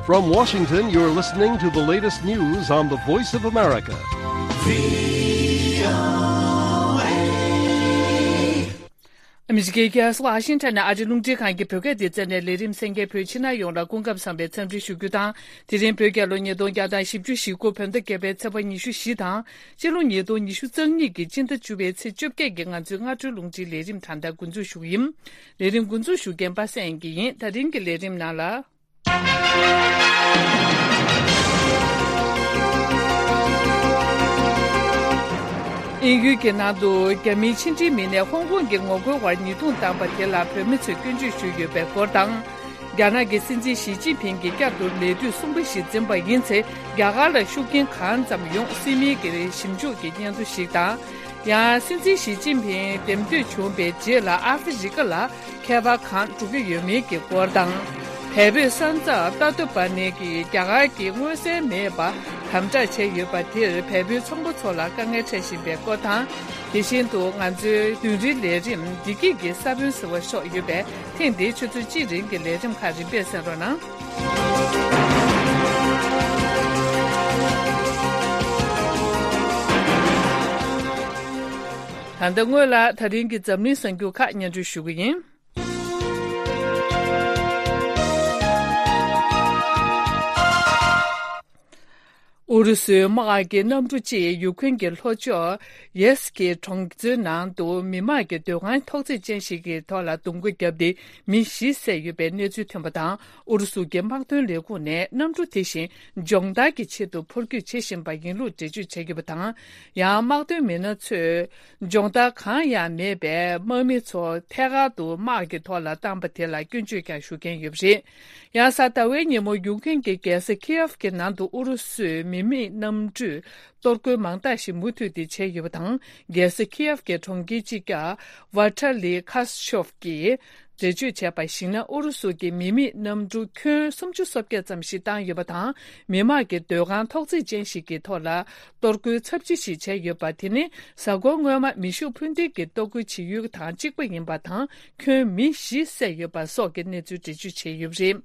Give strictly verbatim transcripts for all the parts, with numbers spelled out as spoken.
From Washington, you're listening to the latest news on the Voice of America. ཨ་མི་རི་ཀའི་རྒྱལ་ས་ཝ་ཤིང་ཊོན་ནས་ཨ་རི་རླུང་འཕྲིན་ཁང་གི་བོད་སྐད་སྡེ་ཚན་ནས་ལས་རིམ་གསན་མཁན་བོད་ཕྱི་ནང་ཡོངས་ལ་སྐུ་ཁམས་བཟང་བའི་འཚམས་འདྲི་ཞུ་རྒྱུ་དང་། དེ་རིང་བོད་རྒྱལ་ལོ་ཉིས་སྟོང་བརྒྱ་དང་བཞི་བཅུ་ཞེ་དགུ་བོད་ཟླ་བརྒྱད་པའི་ཚེས་པ་ཉི་ཤུ་བཞི་དང་། སྤྱི་ལོ་ཉིས་སྟོང་ཉི་ཤུ་རྩ་གཉིས་ཀྱི་སྤྱི་ཟླ་བཅུ་པའི་ཚེས་བཅོ་བརྒྱད་ཀྱི་ང་ཚོའི་སྔ་དྲོའི་རླུང་འཕྲིན་ལས་རིམ་ད་ལྟ་འགོ་འཛུགས་ཞུ་གི་ཡིན། ལས་རིམ་འགོ་འཛུགས་ཞུ་མཁན་པ་སངས་དབྱངས་སྐྱིད་ཡིན། ད་རིང་གི་ལས་རིམ་ནང་ལ། དབྱིན་ཡུལ་གྱི་ནང་དུ་རྒྱ་མིའི་ཕྱི་འབྲེལ་མི་སྣས་ཧོང་ཀོང་གི་ངོ་རྒོལ་བར་ཉེས་རྡུང་བཏང་པ་དེ་ལ་བོད་མི་ཚོས་སྐྱོན་བརྗོད་ཞུས་ཡོད་པའི་སྐོར་དང་། རྒྱ་ནག་གི་སྲིད་འཛིན་ཞི་ཅིན་ཕིང་གིས་བསྐྱར་དུ་ལས་དུས་གསུམ་པ་ཞིག་འཛིན་པ་ཡིན་ཚེ། རྒྱ་གར་ལ་ཤུགས་རྐྱེན་གང་ཙམ་ཡོང་སྲིད་མིན་གྱི་ཞིབ་འཇུག་གི་སྙན་ཐོ་ཞིག་དང་། ཡང་སྲིད་འཛིན་ཞི་ཅིན་ཕིང་འདེམས་ཐོན་བྱུང་བའི་རྗེས་ལ་ཨ་ཧྥེ་རི་ཀ་ལ་ཁྱད་པར་གང་འགྲོ་གི་ཡོད་མེད་ཀྱི་སྐོར་དང་། བལ་པོའི་ས་མཚམས་ཏ་ཏོ་པ་ནེ་གིས་རྒྱ་གར་གྱིས་མངོན་གསལ་མེད་པར་དམ་དྲག་བྱས་ཡོད་པ་དེར་བལ་པོའི་ཚོང་པ་ཚོ་ལ་དཀའ་ངལ་འཕྲད་བཞིན་པའི་སྐོར་དང་། དེ་བཞིན་དུ་ང་ཚོའི་བདུན་རེའི་ལས་རིམ་བདེ་སྐྱིད་ཀྱི་ས་བོན་ཟེར་བ་སོགས་ཡོད་པས། ཐེངས་འདིའི་ཆུ་ཚོད་གཅིག་རིང་གི་ལས་རིམ་ཁག་རིམ་པས་གསན་རོགས་གནང་། ད་ལྟ་སྔོན་ལ་ད་རིང་གི་འཛམ་གླིང་གསར་འགྱུར་ཁག་སྙན་སྒྲོན་ཞུ་གི་ཡིན། ཨུ་རུ་སུའི་དམག་གི་གནམ་གྲུ་གཅིག་ཡུ་ཁུན་གྱི་ལྷོ་ཕྱོགས་ཡེ་སི་ཀི་གྲོང་ཚོའི་ནང་དུ་མི་དམངས་ཀྱི་སྡོད་ཁང་ཐོག་བརྩེགས་ཅན་ཞིག་གི་ཐོག་ལ་རྡུང་རྡེག་བརྒྱབ་སྟེ་མི་བཞི་བསད་ཡོད་པའི་གནས་ཚུལ་ཐོན་པ་དང་། ཨུ་རུ་སུ་གྱི་དམག་དོན་ལས་ཁུངས་ནས་གནམ་གྲུ་དེ་བཞིན་སྦྱོང་བརྡར་གྱི་ཆེད་དུ་འཕུར་སྐྱོད་བྱེད་བཞིན་པ་ཡིན་ལུགས་འགྲེལ་བརྗོད་བྱས་ཡོད་པ་དང་། ཡང་དམག་དོན་མི་སྣ་ཚོས་སྦྱོང་བརྡར་གང་ཡང་མེད་པའི་དམག་མི་ཚོ་ཐད་ཀར་དུ་དམག་གི་ཐོག་ལ་བཏང་པ་དེ་ལ་སྐྱོན་བརྗོད་ཀྱང་ཞུ་མཁན་ཡོད་པ་རེད། ཡང་གཟའ་ཟླ་བའི་ཉིན་མོ་ཡུ་ཁུན་གྱི་རྒྱལ་ས་ཁི་ཡེབ་ཀྱི་ནང་དུ་ཨུ་རུ་སུའི་མི་མེད་གནམ་གྲུས་གཏོར་རྒོལ་མང་དག་ཞིག་མུ་མཐུད་དེ་བྱས་ཡོད་པ་དང་། རྒྱལ་ས་ཁི་ཡེབ་ཀྱི་གྲོང་ཁྱེར་གཅིག་ཀྱང་ཝ་ཐ་ལི་ཁ་སི་ཤོབ་ཀྱིས་འགྲེལ་བརྗོད་བྱས་པར་གཞིགས་ན། ཨུ་རུ་སུ་གྱི་མི་མེད་གནམ་གྲུ་ཁྱོན་སུམ་ཅུ་སོ་བརྒྱད་ཙམ་ཞིག་བཏང་ཡོད་པ་དང་། མི་དམངས་ཀྱི་སྡོད་ཁང་ཐོག་བརྩེགས་ཅན་ཞིག་གི་ཐོག་ལ་གཏོར་རྒོལ་ཚབས་ཆེ་ཞིག་བྱས་ཡོད་པ་དེ་ནི་གཟའ་འཁོར་སྔོན་མ་མེ་ཤུགས་འཕུར་མདེལ་གྱི་གཏོར་རྒོལ་བྱེད་ཡུལ་དང་གཅིག་པ་ཡིན་པ་དང་། ཁྱོན་མི་བཞི་བསད་ཡོད་པ་སོགས་ཀྱི་གནས་ཚུལ་འགྲེལ་བརྗོད་བྱས་ཡོད་པ་རེད།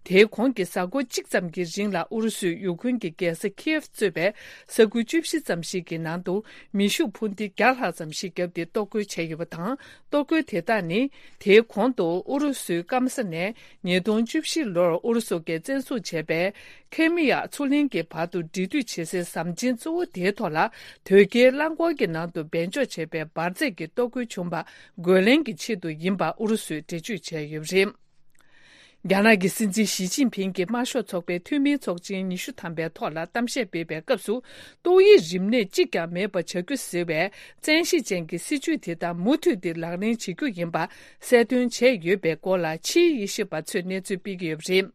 དེའི་གོང་གི་གཟའ་འཁོར་གཅིག་ཙམ་གྱི་རིང་ལ་ཨུ་རུ་སུས་ཡུ་ཁུན་གྱི་རྒྱལ་ས་ཁི་ཡེབ་གཙོས་པའི་ས་ཁུལ་བཅུ་བཞི་ཙམ་ཞིག་གི་ནང་དུ་མེ་ཤུགས་འཕུར་མདེལ་བརྒྱ་ལྷག་ཙམ་ཞིག་བརྒྱབ་སྟེ་གཏོར་རྒོལ་བྱས་ཡོད་པ་དང་། གཏོར་རྒོལ་དེ་དག་ནི་དེའི་གོང་དུ་ཨུ་རུ་སུའི་སྐམ་ས་ནས་ཉིས་སྟོང་བཅུ་བཞི་ལོར་ཨུ་རུ་སུ་གྱིས་བཙན་བཟུང་བྱས་པའི་ཁེ་མི་ཡ་མཚོ་གླིང་གི་བར་དུ་འབྲེལ་མཐུད་བྱེད་སའི་ཟམ་ཆེན་གཙོ་བོ་དེའི་ཐོག་ལ་དོས་སྐྱེལ་རླངས་འཁོར་གྱི་ནང་དུ་སྦས་འཇོག་བྱས་པའི་འབར་རྫས་ཀྱི་གཏོར་རྒོལ་བྱུང་བ་རྒོལ་ལན་གྱི་ཆེད་དུ་ཡིན་པ་ཨུ་རུ་སུས་འགྲེལ་བརྗོད་བྱས་ཡོད་པ་རེད། རྒྱ་ནག་གི་སྲིད་འཛིན་ཞི་ཅིན་ཕིང་གིས་དམར་ཤོག་ཚོགས་པའི་འཐུས་མིའི་ཚོགས་ཆེན་ཉི་ཤུ་ཐམ་པའི་ཐོག་ལ་གཏམ་བཤད་སྤེལ་བའི་སྐབས་སུ། ཏོག་དབྱིབས་རིམས་ནད་གཅིག་ཀྱང་མེད་པ་བྱ་རྒྱུ་ཟེར་བའི་བཙན་ཤེད་ཅན་གྱི་སྲིད་བྱུས་དེ་དག་མུ་མཐུད་དེ་ལག་ལེན་བྱེད་རྒྱུ་ཡིན་པ་གསལ་སྟོན་བྱས་ཡོད་པའི་སྐོར་ལ་ཕྱིའི་དབྱེ་ཞིབ་པ་ཚོས་གནས་ཚུལ་སྤེལ་གྱི་ཡོད་པ་རེད།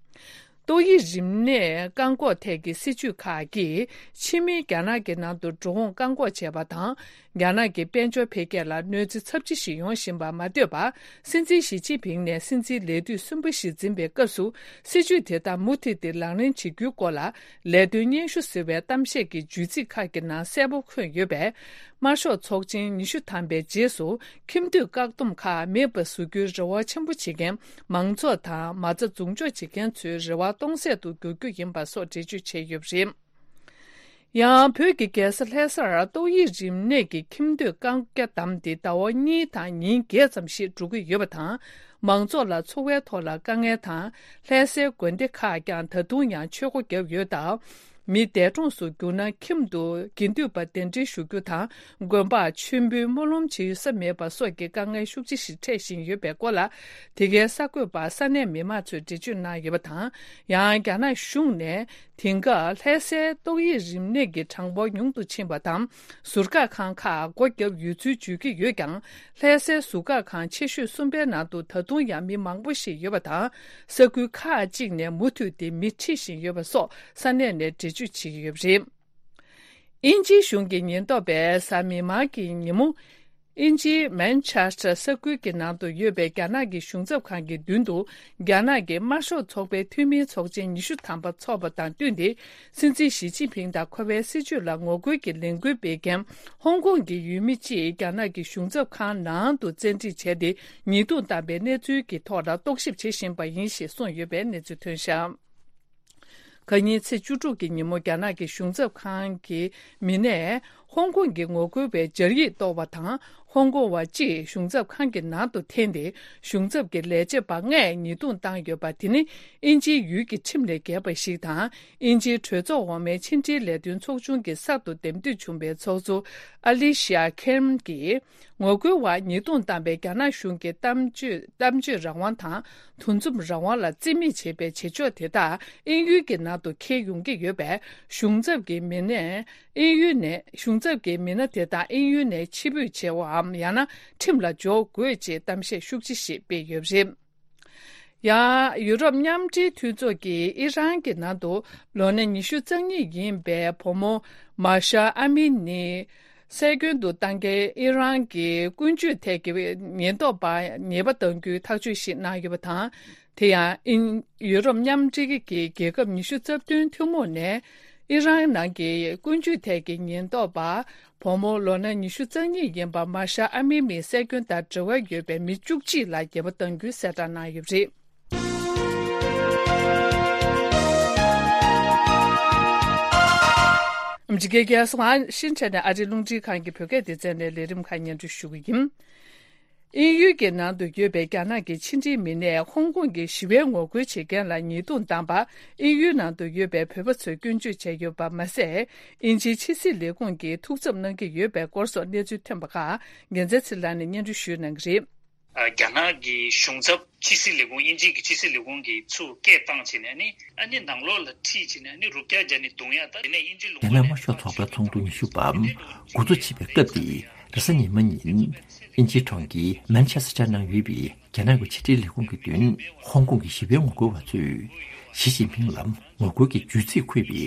ཏོག་དབྱིབས་རིམས་ནད་བཀག་འགོག་ཐད་ཀྱི་སྲིད་བྱུས་ཁག་གིས་ཕྱི་མིའི་རྒྱ་ནག་གི་ནང་དུ་འགྲོ་འོང་བཀག་འགོག་བྱས་པ་དང་། རྒྱ་ནག་གི་དཔལ་འབྱོར་འཕེལ་རྒྱས་ལ་གནོད་འཚེ་ཚབས་ཆེ་ཞིག་ཡོང་བཞིན་པར་མ་ལྟོས་པར། སྲིད་འཛིན་ཞི་ཅིན་ཕིང་ནས་སྲིད་འཛིན་ལས་དུས་གསུམ་པ་ཞིག་འཛིན་པའི་སྐབས་སུ། སྲིད་བྱུས་དེ་དག་མུ་མཐུད་དེ་ལག་ལེན་བྱེད་རྒྱུའི་སྐོར་ལ་ལས་དོན་སྙན་ཞུ་ཟེར་བའི་གཏམ་བཤད་ཀྱི་བརྗོད་ཚིག་ཁག་གི་ནང་གསལ་པོ་འཁོད་ཡོད་པས། དམར་ཤོག་ཚོགས་ཆེན་ཉི་ཤུ་ཐམ་པའི་རྗེས་སུ་ཁྱིམ་སྡོད་བཀག་སྡོམ་ཁག་མེད་པ་བཟོ་རྒྱུའི་རེ་བ་ཆེན་པོ་བྱེད་མཁན་མང་ཚོགས་དང་མ་རྩ་འཛུགས་འཇོག་བྱེད་མཁན་ཚོའི་རེ་བ་སྟོང་ཟད་དུ་འགྱུར་རྒྱུ་ཡིན་པ་སོགས་འགྲེལ་བརྗོད་བྱས་ཡོད་པ་རེད། ཡང་བོད་ཀྱི་རྒྱལ་ས་ལྷ་སར་ཏོག་དབྱིབས་རིམས་ནད་ཀྱི་ཁྱིམ་སྡོད་བཀག་རྒྱ་བསྡམས་ཏེ་ཟླ་བ་གཉིས་དང་ཉིན་བརྒྱད་ཙམ་ཞིག་འགྲོ་གི་ཡོད་པ་དང་། མང་ཚོགས་ལ་འཚོ་བའི་ཐོག་ལ་དཀའ་ངལ་དང་། ལྷ་སའི་དགོན་སྡེ་ཁག་ཀྱང་ད་དུང་ཡང་ཆོས་སྒོ་བརྒྱབ་ཡོད་སྟབས། མི་འདས་གྲོངས་སུ་གྱུར་ན་ཁྱིམ་དུ་དགེ་འདུན་པ་གདན་འདྲེན་ཞུ་རྒྱུ་དང་། དགོན་པར་མཆོད་འབུལ་སྨོན་ལམ་བྱེད་ས་མེད་པ་སོགས་ཀྱི་དཀའ་ངལ་ཤུགས་ཆེ་ཞིག་འཕྲད་བཞིན་ཡོད་པའི་སྐོར་ལ། དེ་གའི་གསར་འགོད་པར་ས་གནས་མི་མང་ཚོས་འགྲེལ་བརྗོད་གནང་ཡོད་པ་དང་། ཡང་རྒྱ་ནག་གཞུང་ནས། དེང་སྐབས་ལྷ་སའི་ཏོག་དབྱིབས་རིམས་ནད་ཀྱི་གྲངས་འབོར་ཉུང་དུ་ཕྱིན་པ་དང་། ཟུར་བཀག་ཁང་ཁག་སྒོ་བརྒྱབ་ཡོད་ཚུལ་བརྗོད་ཀྱི་ཡོད་ཀྱང་། ལྷ་སའི་ཟུར་བཀག་ཁང་ཆེ་ཤོས་གསུམ་པའི་ནང་དུ་ད་དུང་ཡང་མི་མང་པོ་ཞིག་ཡོད་པ་དང་། ས་ཁུལ་ཁག་ཅིག་ནས་མུ་མཐུད་དེ་མི་ཁྲིད་བཞིན་ཡོད་པ་སོགས་ས་གནས་ནས་འགྲེལ་བརྗོད་བྱེད་ཀྱི་ཡོད་པ་རེད། དབྱིན་ཇིའི་གཞུང་གི་ཉེན་རྟོག་པས་གཟའ་མིག་དམར་གྱི་ཉིན་མོ། དབྱིན་ཇིའི་མན་ཆེ་སི་ཊར་ས་ཁུལ་གྱི་ནང་དུ་ཡོད་པའི་རྒྱ་ནག་གི་གཞུང་ཚབ་ཁང་གི་མདུན་དུ། རྒྱ་ནག་གི་དམར་ཤོག་ཚོགས་པའི་འཐུས་མིའི་ཚོགས་ཆེན་ཉི་ཤུ་ཐམ་པ་འཚོགས་པ་དང་བསྟུན་ཏེ། སྲིད་འཛིན་ཞི་ཅིན་ཕིང་དང་ཁོ་པའི་སྲིད་བྱུས་ལ་ངོ་རྒོལ་གྱི་ལས་འགུལ་སྤེལ་མཁན་ཧོང་ཀོང་གི་ཡུལ་མི་གཅིག་རྒྱ་ནག་གི་གཞུང་ཚབ་ཁང་ནང་དུ་བཙན་ཁྲིད་བྱས་ཏེ། ཉེས་རྡུང་བཏང་པའི་གནས་ཚུལ་གྱི་ཐོག་ལ་རྟོག་ཞིབ་བྱེད་བཞིན་པ་ཡིན་ཞེས་གསུངས་ཡོད་པའི་གནས་ཚུལ་ཐོན་བཞག་ཁ་ཉིན་ཚེས་བཅུ་དྲུག་གི་ཉིན་མོ་རྒྱ་ནག་གི་གཞུང་ཚབ་ཁང་གི་མི་སྣས་ཧོང་ཀོང་གི་ངོ་རྒོལ་བའི་སྦྱར་ཡིག་གཏོར་བ་དང་། ཧོང་ཀོང་བ་གཅིག་གཞུང་ཚབ་ཁང་གི་ནང་དུ་འཐེན་ཏེ། གཞུང་ཚབ་ཀྱི་ལས་བྱེད་པ་ལྔས་ཉེས་རྡུང་བཏང་ཡོད་པ་དེ་ནི་དབྱིན་ཇིའི་ཡུལ་གྱི་ཁྲིམས་ལས་འགལ་བ་ཞིག་དང་། དབྱིན་ཇིའི་གྲོས་ཚོགས་འོག་མའི་ཕྱི་འབྲེལ་ལས་དོན་ཚོགས་ཆུང་གི་གསར་དུ་འདེམས་ཐོན་བྱུང་བའི་ཚོགས་གཙོ་ཨ་ལི་ཤ་ཁེམ་གྱིས། ངོ་རྒོལ་བར་ཉེས་རྡུང་བཏང་བའི་རྒྱ་ནག་གཞུང་གི་གཏམ་བརྗོད་གཏམ་བརྗོད་རང་དབང་དང་། འདུ་འཛོམས་རང་དབང་ལ་བརྩི་མེད་བྱེད་པའི་བྱེད་ཕྱོགས་དེ་དག་དབྱིན་ཡུལ་གྱི་ནང་དུ་འཁེལ་ཡོང་གི་ཡོད་པས། གཞུང་ཚབ་ཀྱི་མི་སྣས་དབྱིན་ཡུལ་ནས། གཞུང་ཚབ་ཀྱི་མི་སྣ་དེ་དག་དབྱིན་ཡུལ་ནས་ཕྱིར་འབུད་བྱེད་པའམ། ཡང་ན་ཁྲིམས་ལ་འཇོག་དགོས་ཅེས་གཏམ་བཤད་ཤུགས་ཆེ་ཞིག་སྤེལ་ཡོད་པ་རེད། ཡང་ཡུ་རོབ་མཉམ་འབྲེལ་མཐུན་ཚོགས་ཀྱིས་ཨི་རན་གྱི་ནང་དུ་ལོ་ན་ཉི་ཤུ་རྩ་གཉིས་ཡིན་པའི་བུ་མོ་མཱ་ཤ་ཨ་མི་ནི་སྲོལ་རྒྱུན་དུ་བཏང་མཁན་ཨི་རན་གྱི་ཀུན་སྤྱོད་ཐད་ཀྱི་ཉེན་རྟོག་པ་ཉེས་པ་གཏང་རྒྱུའི་ཐག་གཅོད་ཞིག་གནང་ཡོད་པ་དང་། དེ་ཡང་ཨིན་ཡུ་རོབ་མཉམ་འབྲེལ་གྱི་རྒྱལ་ཁབ་ཉི་ཤུ་རྩ་བདུན་ཐུན་མོང་ནས་ཨི་རན་ནང་གི་ཀུན་སྤྱོད་ཐད་ཀྱི་ཉེན་རྟོག་པ། བུ་མོ་ལོ་ན་ཉི་ཤུ་རྩ་གཉིས་ཡིན་པ་མཱ་ཤ་ཨ་མི་མིའི་སྲོལ་རྒྱུན་དང་འབྲེལ་བ་ཡོད་པའི་མི་བཅུ་གཅིག་ལ་ཉེས་པ་གཏང་རྒྱུའི་གསལ་བསྒྲགས་གནང་ཡོད་པ་རེད། འཇིགས་སྐལ་རྒྱལ་སོང་ཨ་ཤིན་ཅང་ནས་ཨ་རིའི་རླུང་འཕྲིན་ཁང་གི་བོད་སྐད་སྡེ་ཚན་ནས་ལས་རིམ་ཁག་སྙན་སྒྲོན་ཞུ་གི་ཡིན། དབྱིན་ཡུལ་གྱི་ནང་དུ་ཡོད་པའི་རྒྱ་ནག་གི་ཕྱི་འབྲེལ་མི་སྣས་ཧོང་ཀོང་གི་ཞི་བའི་ངོ་རྒོལ་བྱེད་མཁན་ལ་ཉེས་རྡུང་བཏང་པ། དབྱིན་ཡུལ་ནང་དུ་ཡོད་པའི་བོད་པ་ཚོས་སྐྱོན་བརྗོད་བྱས་ཡོད་པ་མ་ཟད། དབྱིན་ཇིའི་ཕྱི་སྲིད་ལས་ཁུངས་ཀྱིས་ཐུགས་འཚབ་གནང་གི་ཡོད་པའི་སྐོར་སོགས་གནས་ཚུལ་ཐོན་པ་ཁག་རྒྱལ་མཚན་ཚེ་ལགས་ནས་སྙན་སྒྲོན་ཞུས་གནང་གི་རེད། ཨ། རྒྱ་ནག་གི་གཞུང་ཚབ་ཕྱི་སྲིད་ལས་ཁུངས། དབྱིན་ཇི་གི་ཕྱི་སྲིད་ལས་ཁུངས་ཀྱིས་ཚུར་སྐད་བཏང་བྱས་ནས་ནི། ཨ་ནི་ནང་ལོགས་ལ་ཁྲིད་བྱས་ནས་ནི་རུབ་རྒྱག་རྒྱག་ནས་རྡུང་ཡ། ད་དེ་ནས་དབྱིན་ཇི་ལུང་པ་རྒྱ་ནག་དམར་ཤོག་ཚོགས་པའི་ཚོགས་འདུ་ཉི་ཤུ་པ་འགོ་འཛུགས་བྱེད་པའི་སྐབས་དེ་རེས་གཟའ་ཉི་མ་ཉིན་དབྱིན་ཇིའི་གྲོང་ཁྱེར་མན་ཆེ་སི་ཊར་ནང་ཡོད་པའི་རྒྱ་ནག་གི་ཕྱི་འབྲེལ་ལས་ཁུངས་ཀྱི་མདུན། ཧོང་ཀོང་གི་ཞི་བའི་ངོ་རྒོལ་བ་ཚོས་ཞི་ཅིན་ཕིང་ལ་ངོ་རྒོལ་གྱི་བརྗོད་ཚིག་འཁོད་པའི་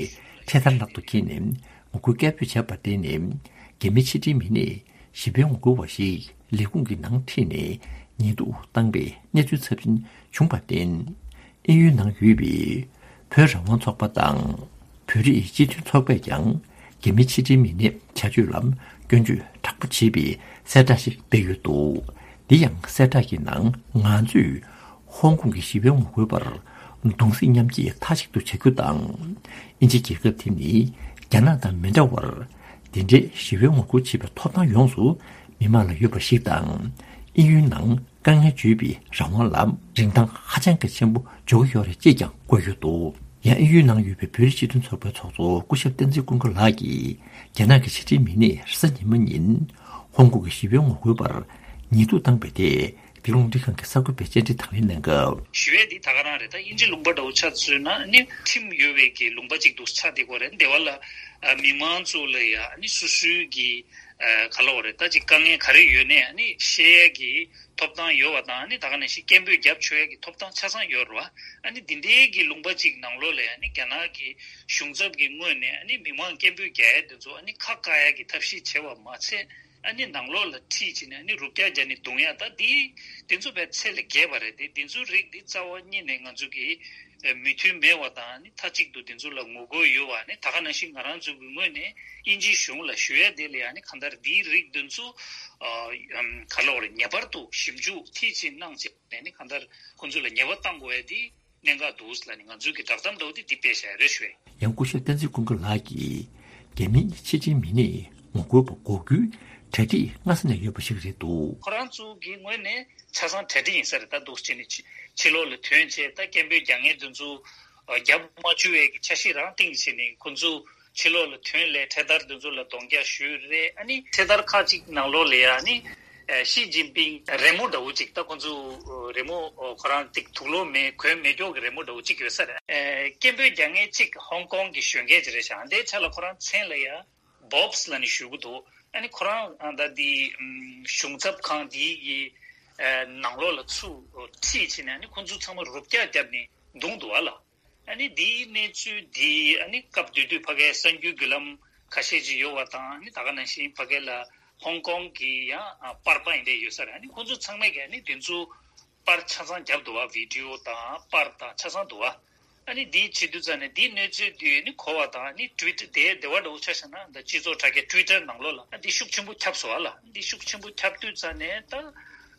འཕྲེད་དར་ལག་ཏུ་འཁྱེར་ནས་ངོ་རྒོལ་སྐད་འབོད་བྱས་པར་བརྟེན་ནས། རྒྱ་མིའི་ཕྱི་འབྲེལ་མི་སྣས་ཞི་བའི་ངོ་རྒོལ་བ་ཞིག་ལས་ཁུངས་ཀྱི་ནང་ཁྲིད་ནས་ཉེས་རྡུང་བཏང་པའི་གནས་ཚུལ་ཚབས་ཆེན་བྱུང་བར་བརྟེན། དབྱིན་ཡུལ་ནང་ཡོད་པའི་བོད་རང་དབང་ཚོགས་པ་དང་། བོད་རིགས་སྤྱི་མཐུན་ཚོགས་པས་ཀྱང་རྒྱ་མིའི་ཕྱི་འབྲེལ་མི་སྣའི་བྱ་སྤྱོད་ལ་སྐྱོན་བརྗོད་དྲག་པོ་བྱས་པའི་གསལ་བསྒྲགས་ཤིག་སྤེལ་ཡོད་འདུག། འདི་ཡང་གསལ་བསྒྲགས་ཀྱི་ནང་། ང་ཚོས་ཧོང་ཀོང་གི་ཞི་བའི་ངོ་རྒོལ་བར་གདུང་སེམས་མཉམ་སྐྱེད་མཐའ་གཅིག་ཏུ་བྱ་རྒྱུ་དང་། དབྱིན་ཇི་རྒྱལ་ཁབ་དེ་ནི་རྒྱ་ནག་དང་མི་འདྲ་བར། འདི་འདྲའི་ཞི་བའི་ངོ་རྒོལ་བྱེད་པའི་ཐོབ་ཐང་ཡོངས་སུ་མི་དམངས་ལ་ཡོད་པ་ཞིག་དང་། དབྱིན་ཡུལ་ནང་དཀའ་ངལ་བརྗོད་པའི་རང་དབང་ལ་རིན་ཐང་ཧ་ཅང་གི་ཆེན་པོ་འཇོག་གི་ཡོད་རེད་ཅེས་ཀྱང་བཀོད་ཡོད་འདུག། ཡང་དབྱིན་ཡུལ་ནང་ཡོད་པའི་བོད་རིགས་སྤྱི་མཐུན་ཚོགས་པའི་ཚོགས་གཙོ་སྐུ་ཞབས་བསྟན་འཛིན་ཀུན་དགའ་ལགས་ཀྱིས། རྒྱ་ནག་གི་ཕྱི་འབྲེལ་མི་སྣས་རེས་གཟའ་ཉི་མ་ཉིན་ཧོང་ཀོང་གི་ཞི་བའི་ངོ་རྒོལ་བར་ཉེས་རྡུང་བཏང་པའི་ཐད། འདི་རླུང་འཕྲིན་ཁང་གི་གསར་འགོད་པས་བཅར་འདྲི་དང་ལེན་གནང་སྐབས། ཞི་བའི་འདི་ད་ག་རང་རེད། ད་དབྱིན་ཇི་ལུང་པ་འདྲ་བོ་ཆ་མཚོན་ན་ནི་ཁྲིམས་ཡོད་པའི་གི་ལུང་པ་ཅིག་འདུག་ཆགས་བསྡད་ཀྱི་ཡོད་རེད། དེ་བ་ལ་ཨ་མི་མང་ཚོ་ལ་ཡ་ཨ་ནི་སོ་སོའི་གི་ཨ་ག་ལབ་དགོས་རེད། ད་ཅིག་དཀའ་ངལ་ག་རེ་ཡོད་ནའི་ཨ་ནི་བཤད་ཡ་གི་ཐོབ་ཐང་ཡོད་པ་དང་། ཨ་ནི་ད་ག་ནང་བཞིན་སྐད་འབོད་རྒྱབ་ཆོག་ཡ་གི་ཐོབ་ཐང་ཆ་ཚང་ཡོད་རེད་བ། ཨ་ནི་འདི་འདྲའི་གི་ལུང་པ་ཅིག་ནང་ལོགས་ལ་ཡ་ཨ་ནི་རྒྱ་ནག་གི་གཞུང་ཚབ་ཀྱི་ངོས་ནས་ཨ་ནི་མི་མང་སྐད་འབོད་རྒྱག་ཡ་དེ་ཚོ་ཨ་ནི་ཁ་བཀག་ཡ་གི་ཐབས་ཤེས་བྱས་པ་མ་ཚད། ཨ་ནི་ནང་ལོགས་ལ་ཁྲིད་བྱས་ནས་ཨ་ནི་རུབ་རྒྱག་རྒྱག་ནས་རྡུང་ཡ། ད་འདི་དེ་ཚོ་དཔེ་ཚད་ལས་བརྒལ་བ་རེད། དེ་དེ་ཚོའི་རིགས་འདི་རྩ་བ་ཉིད་ནས་ང་ཚོ་གི་མོས་མཐུན་མེད་པ་དང་། ཨ་ནི་མཐའ་གཅིག་ཏུ་དེ་ཚོ་ལ་ངོ་རྒོལ་ཡོད་པ། ཨ་ནི་ད་ག་ནང་བཞིན་ང་རང་ཚོ་གི་ངོས་ནས་དབྱིན་ཇིའི་གཞུང་ལ་ཞུ་ཡ་དེ་ལ་ཡ་ཨ་ནི་གང་ལྟར་འདིའི་རིགས་དེ་ཚོ་ཨ་ག་ལབ་དགོས་རེད། ངེས་པར་དུ་ཞིབ་འཇུག་མཐིལ་ཕྱིན་གནང་བྱས་ནས་ཨ་ནི་གང་ལྟར་ཁོང་ཚོ་ལ་ཉེས་པ་གཏང་དགོས་ཡ་དེ། གནད་འགག་འདུག་ལབ་ནས་ང་ཚོའི་གི་བསྒྲགས་གཏམ་འདྲ་བོ་དེ་འདི་སྤེལ་བཞག་རེད་ཞུ་བས། ཡང་སྐུ་ཞབས་བསྟན་འཛིན་ཀུན་དགའ་ལགས་ཀྱིས། རྒྱ་མིའི་ཕྱི་འབྲེལ་མི་སྣས་ངོ་རྒོལ་པ་འགོག་རྒྱུའི་གྲ་སྒྲིག་སྔ་ས་ནས་ཡོད་པ་ཞིག་རེད་འདུག། ཁོ་རང་ཚོ་གི་ངོས་ནས་ཆ་ཚང་གྲ་སྒྲིག་ཡིན་ས་རེད། ད་འདུག་བྱས་ནས་ཕྱི་ཕྱི་ལོགས་ལ་ཐོན་བྱས། ད་སྐད་འབོད་རྒྱག་མཁན་དེ་ཚོ་རྒྱབ་མ་བཅུག་པའི་གི་འཆར་གཞི་རང་བཏིང་བྱས་ནས་ཁོ་ཚོ་ཕྱི་ལོགས་ལ་ཐོན་ལས་འཕྲེད་དར་དེ་ཚོ་ལ་གདོང་རྒྱག་ཞུས་རེད། ཨ་ནི་འཕྲེད་དར་ཁག་ཅིག་ནང་ལོགས་ལ་ཡ་ཨ་ནི། ཨ། ཞི་ཅིན་ཕིང་རི་མོ་འདྲ་བོ་ཅིག་ད་ཁོ་ཚོ་རི་མོ་ཁོ་རང་ཏིག་དུག་ལོག་མེད་གོན་མེད་སྐྱོག་གི་རི་མོ་འདྲ་བོ་ཅིག་ཡོད་ས་རེད། ཨ། སྐད་འབོད་རྒྱག་མཁན་ཅིག་ཧོང་ཀོང་གི་གཞོན་སྐྱེས་ཅིག་རེད་ཤག། འདིའི་ཆ་ལ་ཁོ་རང་མཚན་ལ་ཡ་བོབས་ལབ་ནས་ཞུ་གི་འདུག། ཨ་ནི་ཁོ་རང་ད་འདི་གཞུང་ཚབ་ཁང་འདིའི་གི་ནང་ལོགས་ལ་ཚུར་ཁྲིད་བྱས་ནས། ཨ་ནི་ཁོ་ཚོ་ཚང་མ་རུབ་རྒྱག་བརྒྱབ་ནས་བརྡུངས་འདུག་བ་ལ། ཨ་ནི་འདིའི་གནས་ཚུལ་འདི་ཨ་ནི་སྐབས་དེ་དུས་ཕ་གིའི་གསར་འགྱུར་བརྒྱུད་ལམ་ཁ་ཤས་ཅིག་ཡོད་པ་དང་། ཨ་ནི་ད་ག་ནང་བཞིན་ཕ་གི་ལ་ཧོང་ཀོང་གི་ཡང་ཨ་པར་པ་ཡིན་པའི་ཡོད་ས་རེད། ཨ་ནི་ཁོང་ཚོ་ཚང་མས་ཀྱི་ཨ་ནི་དེ་ཚོ་པར་ཆ་ཚང་བརྒྱབ་འདུག་བ། བི་ཌི་ཡོ་དང་པར་དང་ཆ་ཚང་འདུག་བ། ཨ་ནི་འདི་བྱེད་དུས་ཙ་ནས་འདིའི་གནས་ཚུལ་འདི་ཨ་ནི་གོ་བ་དང་། ཨ་ནི་ཊུ་ཝི་ཊར་དེ་དེ་བ་འདྲ་བོ་ཆ་བཞག་ན། ད་སྤྱི་ཚོགས་དྲ་རྒྱ་ཊུ་ཝི་ཊར་ནང་ལོགས་ལ་ཨ་འདི་ཤུགས་ཆེན་པོ་ཁྱབ་སོང་བ་ལ། འདི་ཤུགས་ཆེན་པོ་ཁྱབ་དུས་ཙ་ནས་ད་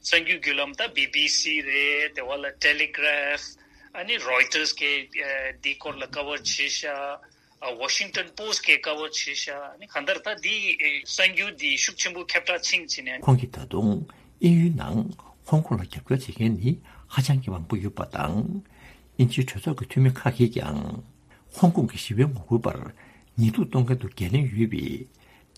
གསར་འགྱུར་བརྒྱུད་ལམ་ད་བི་བི་སི་རེད། དེ་བ་ལ་ཊེ་ལི་གྷ་རཕ། ཨ་ནི་Reuters་གིས་འདིའི་སྐོར་ལ་ཀ་བར་བྱས་ཤག་ཨ། Washington Post་གིས་ཀ་བར་བྱས་ཤག་ཨ་ནི་གང་ལྟར་ད་འདི་གསར་འགྱུར་འདི་ཤུགས་ཆེན་པོ་ཁྱབ་བསྒྲགས་ཕྱིན་བྱས་ནས། ཁོང་གིས་ད་དུང་དབྱིན་ཡུལ་ནང་ཧོང་ཀོང་ལ་རྒྱབ་སྐྱོར་བྱེད་མཁན་ནི་ཧ་ཅང་གི་མང་པོ་ཡོད་པ་དང་། དབྱིན་ཇིའི་གྲོས་ཚོགས་ཀྱི་འཐུས་མི་ཁག་གིས་ཀྱང་ཧོང་ཀོང་གི་ཞི་བའི་ངོ་རྒོལ་པར་ཉེས་རྡུང་གཏོང་མཁན་དུ་འགན་ལེན་ཡོད་པའི་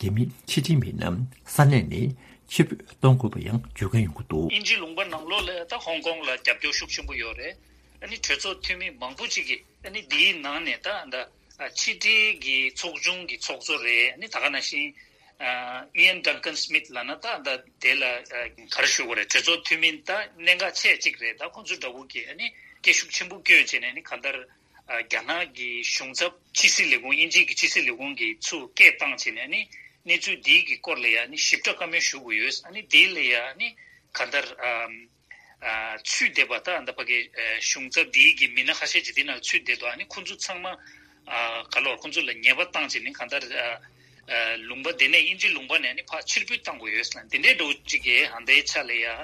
རྒྱ་མིའི་ཕྱི་འབྲེལ་མི་སྣ་ས་གནས་ནས་ཕྱིར་འབུད་གཏོང་དགོས་པ་ཡང་བརྗོད་མཁན་ཡོང་གི་འདུག་དབྱིན་ཇིའི་ལུང་པ་ནང་ལོགས་ལ་ད་ཧོང་ཀོང་ལ་རྒྱབ་སྐྱོར་ཤུགས་ཆེན་པོ་ཡོད་རེད། ཨ་ནི་གྲོས་ཚོགས་འཐུས་མི་མང་པོ་ཅིག་གིས་ཨ་ནི་འདིའི་ནང་ནས་ད་ད་ཕྱི་འབྲེལ་གྱི་ཚོགས་ཆུང་གི་ཚོགས་གཙོ་རེད། ཨ་ནི་ད་ག་ནང་བཞིན་Ian Duncan Smith་ལབ་ན་ད་ད་དེ་ལ་ག་རེ་ཞུ་དགོས་རེད། གྲོས་ཚོགས་འཐུས་མི་ད་གནད་འགག་ཆེ་གཅིག་རེད། ད་ཁོང་ཚོ་འདྲ་བོ་གིས་ཨ་ནི་སྐད་ཤུགས་ཆེན་པོ་བསྐྱོན་བྱས་ནས་ཨ་ནི་གང་ལྟར། ཨ། རྒྱ་ནག་གི་གཞུང་ཚབ་ཕྱི་སྲིད་ལས་ཁུངས། དབྱིན་ཇི་གི་ཕྱི་སྲིད་ལས་ཁུངས་ཀྱིས་ཚུར་སྐད་བཏང་བྱས་ནས་ཨ་ནི་གནས་ཚུལ་འདིའི་གི་སྐོར་ལ་ཡ་ཨ་ནི་ཞིབ་ཕྲ་བཀའ་མོལ་ཞུ་དགོས་ཡོད། ཨ་ནི་འདི་ལ་ཡ་ཨ་ནི་གང་ལྟར་ཨ་ཨ་ཚུད་བསྡད་པ་ད་ད་ཕ་གི་ཨ་གཞུང་ཚབ་འདིའི་གི་མི་སྣ་ཁ་ཤས་ཅིག་འདི་ནང་ཚུད་བསྡད་འདུག་ཨ་ནི་ཁོང་ཚོ་ཚང་མ་ཨ་ག་ལོར་ཁོང་ཚོ་ལ་ཉེས་པ་བཏང་བྱས་ནས་གང་ལྟར་ཨ་ཨ་ལུང་པ་འདི་ནས་དབྱིན་ཇི་ལུང་པ་ནས་ཨ་ནི་ཕར་ཕྱིར་འབུད་བཏང་དགོས་ཡོད་ཟེར་ན་འདི་འདྲའི་འདྲ་བོ་ཅིག་གི་ཨ་འདའི་ཆ་ལ་ཡ་ཨ་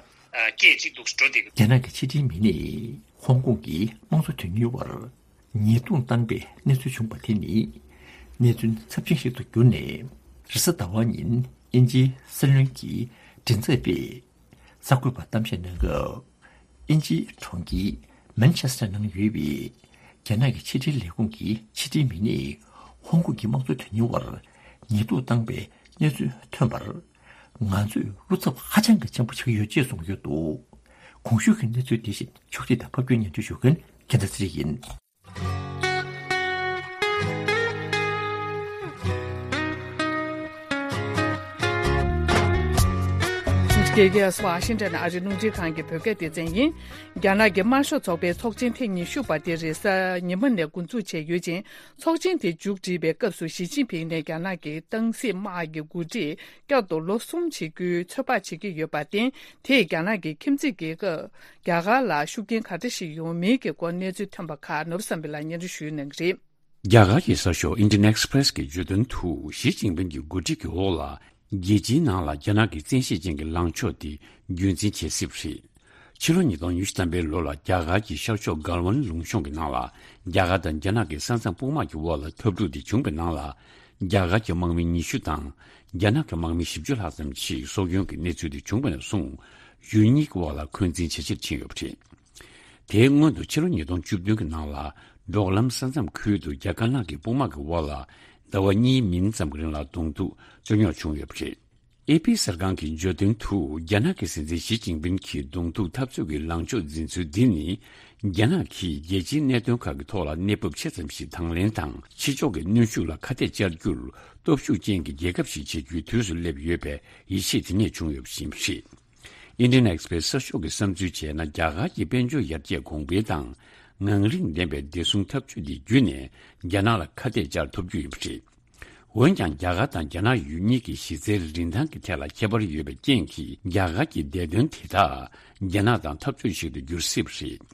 སྐད་ཅིག་འདུག་འགྲོ་བསྡད་ཀྱི། རྒྱ་ནག་གི་ཕྱི་འབྲེལ་མི་སྣས་ཧོང་ཀོང་གི་དམངས་གཙོ་དོན་གཉེར་བར་ཉེས་རྡུང་བཏང་པའི་གནས་ཚུལ་བྱུང་བ་དེ་ནི་གནས་ཚུལ་ཚབས་ཆེན་ཞིག་ཏུ་གྱུར་ནས། རེས་གཟའ་ཟླ་བ་ཉིན་དབྱིན་ཇིའི་སྲིད་བློན་གྱི་མགྲིན་ཚབ་པས་གསར་འགོད་པར་གཏམ་བཤད་གནང་སྐབས། དབྱིན་ཇིའི་གྲོང་ཁྱེར་མན་ཆེ་སི་ཊར་ནང་ཡོད་པའི་རྒྱ་ནག་གི་ཕྱི་འབྲེལ་ལས་ཁུངས་ཀྱི་ཕྱི་འབྲེལ་མི་སྣས་ཧོང་ཀོང་གི་དམངས་གཙོ་དོན་གཉེར་བར་ཉེས་རྡུང་བཏང་པའི་གནས་ཚུལ་ཐོན་པར། ང་ཚོས་བློ་འཚབ་ཧ་ཅང་གི་ཆེན་པོ་བྱེད་ཀྱི་ཡོད་ཅེས་གསུངས་ཡོད་འདུག་གོང་ཞུས་ཀྱི་གནས་ཚུལ་དེ་བཞིན་ཕྱོགས་སྒྲིག་དང་ཕབ་སྒྱུར་སྙན་སྒྲོན་ཞུ་མཁན་རྒྱལ་མཚན་ཚེ་རིང་ཡིན། ཀེ་ཀེ་ཨེས་ཝ་ཤིང་ཊོན་ཨ་རིའི་རླུང་འཕྲིན་ཁང་གི་བོད་སྐད་སྡེ་ཚན་ཡིན། རྒྱ་ནག་གི་དམར་ཤོག་ཚོགས་པའི་ཚོགས་ཆེན་ཐེངས་ཉི་ཤུ་པ་དེ་རེས་གཟའ་ཉི་མ་ནས་འགོ་འཛུགས་བྱས་ཡོད་ཅིང་། ཚོགས་ཆེན་དེ་མཇུག་སྒྲིལ་བའི་སྐབས་སུ་ཞི་ཅིན་ཕིང་ནས་རྒྱ་ནག་གི་སྟངས་འཛིན་དམག་གི་འགོ་ཁྲིད་བསྐྱར་དུ་ལོ་གསུམ་བྱེད་རྒྱུའི་ཚོད་དཔག་བྱེད་ཀྱི་ཡོད་པར་བརྟེན། དེས་རྒྱ་ནག་གི་ཁྱིམ་མཚེས་རྒྱལ་ཁབ་རྒྱ་གར་ལ་ཤུགས་རྐྱེན་ག་འདྲ་ཞིག་ཡོང་མིན་གྱི་སྐོར་གནས་ཚུལ་ཐོན་པ་ཁག་ནོར་བུ་བསམ་འཕེལ་ལགས་སྙན་སྒྲོན་ཞུ་གནང་གི་རེད། རྒྱ་གར་གྱི་གསར་ཤོག་Indian Express་གི་བརྗོད་དོན་དུ། ཞི་ཅིན་ཕིང་གི་འགོ་ཁྲིད་ཀྱི་འོག་ལ། རྒྱལ་སྤྱིའི་ནང་ལ་རྒྱ་ནག་གི་བཙན་ཤེད་ཅན་གྱི་ལངས་ཕྱོགས་དེ་རྒྱུན་འཛིན་བྱེད་སྲིད་པ་རེད། ཕྱི་ལོ་ཉིས་སྟོང་ཉི་ཤུ་ཐམ་པའི་ལོ་ལ་རྒྱ་གར་གྱི་ཤར་ཕྱོགས་གལ་ཝན་ལུང་གཤོང་གི་ནང་ལ། རྒྱ་གར་དང་རྒྱ་ནག་གི་ས་མཚམས་དཔུང་དམག་གི་འོག་ལ་འཐབ་འཁྲུག་དེ་བྱུང་བའི་ནང་ལ། རྒྱ་གར་གྱི་དམག་མི་ཉི་ཤུ་དང་། རྒྱ་ནག་གི་དམག་མི་བཞི་བཅུ་ལྷག་ཙམ་ཞིག་སྲོག་སྐྱོན་གྱི་གནས་ཚུལ་དེ་བྱུང་བ་ནས་བཟུང་། ཡུལ་གཉིས་ཀྱི་དབར་ལ་འཁོན་འཛིན་ཇེ་ཆེར་ཕྱིན་ཡོད་པ་རེད། དེའི་སྔོན་དུ་ཕྱི་ལོ་ཉིས་སྟོང་བཅུ་བདུན་གྱི་ནང་ལ། འབྲོག་ལམ་ས་མཚམས་ཁུལ་དུ་རྒྱ་དཀར་ནག་གི་དཔུང་དམག་གི་དབར་ལ་ཟླ་བ་གཉིས་མིན་ཙམ་གྱི་རིང་ལ་གདོང་ཐུག་རྩོད་རྙོག་བྱུང་ཡོད་པ་རེད། ཨེ་པི་གསར་ཁང་གི་བརྗོད་དོན་དུ། རྒྱ་ནག་གི་སྲིད་འཛིན་ཞི་ཅིན་ཕིང་གིས་གདོང་ཐུག་འཐབ་རྩོད་ཀྱི་ལངས་ཕྱོགས་འཛིན་ཚུལ་འདི་ནི། རྒྱ་ནག་གིས་རྒྱལ་སྤྱིའི་གནད་དོན་ཁག་གི་ཐོག་ལ་གནས་བབ་ཆེ་ཙམ་ཞིག་དང་ལེན་དང་། ཕྱི་ཕྱོགས་ཀྱི་གནོན་ཤུགས་ལ་ཁ་གཏད་བཅར་རྒྱུར་སྟོབས་ཤུགས་ཅན་གྱི་རྒྱལ་ཁབ་ཞིག་བྱེད་རྒྱུའི་དུས་སུ་སླེབས་ཡོད་པའི་ཡིད་ཆེས་དེ་ནས་བྱུང་ཡོད་པ་ཞིག་རེད། Indian Express་གསར་ཤོག་གི་བསམ་ཚུལ་བྱས་ན། རྒྱ་གར་གྱི་དཔལ་འབྱོར་ཡར་རྒྱས་གོང་འཕེལ་དང་། ངང་རིང་ལྡན་པའི་བདེ་སྲུང་འཐབ་ཇུས་དེ་བརྒྱུད་ནས་རྒྱ་ནག་ལ་ཁ་གཏད་བཅར་ཐུབ་རྒྱུ་ཡིན་པ་རེད། འོན་ཀྱང་། རྒྱ་གར་དང་རྒྱ་ནག་ཡུལ་གཉིས་ཀྱི་གཞི་རྩའི་རིན་ཐང་གི་ཐད་ལ་ཁྱད་པར་ཡོད་པའི་རྐྱེན་གྱིས། རྒྱ་གར་གྱི་བདེ་དོན་དེ་དག་རྒྱ་ནག་དང་འཐབ་རྩོད་ཞིག་ཏུ་འགྱུར་སྲིད་པ་རེད།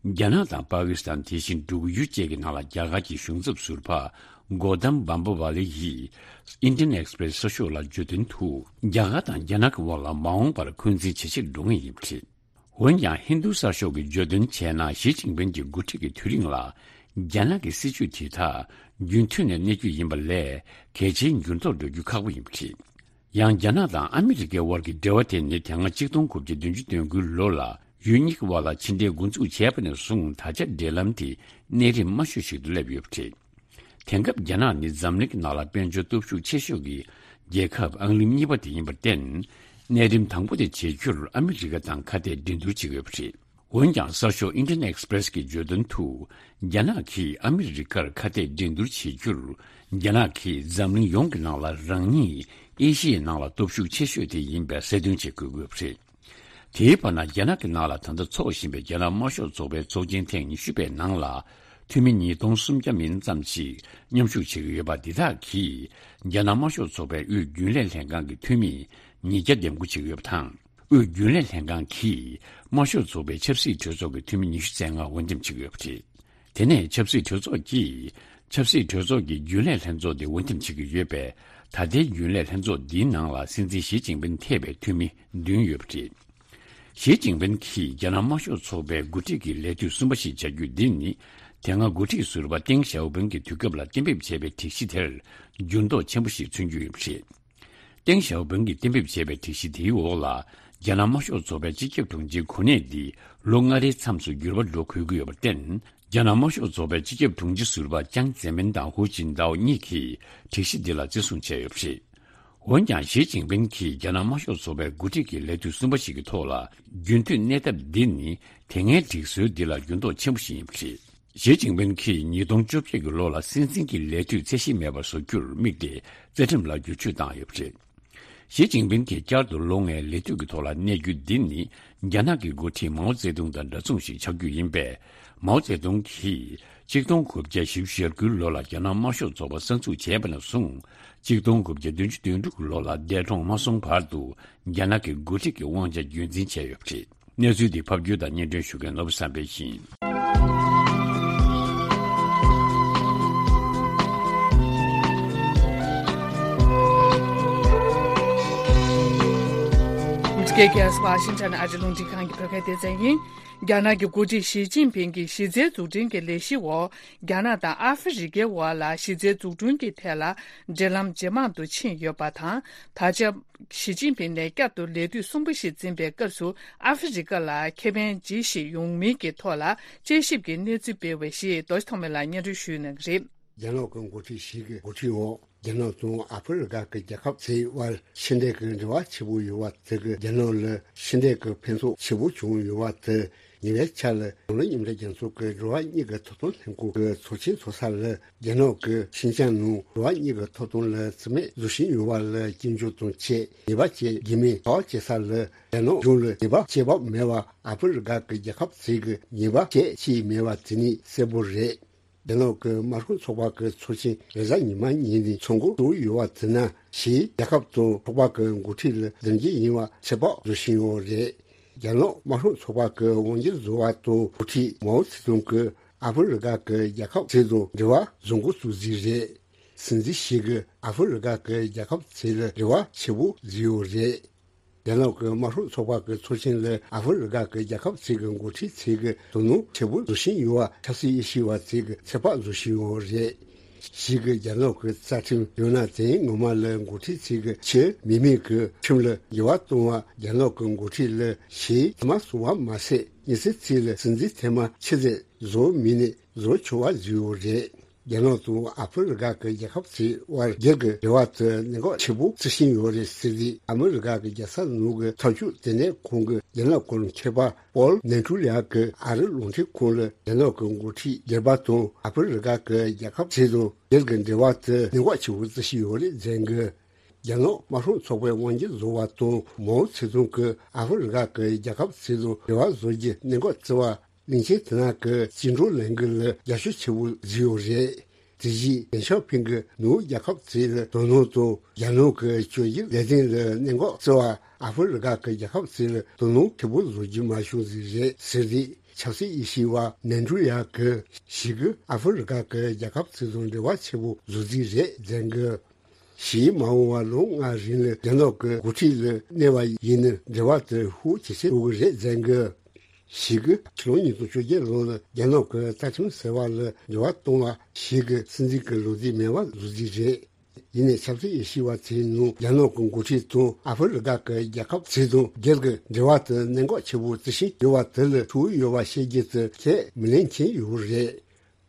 རྒྱ་ནག་དང་པ་ཀི་སི་ཐན། དེ་བཞིན་འབྲུག་ཡུལ་བཅས་ཀྱི་ནང་ལ་རྒྱ་གར་གྱི་གཞུང་ཚབ་ཟུར་པ་གོ་དམ་བམ་པ་ཝ་ལི་ཡིས་Indian Express་གསར་ཤོག་ལ་བརྗོད་དོན་དུ། རྒྱ་གར་དང་རྒྱ་ནག་གི་དབར་ལ་མ་འོངས་པར་འཁོན་འཛིན་ཇེ་ཆེར་འགྲོ་ངེས་ཡིན་པ་རེད། འོན་ཀྱང་། ཧིན་རྡུ་གསར་ཤོག་གིས་བརྗོད་དོན་བྱས་ན། ཞི་ཅིན་ཕིང་གི་འགོ་ཁྲིད་ཀྱི་དུས་རིང་ལ། རྒྱ་ནག་གི་སྲིད་བྱུས་དེ་དག་རྒྱུན་མཐུད་ནས་གནས་རྒྱུ་ཡིན་པ་ལས། གལ་ཆེའི་འགྱུར་ལྡོག་འགྲོ་རྒྱུ་ཁག་པོ་ཡིན་པ་རེད། ཡང་། རྒྱ་ནག་དང་ཨ་མི་རི་ཀའི་དབར་གྱི་འབྲེལ་བ་དེ་ནི། དེ་སྔ་ཆིག་སྟོང་དགུ་བརྒྱ་བདུན་ཅུ་དོན་དགུའི་ལོ་ལ་ཡུལ་གཉིས་ཀྱི་དབར་ལ་ཕྱི་འབྲེལ་འགོ་འཛུགས་བྱས་པ་ནས་བཟུང་། ད་ཆ་འབྲེལ་ལམ་དེ་གནས་རིམ་དམའ་ཤོས་ཤིག་ཏུ་སླེབས་ཡོད་པ་རེད། དེང་སྐབས་རྒྱ་ནག་ནི་འཛམ་གླིང་གི་ནང་ལ་དཔལ་འབྱོར་སྟོབས་ཤུགས་ཆེ་ཤོས་ཀྱི་རྒྱལ་ཁབ་ཨང་རིམ་གཉིས་པ་དེ་ཡིན་པར་བརྟེན། གནས་རིམ་དང་པོ་དེ་བྱེད་རྒྱུར་ཨ་མི་རི་ཀ་དང་ཁ་གཏད་འགྲན་བསྡུར་བྱེད་ཀྱི་ཡོད་པ་རེད། འོན་ཀྱང་། གསར་ཤོག་Indian Express་གི་བརྗོད་དོན་དུ། རྒྱ་ནག་གིས་ཨ་མི་རི་ཀར་ཁ་གཏད་འགྲན་བསྡུར་བྱེད་རྒྱུར། རྒྱ་ནག་གིས་འཛམ་གླིང་ཡོངས་ཀྱི་ནང་ལ་རང་ཉིད་ཨེ་ཤི་ཡའི་ནང་ལ་སྟོབས་ཤུགས་ཆེ་ཤོས་དེ་ཡིན་པའི་གསལ་སྟོན་བྱེད་དགོས་ཀྱི་ཡོད་པ་རེད། དེའི་བར་ན། རྒྱ་ནག་གི་ནང་ལ་ད་ལྟ་འཚོགས་བཞིན་པའི་རྒྱ་ནག་དམར་ཤོག་ཚོགས་པའི་ཚོགས་ཆེན་ཐེངས་ཉི་ཤུ་པའི་ནང་ལ། འཐུས་མི་ཉིས་སྟོང་སུམ་བརྒྱ་མིན་ཙམ་ཞིག་མཉམ་ཞུགས་བྱེད་ཀྱི་ཡོད་པ་འདི་དག་གིས། རྒྱ་ནག་དམར་ཤོག་ཚོགས་པའི་དབུས་རྒྱུན་ལས་ལྷན་ཁང་གི་འཐུས་མི་ཉིས་བརྒྱ་འདེམས་བསྐོ་བྱེད་ཀྱི་ཡོད་པ་དང་། དབུས་རྒྱུན་ལས་ལྷན་ཁང་གིས་དམར་ཤོག་ཚོགས་པའི་ཆབ་སྲིད་གྲོས་ཚོགས་ཀྱི་འཐུས་མི་ཉི་ཤུ་རྩ་ལྔ་འོས་འདེམས་བྱེད་ཀྱི་ཡོད་པ་རེད། དེ་ནས་ཆབ་སྲིད་གྲོས་ཚོགས་ཀྱིས། ཆབ་སྲིད་གྲོས་ཚོགས་ཀྱི་རྒྱུན་ལས་ལྷན་ཚོགས་དེ་འོས་འདེམས་བྱེད་ཀྱི་ཡོད་པས། ད་ལྟའི་རྒྱུན་ལས་ལྷན་ཚོགས་འདིའི་ནང་ལ་སྲིད་འཛིན་ཞི་ཅིན་ཕིང་ཐེ་བའི་འཐུས་མི་བདུན་ཡོད་པ་རེད། ཞི་ཅིན་ཕིན་གྱིས་རྒྱ་ནག་དམར་ཤོག་ཚོགས་པའི་འགོ་ཁྲིད་ཀྱི་ལས་དུས་གསུམ་པ་ཞིག་བྱ་རྒྱུ་འདི་ནི། དེ་སྔ་འགོ་ཁྲིད་ཟུར་པ་ཏེང་ཞའོ་ཕིང་གི་དུས་སྐབས་ལ་གཏན་འབེབས་བྱས་པའི་སྒྲིག་གཞི་དེར་འགྱུར་ལྡོག་ཆེན་པོ་ཞིག་མཚོན་རྒྱུ་ཡོད་པ་རེད། ཏེང་ཞའོ་ཕིང་གིས་གཏན་འབེབས་བྱས་པའི་སྒྲིག་གཞི་དེའི་འོག་ལ། རྒྱ་ནག་དམར་ཤོག་ཚོགས་པའི་སྤྱི་ཁྱབ་དྲུང་ཆེའི་གོ་གནས་འདི་ལོ་ལྔ་རེའི་མཚམས་སུ་འགྱུར་བ་འགྲོ་དགོས་ཀྱི་ཡོད་པར་བརྟེན། རྒྱ་ནག་དམར་ཤོག་ཚོགས་པའི་སྤྱི་ཁྱབ་དྲུང་ཆེ་ཟུར་པ་ཅང་ཙེ་མིན་དང་ཧུའུ་ཅིན་ཏའོ་གཉིས་ཀྱིས་སྒྲིག་གཞི་འདི་ལ་བརྩི་སྲུང་བྱས་ཡོད་པ་རེད། འོན་ཀྱང་། ཞི་ཅིན་ཕིན་གྱིས་རྒྱ་ནག་དམར་ཤོག་ཚོགས་པའི་འགོ་ཁྲིད་ཀྱི་ལས་དུས་གསུམ་པ་ཞིག་གི་ཐོག་ལ་རྒྱུན་མཐུད་གནས་ཐབས་འདི་ནི། དེ་སྔའི་སྒྲིག་སྲོལ་འདི་ལ་འགྱུར་ལྡོག་ཆེན་པོ་ཞིག་ཡིན་པ་རེད། ཞི་ཅིན་ཕིན་གྱིས་ཉིས་སྟོང་བཅོ་བརྒྱད་ཀྱི་ལོ་ལ་སྲིད་འཛིན་གྱི་ལས་དུས་ཚད་གཞི་མེད་པར་བཟོ་རྒྱུར་དམིགས་ཏེ་རྩ་ཁྲིམས་ལ་བསྒྱུར་བཅོས་བཏང་ཡོད་པ་རེད། ཞི་ཅིན་ཕིན་གྱིས་བསྐྱར་དུ་ལོ་ལྔའི་ལས་དུས་ཀྱི་ཐོག་ལ་གནས་རྒྱུ་འདི་ནི། རྒྱ་ནག་གི་འགོ་ཁྲིད་མའོ་ཙེ་ཏུང་དང་འདྲ་མཚུངས་ཤིག་ཆགས་རྒྱུ་ཡིན་པས། མའོ་ཙེ་ཏུང་གིས་གཅིག་སྟོང་དགུ་བརྒྱ་བཞི་བཅུ་ཞེ་དགུའི་ལོ་ལ་རྒྱ་ནག་དམར་ཤོག་ཚོགས་པ་གསར་འཛུགས་བྱས་པ་ནས་བཟུང་། གཅིག་སྟོང་དགུ་བརྒྱ་བདུན་ཅུ་དོན་དྲུག་གི་ལོ་ལ་འདས་གྲོངས་མ་སོང་བར་དུ། རྒྱ་ནག་གི་འགོ་ཁྲིད་ཀྱི་དབང་ཆ་རྒྱུན་འཛིན་བྱས་ཡོད་པ་རེད། གནས་ཚུལ་འདི་ཕབ་སྒྱུར་དང་སྙན་སྒྲོན་ཞུ་མཁན་ནོར་བུ་བསམ་འཕེལ་ཡིན། འདི་ག་ཝ་ཤིང་ཊོན་ཨ་རི་རླུང་འཕྲིན་ཁང་གི་བོད་སྐད་སྡེ་ཚན་ཡིན། རྒྱ་ནག་གི་འགོ་ཁྲིད་ཞི་ཅིན་ཕིང་གིས་གཞི་རྩའི་འཛུགས་སྐྲུན་གྱི་ལས་གཞིའི་འོག་རྒྱ་ནག་དང་ཨ་ཧྥེ་རི་ཁའི་དབར་ལ་གཞི་རྩའི་འཛུགས་སྐྲུན་གྱི་ཐད་ལ་འབྲེལ་ལམ་ཇེ་མང་དུ་ཕྱིན་ཡོད་པ་དང་། ད་ཆ། ཞི་ཅིན་ཕིང་ནས་བསྐྱར་དུ་ལས་དུས་གསུམ་པ་ཞིག་འཛིན་པའི་སྐབས་སུ་ཨ་ཧྥེ་རི་ཁ་ལ་ཁེ་ཕན་ཇི་ཞིག་ཡོང་མིན་གྱི་ཐོག་ལ་དཔྱད་ཞིབ་ཀྱི་གནས་ཚུལ་སྤེལ་བ་ཞིག་རྡོ་རྗེ་ཐོགས་མེད་ལགས་སྙན་སྒྲོན་ཞུས་གནང་གི་རེད། རྒྱ་ནག་གི་འགོ་ཁྲིད་ཞི་གི་འགོ་ཁྲིད་འོག་རྒྱ་ནག་དང་ཨ་ཧྥེ་རི་ཁ་གི་རྒྱལ་ཁབ་ཚོའི་དབར་ཕྱི་འབྲེལ་གྱི་འབྲེལ་བ་ཆེ་པོ་ཡོད་པ་དེ་གིས་རྒྱ་ནག་ལ་ཕྱི་འབྲེལ་གྱི་ཕན་ཐོགས་ཆེ་པོ་བྱུང་ཡོད་པ་དེ། ཉེ་བའི་ཆར་ལ་ཡང་སྲིད་མཉམ་འབྲེལ་རྒྱལ་ཚོགས་ཀྱི་འགྲོ་བ་མིའི་ཐོབ་ཐང་ལྷན་ཁང་གི་ཚོགས་ཆེན་ཚོགས་ས་ལ་རྒྱ་ནག་གིས་ཤིན་ཅང་ནང་འགྲོ་བ་མིའི་ཐོབ་ཐང་ལ་བརྩི་མེད་བཟོ་བཞིན་ཡོད་པ་ལ་སྐྱོན་བརྗོད་དང་བཅས། ཉེས་པ་བཅས་རྒྱུ་མེད་དག་བྱེད་ས་ལ་རྒྱ་ནག་གཞུང་ལ་ཉེས་པ་བྱེད་བབ་མེད་པ་ཨ་ཧྥེ་རི་ཁ་གི་རྒྱལ་ཁབ་ཚོས་ཀྱི་ཉེས་པ་བྱེད་ཀྱི་མེད་པ་དེ་ནི་གསལ་པོ་རེད། རྒྱ་ནག་གི་དམར་ཤོག་ཚོགས་པ་གི་ཚོགས་ཆེན་རེས་གཟའ་ཉི་མ་ཉིན་ནས་ཚོགས་འགོ་བཙུགས་ཡོད་པ་དེ་ནི་ཕྱིའི་རྒྱལ་ཁབ་དང་ཚོགས་པ་གི་འགོ་ཁྲིད་ལ་རྡུང་རྡེག་ཡིན་པ་ཚོད་དཔག་བཟོ་བཞིན་ཡོད་རེད། རྒྱ་ནག་དམར་ཤོག་ཚོགས་པ་གི་དབང་སྒྱུར་བཟོ་བ་དང་འགོ་ཁྲིད་མའོ་ཙེ་ཏུང་གིས་ཨ་ཧྥེ་རི་ཁ་གི་རྒྱལ་ཁབ་ཚོ་དང་འབྲེལ་བ་བཟོ་འགོ་བཙུགས་རྩིས་རེད། སྲིད་འཛིན་ཞི་གིས་ཨ་ཧྥེ་རི་ཁ་གི་རྒྱལ་ཁབ་ཚོ་ལ་འབྲེལ་བ་ཆེ་པོ་བཟོས་ཡོད་རེད། རྒྱ་ནག་གི་དམར་ཤོག་ཚོགས་པ་གི་ཚོགས་ཆེན་ལ་ཨ་ཧྥེ་རི་ཁ་གི་རྒྱལ་ཁབ་ཚོ་གི་འགོ་ཁྲིད་ཚོས་ཀྱི་དོ་སྣང་ཆེ་པོ་བཟོ་བཞིན་ཡོད་པ་ཆབ་སྲིད་དབྱེ་ཞིབ་པ་ཚོས་ཀྱི་ཚོད་དཔག་བཟོ་བཞིན་ཡོད་རེད། ཞི་གིས་རྒྱ་ནག་གི་རྩ་ཁྲིམས་ཡང་ན་དེའི་ངོ་མ་ལ་འགོ་ཁྲིད་ཚོས་ཀྱི་ཕྱིར་མི་མེད་ཀྱི་ཁྲིམས་ལ་འགྱུར་བ་གཏོང་བ་རྒྱ་ནག་གི་འགོ་ཁྲིད་ལ་ཞིའི་མཐའ་མ་སོང་བ་མ་ཟད་མི་སེར་ཚོ་ལ་སྲིད་འཛིན་ཐེངས་མ་ཕྱི་ཚེས་བཟོ་མི་ནས་བཟོ་ཆོག་པ་བཟོས་ཡོད་རེད། རྒྱ་ནག་དང་ཨ་ཧྥེ་རི་ཁ་གི་རྒྱལ་ཁབ་ཚོའི་དབར་སྒེར་གྱི་འབྲེལ་བ་དེ་གནད་འགག་ཆེ་པོ་བརྩི་བཞིན་ཡོད་རེད་ཟེར་ཏེ། ཨ་མི་རི་ཀ་གི་རྒྱལ་ས་ནང་གི་འཐབ་ཕྱོགས་ལྟེ་གནས་ཁང་གི་རྒྱ་ནག་སྐོར་མཁས་པ་པོལ་ནན་ཀྲུ་ལི་ཡ་གིས་ཨ་རིའི་རླུང་འཕྲིན་ཁང་ལ་རྒྱ་ནག་གི་འགོ་ཁྲིད་སྒེར་པ་དང་ཨ་ཧྥེ་རི་ཁ་གི་རྒྱལ་ཁབ་ཚོ་དང་སྒེར་གྱི་འབྲེལ་བ་དེ་གནད་འགག་ཆེ་པོ་བརྩི་བཞིན་ཡོད་རེད་ཟེར་གི། རྒྱ་ནག་དམར་ཤོག་ཚོགས་པའི་དབང་སྒྱུར་བཟོ་བ་དང་མའོ་ཙེ་ཏུང་གིས་ཨ་ཧྥེ་རི་ཁ་གི་རྒྱལ་ཁབ་ཚོ་དང་འབྲེལ་བ་བཟོ་རྒྱུ་གནད་འགག་བརྩི་བ། གླིང་ཆེན་དེ་དག་གི་བཅིངས་འགྲོལ་ལས་འགུལ་ལ་རྒྱབ་སྐྱོར་ཆེ་པོ་བཟོས་ཡོད་རེད། དེ་བཞིན་ལེང་ཞའོ་ཕིང་གིས་ནུབ་རྒྱལ་ཁབ་ཚོ་ལ་དོ་སྣང་དང་རྒྱ་ནག་གི་བཅོས་བསྒྱུར་ལས་དོན་ལ་གནད་འགག་བརྩི་བ། ཨ་ཧྥེ་རི་ཁ་གི་རྒྱལ་ཁབ་ཚོ་ལ་དོ་སྣང་ཆེ་པོ་བཟོ་རྒྱུ་མ་བྱུང་ཟིག་རེད་ཟེར་ཏེ། ཆབ་སྲིད་དབྱེ་ཞིབ་པ་ནན་ཀྲུ་ཡ་གིས་ཞི་གིས་ཨ་ཧྥེ་རི་ཁ་གི་རྒྱལ་ཁབ་ཚོ་དང་འབྲེལ་བ་ཆེ་པོ་བཟོ་རྩིས་རེད་ཟེར་གི། ཞིའི་མ་འོངས་པ་ལོ་ལྔ་རིང་ལ་རྒྱ་ནག་གི་འགོ་ཁྲིད་ལ་གནས་པ་ཡིན་ན་འབྲེལ་བ་དེ་ཤུགས་ཇེ་ཆེར་འགྲོ་གི་རེད་ཟེར་གི། ཞི་གིས་ཕྱི་ལོ་ཉིས་སྟོང་བཅོ་བརྒྱད་ལོ་ལ་རྒྱ་ནག་གི་རྩ་ཁྲིམས་ཟེར་བ་ལ་འགྱུར་བ་གཏོང་བ་ཞིག་གི་སྲིད་འཛིན་གྱི་ལོ་རྒྱུས་མེད་པ་བཟོ་རྩིས་རེད། ཡིན་ནའི་ཆབ་སྲིད་དབྱེ་ཞིབ་པ་ཚོའི་ནང་རྒྱ་ནག་གི་འགོ་ཁྲིད་དང་ཨ་ཧྥེ་རི་ཁ་གི་རྒྱལ་ཁབ་ཚོ་དང་སྒེར་གྱི་འབྲེལ་བ་དེ་གནད་འགག་ཆེ་པོ་བརྩི་བཞིན་ཡོད་པ་དེ་ལ་ཐུག་ཡོད་པ་བཤད་རྒྱུ་དེ་ཁས་མི་ལེན་མཁན་ཡོད་རེད།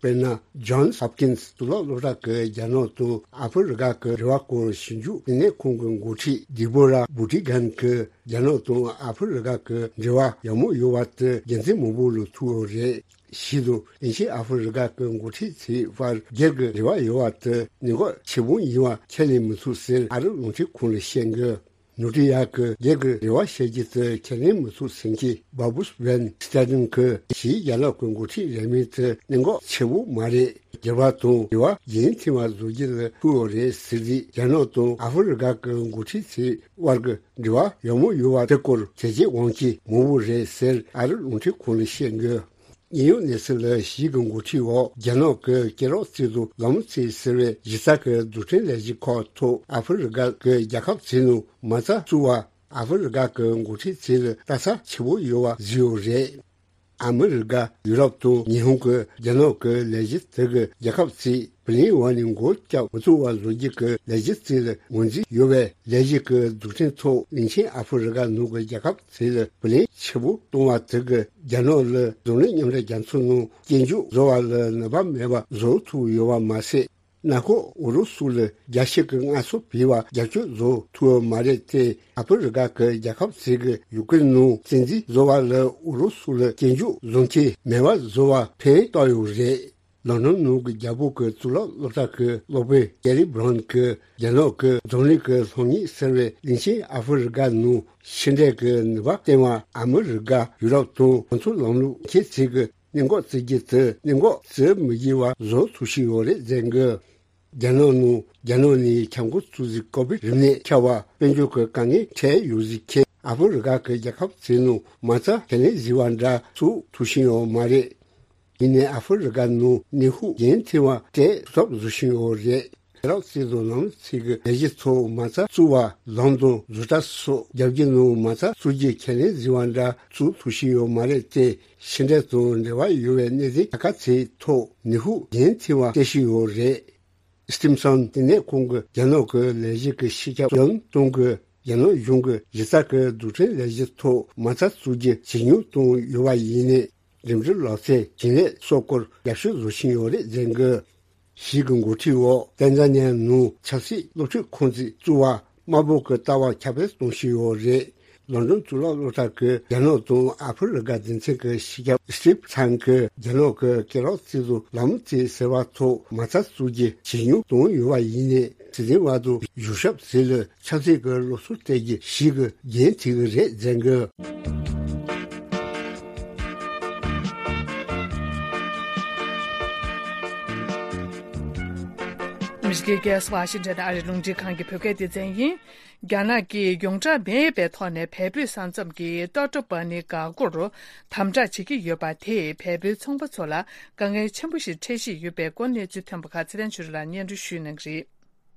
དཔེར་ན། Johns Hopkins་གཙུག་ལག་སློབ་གྲྭ་གི་རྒྱ་ནག་དང་ཨ་ཧྥེ་རི་ཁ་གི་འབྲེལ་བ་སྐོར་ཞིབ་འཇུག་ལྟེ་གནས་ཁང་གི་འགོ་ཁྲིད་ཌི་བྷོ་ར་བྷུ་ཏི་གྷན་གྱིས་རྒྱ་ནག་དང་ཨ་ཧྥེ་རི་ཁ་གི་འབྲེལ་བ་ཡག་མོ་ཡོད་པ་དེ་རྒྱུ་མཚན་མང་པོ་ལ་ཐུག་ཡོད་རེད། ཞི་དང་དབྱིན་ཇི་ཨ་ཧྥེ་རི་ཁ་གི་འགོ་ཁྲིད་ཚོའི་བར་སྒེར་གྱི་འབྲེལ་བ་ཡོད་པ་དེ་གནད་འགག་ཆེ་པོ་ཡིན་པ་ཁས་ལེན་མི་ཐུབ་ཟེར་ཨ་རིའི་རླུང་འཕྲིན་ཁང་ལ་བཤད་འདུག། ནུ་ཏི་ཡ་གི་སྒེར་གྱི་རེ་བ་བཤད་རྒྱུ་དེ་ཁས་ལེན་མི་ཐུབ་ཟེར་མཁན་བྷ་བུས་བྷན་སྟེ་ཏིན་གྱིས་ཕྱིའི་རྒྱ་ནག་གི་འགོ་ཁྲིད་རེས་མོས་དེ་གནད་འགག་ཆེ་བོ་མ་རེད། སྒེར་པ་དང་འབྲེལ་བ་རྒྱུན་མཐུད་པ་བཟོ་རྒྱུ་ལ་ཐུག་ཡོད་རེད་ཟེར་རྗེས། རྒྱ་ནག་དང་ཨ་ཧྥེ་རི་ཁ་གི་འགོ་ཁྲིད་ཚོའི་བར་གྱི་འབྲེལ་བ་ཡག་མོ་ཡོད་པ་དེ་སྐོར་དྲི་རྩད་འོང་མཁན་མང་པོ་རེད་ཟེར་ཨ་རིའི་རླུང་འཕྲིན་ཁང་ལ་བཤད་འདུག། གནད་ཡོད་གནས་ཚུལ་ལ་ཞི་གི་འགོ་ཁྲིད་འོག་རྒྱ་ནག་གི་སྐེད་རགས་ཚོ་དང་ལམ་ཚོ་ཟེར་བའི་གཞི་རྩ་གི་རྡུལ་ཕྲན་ལས་གཞི་ཁག་ཐོག་ཨ་ཧྥེ་རི་ཁ་གི་རྒྱལ་ཁབ་ཚོའི་ནང་མ་རྩ་བཙུགས་པ། ཨ་ཧྥེ་རི་ཁ་གི་འགོ་ཁྲིད་ཚོ་ལ་ལྟ་ས་ཆེ་བོ་ཡོད་པ་བཟོས་ཡོད་རེད། ཨ་མི་རི་ཀ། ཡུ་རོབ་དང་ཉི་ཧོང་གི་རྒྱ་ནག་གི་ལས་གཞི་དེ་གི་རྒྱལ་ཁབ་ཚོས་བུ་ལོན་འོག་ནས་མགོ་བཀྱག་མི་ཚུགས་པ་བཟོ་རྒྱུ་གི་ལས་གཞི་ཚོ་ལ་ངོས་འཛིན་ཡོད་པའི་ལས་གཞི་གི་མཛུབ་སྟོན་ཐོག་གླིང་ཆེན་ཨ་ཧྥེ་རི་ཀ་ནང་གི་རྒྱལ་ཁབ་ཚོ་ལ་བུ་ལོན་ཆེ་བོ་གཏོང་བ་དེ་གིས་རྒྱ་ནག་ལ་འཛམ་གླིང་མཉམ་འབྲེལ་རྒྱལ་ཚོགས་ནང་སྐྱོན་བརྗོད་བཟོ་བ་ལ་ནུས་པ་མེད་པ་བཟོ་ཐུབ་ཡོད་པ་མ་ཟད། ནང་ཁུལ་ཨུ་རུ་སུ་ལ་རྒྱལ་སྤྱི་གི་ངལ་གསོ་བྱས་པ་རྒྱབ་སྐྱོར་བཟོ་ཐུབ་པ་མ་རེད་དེ། ཨ་ཧྥེ་རི་ཀ་གི་རྒྱལ་ཁབ་ཚོས་ཀྱིས་ཡུ་ཀེ་རེན་ནང་བཙན་འཛུལ་བཟོ་བ་ལ་ཨུ་རུ་སུ་ལ་སྐྱོན་བརྗོད་བཟོ་མཁན་མེད་པ་བཟོ་བར་ཕན་བཏགས་ཡོད་རེད། ལོན་ཌོན་ནང་གི་རྒྱལ་པོ་གི་གཙུག་ལག་སློབ་གྲྭ་གི་སློབ་དཔོན་ཀེ་རི་བྷ་རོན་གྱིས་རྒྱ་ནག་གི་འཛམ་གླིང་གི་སློབ་གཉེར་ཟེར་བའི་གླིང་ཆེན་ཨ་ཧྥེ་རི་ཀ་ནང་ཕྱི་འབྲེལ་གྱི་ནུས་པ་བསྟན་པ་ཨ་མི་རི་ཀ། ཡུ་རོབ་དང་གོང་འཕེལ་ལམ་ལུགས་ཁྱེད་ཚོས་ཀྱིས་གནད་འགག་བརྩི་རྒྱུ་དེ་གནད་འགག་བརྩི་མི་དགོས་པ་བཟོ་ཐུབ་བཞིན་ཡོད་རེད་ཟེར་གི། རྒྱ་ནག་ནང་རྒྱ་ནག་ནས་ཁྱབ་ཁོངས་ཚོད་འཛིན་ཀོ་བིད་རིམས་ནད་ཁྱབ་པ་དཔལ་འབྱོར་གྱི་དཀའ་ངལ་འཕྲད་ཡོད་ཟེར་མཁན་ཨ་ཧྥེ་རི་ཀ་གི་རྒྱལ་ཁབ་ཚོའི་ནང་མ་རྩ་ཁས་ལེན་བཟོས་པ་འདྲ་བཙུགས་ཐུབ་བཞིན་ཡོད་མ་རེད། ཡིན་ནའི་ཨ་ཧྥེ་རི་ཀ་ནང་ནད་དུག་རྒྱུན་མཐུད་པ་སྤྲད་ཐུབ་ཐབས་བཟོ་བཞིན་ཡོད་རེད། ཡུ་རོབ་སྲིད་དང་ལམ་ལུགས་ཚོས་ཀྱི་ལས་གཞི་ཚོ་མ་རྩ་བཙུགས་པ་ལམ་དང་བཟོ་གྲྭ་སོགས་རྒྱལ་སྤྱིའི་ནང་མ་རྩ་བཙུགས་རྒྱུའི་ཁས་ལེན་བཟོས་པ་འདྲ་བཙུགས་ཐུབ་བཞིན་ཡོད་མ་རེད་དེ། ཕྱི་འབྲེལ་དང་འབྲེལ་བ་ཡོད་པའི་གནས་ཚུལ་ཁག་ཁག་ཚོའི་ཐོག་ནད་དུག་རྒྱུན་མཐུད་པ་སྤྲད་བཞིན་ཡོད་རེད། སི་ཏིམ་སོན་ལྟེ་གནས་ཁང་གི་རྒྱ་ནག་གི་ལས་གཞི་གི་སྤྱི་ཁྱབ་ཡོན་ཏུང་གིས་རྒྱ་ནག་གཞུང་གིས་གཞི་རྩ་གི་རྡུལ་ཕྲན་ལས་གཞི་ཐོག་མ་རྩ་བཙུགས་རྒྱུ་ཇེ་ཉུང་བཏང་ཡོད་པ་ཡིན་ནའི། འགྲིམ་འགྲུལ་ལག་རྩལ་ཞིང་ལས་སོགས་སྐོར་རྒྱབ་སྐྱོར་བཟོ་བཞིན་ཡོད་རེད་ཟེར་གི། ཞིག་གི་འགོ་ཁྲིད་འོག་ཏན་ཛ་ནི་ཡ་ནང་ཆབ་སྲིད་སློབ་ཁྲིད་ཁང་ཚན་བཙུགས་པར་དམར་པོ་གི་ལྟ་བ་ཁྱབ་སྤེལ་གཏོང་བཞིན་ཡོད་རེད། ལོན་ཌོན་གཙུག་ལག་སློབ་གྲྭ་གི་རྒྱ་ནག་དང་ཨ་ཧྥེ་རི་ཀ་སྡེ་ཚན་གྱི་སྤྱི་ཁྱབ་སི་ཏིབ་ཚང་གིས་རྒྱ་ནག་གི་སྐེ་རགས་རྩིས་དང་ལམ་རྩིས་ཟེར་བ་ཐོག་མ་རྩ་བཙུགས་རྒྱུ་ཇེ་ཉུང་བཏང་ཡོད་པ་ཡིན་ནའི། སྲིད་འཛིན་དབར་དུ་བཞུགས་ཞབས་ཟིན་ལ་ཆབ་སྲིད་ཀྱི་སློབ་གསོ་སྤྲད་རྒྱུ་ཞིག་གི་འགན་འཁྲི་གི་རེད་ཟེར་གི། ཨ་མི་རི་ཀའི་རྒྱལ་ས་ཝ་ཤིང་ཊོན་ཨ་རིའི་རླུང་འཕྲིན་ཁང་གི་བོད་སྐད་སྡེ་ཚན་ཡིན། རྒྱ་ནག་གིས་ཡོངས་གྲགས་མེད་པའི་ཐོག་ནས་བལ་པོའི་ས་མཚམས་ཀྱི་ཏོ་ཏོ་པ་ནི་འགག་སྒོར་དམ་དྲག་བྱེད་ཀྱི་ཡོད་པ་དེས་བལ་པོའི་ཚོང་པ་ཚོ་ལ་དཀའ་ངལ་ཆེན་པོ་ཞིག་འཕྲད་བཞིན་ཡོད་པའི་སྐོར་གནས་ཚུལ་ཐོན་པ་ཁག་ཚེ་རིང་ཆོས་སྒྲོན་ལགས་སྙན་སྒྲོན་ཞུ་གནང་གི་རེད།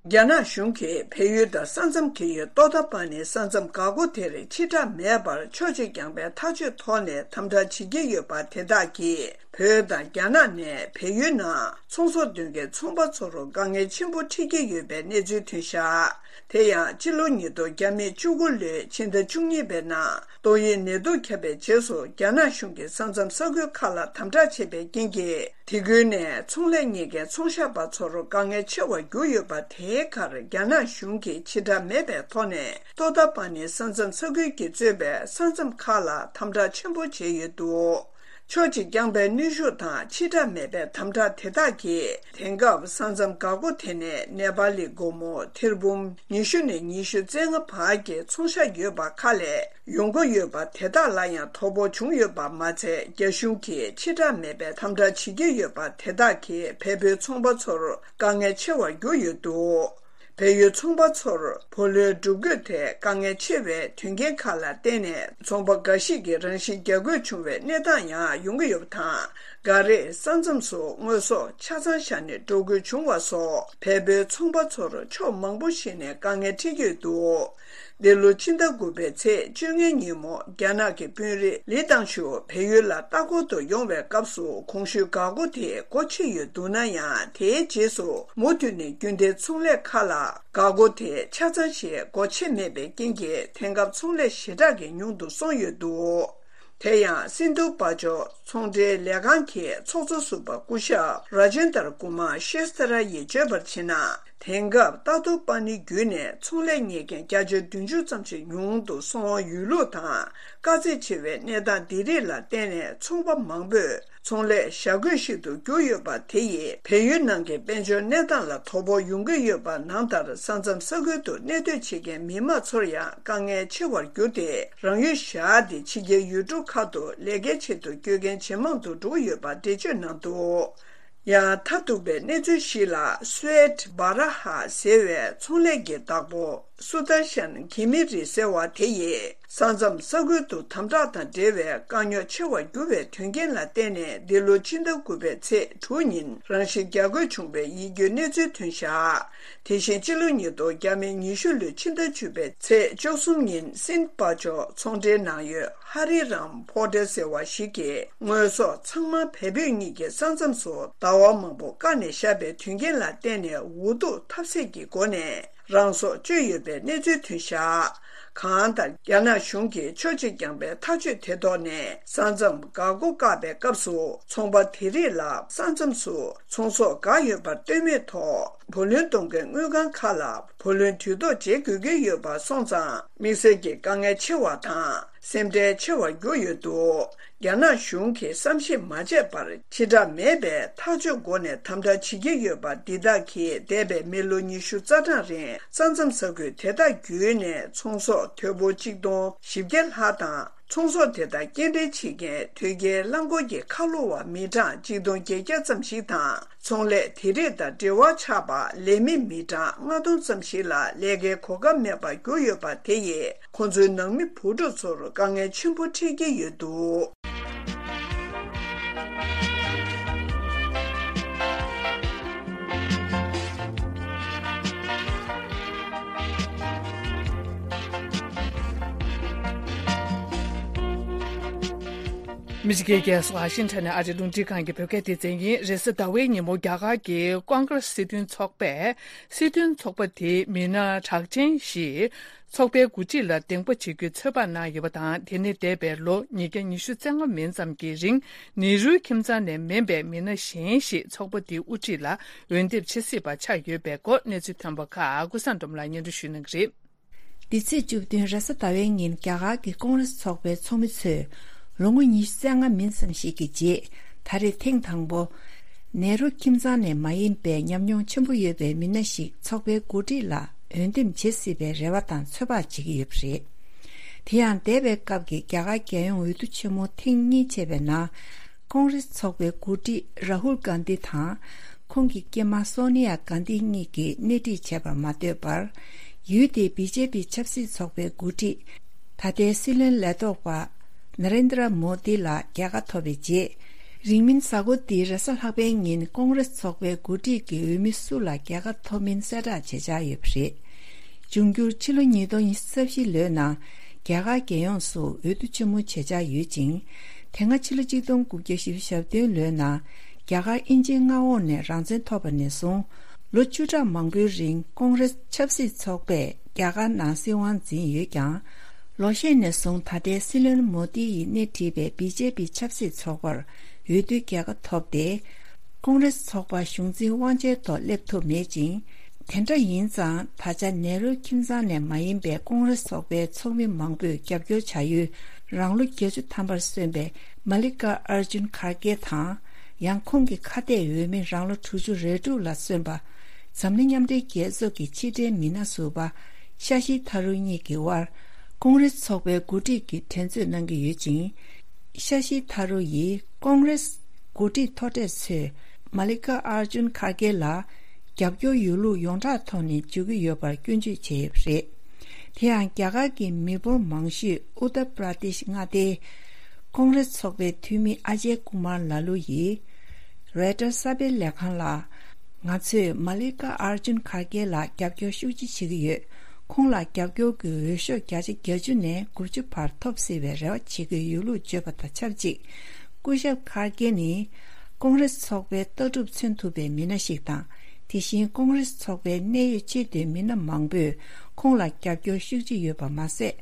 རྒྱ་ནག་གཞུང་གིས་བལ་ཡུལ་དང་ས་མཚམས་འཁེལ་ཡུལ་ཏོ་ཏོ་པ་ནི་ས་མཚམས་འགག་སྒོ་དེར་ཕྱིར་བསྒྲགས་མེད་པར་ཕྱོགས་གཅིག་རྐྱང་པའི་ཐག་གཅོད་ཐོག་ནས་དམ་དྲག་བྱེད་ཀྱི་ཡོད་པ་དེ་དག་གིས། བོད་དང་རྒྱ་ནག་ནས་བལ་ཡུལ་ནང་ཚོང་ཟོག་འདོན་མཁན་ཚོང་པ་ཚོར་དཀའ་ངལ་ཆེན་པོ་འཕྲད་ཀྱི་ཡོད་པའི་གནས་ཚུལ་ཐོན་བཞག་དེ་ཡང་སྤྱི་ལོ་ཉིས་སྟོང་བརྒྱ་མེད་བཅུ་དགུ་ལོའི་ཕྱི་ཟླ་བཅུ་གཉིས་པའི་ནང་ཏོག་དབྱིབས་ནད་དུག་ཁྱབ་པའི་རྗེས་སུ་རྒྱ་ནག་གཞུང་གིས་ས་མཚམས་ས་ཁུལ་ཁག་ལ་དམ་དྲག་བྱས་པའི་རྐྱེན་གྱིས། དེ་ཁུལ་ནས་ཚོང་ལས་གཉེར་མཁན་ཚོང་ཤག་པ་ཚོར་དཀའ་ངལ་ཆེ་བར་གྱུར་ཡོད་པ། དེའི་ཁར་རྒྱ་ནག་གཞུང་གིས་ཕྱིར་བསྒྲགས་མེད་པའི་ཐོག་ནས་ཏོ་ཏོ་པ་ནི་ས་མཚམས་ས་ཁུལ་གྱིས་གཙོས་པའི་ས་མཚམས་ཁག་ལ་དམ་དྲག་ཆེན་པོ་བྱས་ཡོད་འདུག་ཕྱོགས་གཅིག་རྐྱང་པའི་གནོན་ཤུགས་དང་ཕྱིར་བསྒྲགས་མེད་པའི་དམ་དྲག་དེ་དག་གིས། དེང་སྐབས་ས་མཚམས་འགག་སྒོ་དེ་ནས་ནེ་པ་ལི་སྒོར་མོ་ཐེར་འབུམ་ཉི་ཤུ་ནས་ཉི་ཤུ་རྩ་ལྔ་བར་གྱི་ཚོང་ཤག་ཡོད་པ་ཁག་ལས་ཡོང་སྒོ་ཡོད་པ་དེ་དག་ལ་ཡང་དོ་ཕོག་བྱུང་ཡོད་པ་མ་ཚད། རྒྱ་གཞུང་གིས་ཕྱིར་བསྒྲགས་མེད་པའི་དམ་དྲག་བྱེད་ཀྱི་ཡོད་པ་དེ་དག་གིས་བལ་པོའི་ཚོང་པ་ཚོར་དཀའ་ངལ་ཆེ་བར་གྱུར་ཡོད་འདུག་བལ་ཡུལ་ཚོང་པ་ཚོར་བུ་ལོན་སྒྲུབ་དགོས་ཐད་དཀའ་ངལ་ཆེ་བའི་དོན་རྐྱེན་ཁག་ལ་བརྟེན་ནས། ཚོང་པ་འགའ་ཞིག་གིས་རང་ཤི་རྒྱག་དགོས་བྱུང་བའི་གནས་སྟངས་ཡང་ཡོང་གི་ཡོད་པ་དང་། འགའ་རེས་ས་མཚམས་སུ་དངོས་ཟོག་ཆ་ཚང་བཞག་ནས་འགྲོ་དགོས་བྱུང་བ་སོགས་བལ་པོའི་ཚོང་པ་ཚོར་ཕྱོགས་མང་པོ་ཞིག་ནས་དཀའ་ངལ་འཕྲད་ཀྱི་ཡོད་འདུག་འདི་ལོ་ཕྱི་ཟླ་དགུ་པའི་ཚེས་བཅོ་ལྔའི་ཉིན་མོ། རྒྱ་ནག་གི་དཔོན་རིགས་ལི་ཏང་ཞུ་བལ་ཡུལ་ལ་ལྟ་སྐོར་དུ་ཡོང་བའི་སྐབས་སུ། གོང་ཞུས་འགག་སྒོ་དེ་སྒོ་ཕྱེ་ཡོད་འདུག་ན་ཡང་། དེའི་རྗེས་སུ་མུ་མཐུད་ནས་རྒྱུན་ལྡན་ཚོང་ལས་ཁག་ལ་འགག་སྒོ་དེ་ཆ་ཚང་ཞིག་སྒོ་ཕྱེ་མེད་པའི་རྐྱེན་གྱིས། དེང་སྐབས་ཚོང་ལས་ཞེ་དྲག་གི་ཉུང་དུ་སོང་ཡོད་འདུག་དེ་ཡང་སིན་དྷུ་དཔལ་འབྱོར་ཚོང་འབྲེལ་ལས་ཁང་གི་ཚོགས་གཙོ་ཟུར་པ་སྐུ་ཞབས་ར་ཇེན་དར་ཀུ་མར་ཤེས་ཐ་ར་ཡིས་བརྗོད་པར་བྱས་ན། དེང་སྐབས་ཏ་ཏུ་པ་ནི་བརྒྱུད་ནས་ཚོང་ལས་གཉེར་མཁན་བརྒྱ་ཆ་བདུན་ཅུ་ཙམ་ཞིག་ཉུང་དུ་སོང་བ་ཡོད་ལུགས་དང་། དཀའ་ཚེགས་ཆེ་བའི་གནས་སྟངས་འདི་རིགས་ལ་བརྟེན་ནས། ཚོང་པ་མང་པོས་ཚོང་ལས་བྱ་དགོས་ཤིག་ཏུ་གྱུར་ཡོད་པ་དེ་ཡིས། བལ་ཡུལ་ནང་གི་དཔལ་འབྱོར་གནས་སྟངས་ལ་དོ་ཕོག་ཡོང་གི་ཡོད་པ། ནང་ལྟར་ས་མཚམས་ས་ཁུལ་དུ་གནས་སྡོད་བྱེད་མཁན་མི་མང་ཚོར་ཡང་དཀའ་ངལ་ཆེ་བར་གྱུར་ཏེ། རང་ཡུལ་བཞག་སྟེ་ཕྱི་རྒྱལ་ཡུལ་གྲུ་ཁག་ཏུ་ལས་ཀའི་ཆེད་དུ་བསྐྱོད་མཁན་ཇེ་མང་དུ་འགྲོ་གི་ཡོད་པ་འགྲེལ་བརྗོད་གནང་འདུག་ཡང་མཐར་ཐུག་པའི་གནས་ཚུལ་ཞིག་ལ། སུའེད་བྷ་ར་ཧ་ཟེར་བའི་ཚོང་ལས་ཀྱི་བདག་པོ་སུ་དར་ཤན་གྷི་མི་རི་ཟེར་བ་དེ་ཡིས། ས་མཚམས་ས་ཁུལ་དུ་དམ་དྲག་དང་འབྲེལ་བའི་དཀའ་རྙོག་ཆེ་བར་གྱུར་བའི་དོན་རྐྱེན་ལ་བརྟེན་ནས། འདི་ལོ་ཕྱི་ཟླ་དགུ་པའི་ཚེས་དྲུག་ཉིན་རང་ཤི་རྒྱག་དགོས་བྱུང་བའི་ཡིད་སྐྱོའི་གནས་ཚུལ་ཐོན་བཞག་དེ་བཞིན་ཕྱི་ལོ་ཉིས་སྟོང་ཉི་ཤུ་ལོའི་ཕྱི་ཟླ་བཅུ་པའི་ཚེས་བཅུ་གསུམ་ཉིན་སིན་པ་ཅོ་ཚོང་འབྲེལ་ནང་ཡོད་ཧ་རི་རམ་ཕོ་ཊལ་ཟེར་བ་ཞིག་གི་དངོས་ཟོག་ཚང་མ་བལ་བོད་གཉིས་ཀྱི་ས་མཚམས་སུ་ཟླ་བ་མང་པོ་བཀག་ནས་བཞག་པའི་དོན་རྐྱེན་ལ་བརྟེན་ནས། འུ་ཐུག་ཐབས་ཟད་ཀྱི་སྒོ་ནས་རང་སྲོག་གཅོད་ཡོད་པའི་གནས་ཚུལ་ཐོན་བཞག་གང་ལྟར། རྒྱ་ནག་གཞུང་གིས་ཆོག་མཆན་བསྐྱངས་པའི་ཐག་གཅོད་དེ་ཐོག་ནས། ས་མཚམས་འགག་སྒོ་བཀག་པའི་སྐབས་སུ། ཚོང་པ་དེ་རིགས་ལ་ས་མཚམས་སུ་ཚོང་ཟོག་འགག་ཡོད་པར་ལྟོས་མེད་ཐོག་བུ་ལོན་གཏོང་མཁན་དངུལ་ཁང་ཁག་ལ་བུ་ལོན་དུས་ཐོག་འཇལ་དགོས་ཀྱི་ཡོད་པ་སོང་ཙང་། དམིགས་བསལ་གྱི་དཀའ་ངལ་ཆེ་བ་དང་། སེམས་ཁྲལ་ཆེ་བར་གྱུར་ཡོད་འདུག་རྒྱ་ནག་གཞུང་གིས་བསམ་ཤེས་མ་བྱས་པར། ཕྱི་བསྒྲགས་མེད་པའི་ཐག་གཅོད་སྒོ་ནས་དམ་དྲག་བྱེད་ཀྱི་ཡོད་པ་འདི་དག་གིས། འདས་པའི་མི་ལོ་ཉི་ཤུ་རྩ་གྲངས་རིང་ས་མཚམས་ས་ཁུལ་དེ་དག་བརྒྱུད་ནས་ཚོང་ཟོག་དོས་པོ་གཅིག་སྟོང་བཞི་བརྒྱ་ལྷག་དང་། ཚོང་ཟོག་དེ་དག་སྐྱེལ་འདྲེན་བྱེད་མཁན་དོས་སྐྱེལ་རླངས་འཁོར་གྱི་ཁ་ལོ་བ་མི་གྲངས་གཅིག་སྟོང་བརྒྱད་བརྒྱ་ཙམ་ཞིག་དང་། ཚོང་ལས་དེ་རིགས་དང་འབྲེལ་བ་ཆགས་པ་ལས་མི་མི་གྲངས་ལྔ་སྟོང་ཙམ་ཞིག་ལ་ལས་ཀའི་གོ་སྐབས་མེད་པར་གྱུར་ཡོད་པ་དེ་ཡིས། ཁོང་ཚོའི་ནང་མི་བུ་ཕྲུག་ཚོར་དཀའ་ངལ་ཆེན་པོ་འཕྲད་ཀྱི་ཡོད་འདུག་མི་ཆེ་གེ་གེ་སོ་ཝ་ཤིང་ཊོན་ནས་ཨ་རིའི་རླུང་འཕྲིན་ཁང་གི་བོད་སྐད་སྡེ་ཚན་ཡིན། རེས་གཟའ་ཟླ་བའི་ཉིན་མོ་རྒྱ་གར་གྱི་ཀོང་ཀྲེས་སྲིད་དོན་ཚོགས་པས་སྲིད་དོན་ཚོགས་པ་དེའི་མི་སྣ་གྲགས་ཅན་ཞིག་ཚོགས་པའི་འགོ་ཁྲིད་ལ་གདན་འདྲེན་བྱེད་རྒྱུའི་ཚོད་དཔག་གནང་ཡོད་པ་དང་། དེ་ནི་འདས་པའི་ལོ་ཉིས་བརྒྱ་ཉི་ཤུ་རྩ་ལྔ་མིན་ཙམ་གྱི་རིང་ནེ་རུའི་ཁྱིམ་ཚང་ནས་མིན་པའི་མི་སྣ་གཞན་ཞིག་ཚོགས་པ་དེའི་དབུ་ཁྲིད་ལ་འོས་འདེམས་བྱེད་སྲིད་པ་ཆགས་ཡོད་པའི་སྐོར་གནས་ཚུལ་ཐོན་པ་ཁག་ཀུན་བཟང་སྒྲོལ་མ་ལགས་སྙན་སྒྲོན་ཞུ་གནང་གི་རེད། འདི་ཚེས་བཅུ་བདུན་རེས་གཟའ་ཟླ་བའི་ཉིན་རྒྱ་གར་གྱི་ཀོང་ཀྲེས་ཚོགས་པའི་ཚོགས་མི་ཚོས་ལོ་ངོ་ཉི་ཤུ་རྩ་ལྔ་མིན་ཙམ་ཞིག་གི་རྗེས། ད་རེས་ཐེངས་དང་པོ་ནེ་རུ་ཁྱིམ་ཚང་ནས་མ་ཡིན་པའི་ཉམས་མྱོང་ཆེན་པོ་ཡོད་པའི་མི་སྣ་ཞིག་ཚོགས་པའི་འགོ་ཁྲིད་ལ་འོས་འདེམས་བྱེད་སྲིད་པའི་རེ་བ་དང་ཚོད་དཔག་བྱེད་ཀྱི་ཡོད་པ་རེད། དེ་ཡང་འདས་པའི་སྐབས་ཀྱི་རྒྱ་གར་རྒྱལ་ཡོངས་འོས་བསྡུ་ཆེན་མོ་ཐེངས་གཉིས་བྱས་པའི་ནང་། ཀོང་ཀྲེས་ཚོགས་པའི་འགོ་ཁྲིད་རཱ་ཧུལ་གྷན་དྷི་དང་། ཁོང་གི་སྐྱེས་མ་སོ་ནི་ཡ་གྷན་དྷི་གཉིས་ཀྱིས་སྣེ་ཁྲིད་བྱས་པར་མ་ལྟོས་པར། ཡུལ་དེའི་བི་ཇེ་པི་ཆབ་སྲིད་ཚོགས་པའི་འགོ་ཁྲིད། ད་ལྟའི་སྲིད་བློན་ལས་ཐོག་པ་ན་རེན་དྲ་མོ་དྷི་ལ་རྒྱལ་ཁ་ཐོབ་པའི་རྗེས། རིང་མིན་གཟའ་འཁོར་འདིའི་རེས་གཟའ་ལྷག་པའི་ཉིན་ཀོང་ཀྲེས་ཚོགས་པའི་འགོ་ཁྲིད་ཀྱི་འོས་མི་སུ་ལ་རྒྱལ་ཁ་ཐོབ་མིན་གསལ་བསྒྲགས་བྱེད་འཆར་ཡོད་པ་རེད། འབྱུང་འགྱུར་ཕྱི་ལོ་ཉིས་སྟོང་ཉི་ཤུ་རྩ་བཞི་ལོའི་ནང་རྒྱ་གར་རྒྱལ་ཡོངས་སུ་འོས་བསྡུ་ཆེན་མོ་བྱེད་འཆར་ཡོད་ཅིང་། དེ་སྔ་ཕྱི་ལོ་གཅིག་སྟོང་དགུ་བརྒྱ་བཞི་བཅུ་ཞེ་བདུན་ལོའི་ནང་རྒྱ་གར་དབྱིན་ཇིའི་མངའ་འོག་ནས་རང་བཙན་ཐོབ་པ་ནས་བཟུང་ལོ་བཅུ་ཕྲག་མང་པོའི་རིང་ཀོང་ཀྲེས་ཆབ་སྲིད་ཚོགས་པས་རྒྱ་གར་ནང་སྲིད་དབང་འཛིན་ཡོད་ཀྱང་། ལོ་ཤས་ནས་བཟུང་ད་ལྟའི་སྲིད་བློན་མོ་དྷི་ཡིས་སྣེ་ཁྲིད་པའི་བི་ཇེ་པི་ཆབ་སྲིད་ཚོགས་པར་འོས་བསྡུའི་རྒྱལ་ཁ་ཐོབ་སྟེ། ཀོང་ཀྲེས་ཚོགས་པ་གཞུང་འཛིན་དབང་ཆའི་ཐོག་སླེབས་ཐུབ་མེད་ཅིང་། དེ་འདྲ་ཡིན་ཙང་ད་ཆ་ནེ་རུ་ཁྱིམ་ཚང་ནས་མ་ཡིན་པའི་ཀོང་ཀྲེས་ཚོགས་པའི་ཚོགས་མི་མང་པོས་རྒྱབ་སྐྱོར་བྱ་ཡུལ་རང་ལོ་བརྒྱད་ཅུ་ཐམ་པར་སོན་པའི་མ་ལི་ཀ་ཨར་ཇུན་ཁར་གེ་དང་། ཡང་ཁོང་གི་ཁ་གཏད་འོས་མི་རང་ལོ་དྲུག་ཅུ་རེ་དྲུག་ལ་སོན་པ། འཛམ་གླིང་མཉམ་འབྲེལ་རྒྱལ་ཚོགས་ཀྱི་ཕྱི་འབྲེལ་མི་སྣ་ཟུར་པ་ཤ་ཤི་ཐ་རུ་གཉིས་ཀྱི་དབར་ཀོང་ཀྲེས་ཚོགས་པའི་འགོ་ཁྲིད་ཀྱི་འགྲན་རྩོད་གནང་གི་ཡོད་ཅིང་། ཤ་ཤི་ཐ་རུ་ཡིས་ཀོང་ཀྲེས་འགོ་ཁྲིད་མཐོ་གྲས་ཚོས་མ་ལི་ཀ་ཨར་ཇུན་ཁར་གེ་ལ་རྒྱབ་སྐྱོར་ཡོད་ལུགས་ཡོངས་གྲགས་ཐོག་ནས་བརྗོད་ཀྱི་ཡོད་པར་སྐྱོན་བརྗོད་བྱས་ཡོད་པ་རེད། དེ་ཡང་རྒྱ་གར་གྱི་མི་འབོར་མང་ཤོས་ཨུ་ཏར་པྲ་དེཤ་མངའ་སྡེའི་ཀོང་ཀྲེས་ཚོགས་པའི་འཐུས་མི་ཨ་ཇེ་ཀུ་མར་ལ་ལུ་ཡིས་རོའི་ཊར་གསར་སྤེལ་ལས་ཁང་ལ། ང་ཚོས་མ་ལི་ཀ་ཨར་ཇུན་ཁར་གེ་ལ་རྒྱབ་སྐྱོར་ཤུགས་ཆེ་བྱེད་ཀྱི་ཡོད། ཁོང་ལ་རྒྱབ་སྐྱོར་གྱི་འོས་ཤོག་བརྒྱ་ཆ་བརྒྱད་ཅུ་ནས་དགུ་བཅུ་བར་ཐོབ་སྲིད་པའི་རེ་བ་བྱེད་ཀྱི་ཡོད་ལུགས་བརྗོད་པ་དང་ཆབས་ཅིག་སྐུ་ཞབས་ཁར་གེ་ནི་ཀོང་ཀྲེས་ཚོགས་པའི་ལྟ་གྲུབ་མཚོན་ཐུབ་པའི་མི་སྣ་ཞིག་དང་། དེ་བཞིན་ཀོང་ཀྲེས་ཚོགས་པའི་གནད་ཡོད་ཆེས་མཐོའི་མི་སྣ་མང་པོས་ཁོང་ལ་རྒྱབ་སྐྱོར་ཤུགས་ཆེ་ཡོད་པ་མ་ཟད།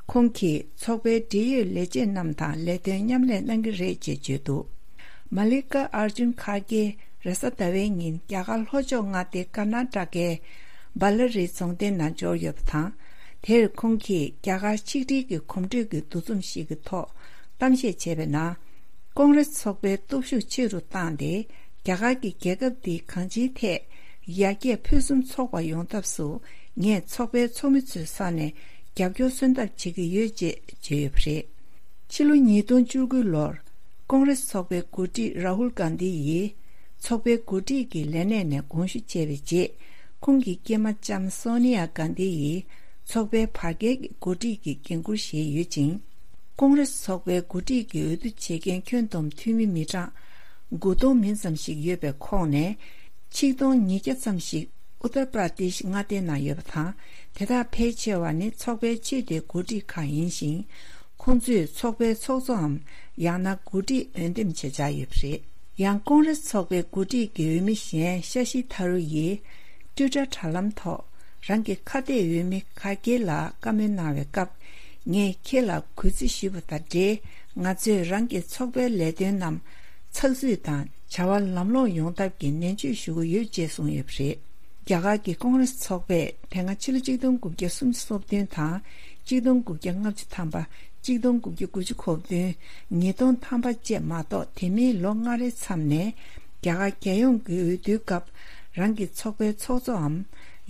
ཁོང་གིས་ཚོགས་པའི་འབྲེལ་ཡོད་ལས་བྱེད་རྣམས་དང་ལས་དོན་མཉམ་ལས་གནང་གི་རེད་ཅེས་བརྗོད་འདུག་མ་ལི་ཀ་ཨར་ཇུན་ཁར་གེ་རེས་གཟའ་ཟླ་བའི་ཉིན་རྒྱ་གར་ལྷོ་ཕྱོགས་མངའ་སྡེ་ཀར་ན་ཊ་ཀའི་བཱ་ལ་རི་རྫོང་སྡེ་ནང་འབྱོར་ཡོད་པ་དང་། དེར་ཁོང་གིས་རྒྱ་གར་ཆིག་སྒྲིལ་གྱི་གོམ་བགྲོད་ཀྱི་འདུ་འཛོམས་ཤིག་གི་ཐོག་གཏམ་བཤད་བྱས་པའི་ནང་། ཀོང་ཀྲེས་ཚོགས་པའི་སྟོབས་ཤུགས་ཆེ་རུ་བཏང་སྟེ། རྒྱ་གར་གྱི་རྒྱལ་ཁབ་འདི་གང་ཅིའི་ཐད་ཡར་རྒྱས་ཕུན་སུམ་ཚོགས་པ་ཡོང་ཐབས་སུ་ངས་ཚོགས་པའི་ཚོགས་མི་ཚོའི་ས་ནས་རྒྱབ་སྐྱོར་སོན་ཐབས་བྱེད་ཀྱི་ཡོད་ཅེས་བརྗོད་ཡོད་པ་རེད། ཕྱི་ལོ་ཉིས་སྟོང་བཅུ་དགུ་ལོར་ཀོང་ཀྲེས་ཚོགས་པའི་འགོ་ཁྲིད་རཱ་ཧུལ་གྷན་དྷི་ཡིས་ཚོགས་པའི་འགོ་ཁྲིད་ཀྱི་ལས་གནས་ནས་དགོངས་ཞུ་བྱས་པའི་རྗེས། ཁོང་གི་སྐྱེས་མ་ལྕམ་སོ་ནི་ཡ་གྷན་དྷི་ཡིས་ ཚོགས་པའི་བར་བརྒལ་གྱི་འགོ་ཁྲིད་ཀྱི་འགན་འཁུར་བཞེས་ཡོད་ཅིང་། ཀོང་རེ་སི་ཚོགས་པའི་འགོ་ཁྲིད་ཀྱི་འོས་བསྡུ་བྱེད་མཁན་ཁྱོན་བསྡོམས་འཐུས་མི་མི་གྲངས་དགུ་སྟོང་མིན་ཙམ་ཞིག་ཡོད་པའི་ཁོངས་ནས། ཆིག་སྟོང་ཉིས་བརྒྱ་ཙམ་ཞིག་ཨུ་ཏར་པྲ་ཏེཤ་མངའ་སྡེའི་ནང་ཡོད་པ་དང་། དེ་དག་ཕལ་ཆེ་བ་ནི་ཚོགས་པའི་ཆེས་མཐོའི་འགོ་ཁྲིད་ཁག་ཡིན་ཞིང་། ཁོང་ཚོས་ཚོགས་པའི་ཚོགས་གཙོའམ་ཡང་ན་འགོ་ཁྲིད་འོས་འདེམས་བྱེད་འཆར་ཡོད་པ་རེད། ཡང་ཀོང་རེ་སི་ཚོགས་པའི་འགོ་ཁྲིད་ཀྱི་འོས་མི་གཞན་ཤ་ཤི་ཐ་རུ་ཡིས་ཊུའི་ཊར་དྲ་ལམ་ཐོག་རང་གི་ཁ་གཏད་འོས་མི་ཁ་སྐྱེལ་ལ་བཀའ་མོལ་གནང་བའི་སྐབས། ངས་ཁྱེད་ལ་གུས་བརྩི་ཞུས་པ་དང་འབྲེལ། ང་ཚོས་རང་གི་ཚོགས་པའི་ལས་དོན་རྣམས་ཚགས་ཚུད་དང་བྱ་བ་ལམ་ལྷོང་ཡོང་ཐབས་ཀྱི་ནན་བརྗོད་ཞུ་གི་ཡོད་ཅེས་གསུངས་ཡོད་པ་རེད། རྒྱ་གར་གྱི་ཀོང་རེ་སི་ཚོགས་པས་དེ་སྔ་ཕྱི་ལོ་ཆིག་སྟོང་དགུ་བརྒྱ་སུམ་ཅུ་སོ་བདུན་དང་། ཆིག་སྟོང་དགུ་བརྒྱ་ལྔ་བཅུ་ཐམ་པ། ཆིག་སྟོང་དགུ་བརྒྱ་དགུ་བཅུ་གོ་བདུན། ཉིས་སྟོང་ཐམ་པ་བཅས་མ་གཏོགས། དེ་མིན་ལོ་ལྔ་རེའི་མཚམས་ནས་རྒྱ་གར་རྒྱལ་ཡོངས་ཀྱི་འོས་བསྡུའི་སྐབས། རང་གི་ཚོགས་པའི་ཚོགས་གཙོའམ་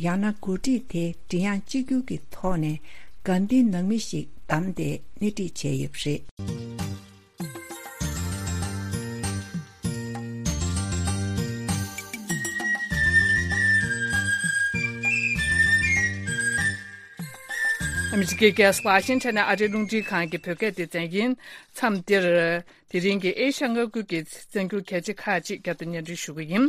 ཡང་ན་འགོ་ཁྲིད་དེ་མགྲིན་དབྱངས་གཅིག་གྱུར་གྱི་ཐོག་ནས་གྷན་དྷི་ནང་མི་ཞིག་བདམས་ཏེ་སྣེ་ཁྲིད་བྱས་ཡོད་པ་རེད། ཨ་མི་རི་ཀའི་རྒྱལ་ས་ཝ་ཤིང་ཊོན་ནས་ཨ་རིའི་རླུང་འཕྲིན་ཁང་གི་བོད་སྐད་སྡེ་ཚན་ཡིན། མཚམས་འདིར། དེ་རིང་གི་ཨེ་ཤ་ཡ་མངའ་ཁུལ་གྱི་གསར་འགྱུར་གལ་ཆེ་ཁག་ཅིག་བསྐྱར་དུ་སྙན་སྒྲོན་ཞུ་གི་ཡིན།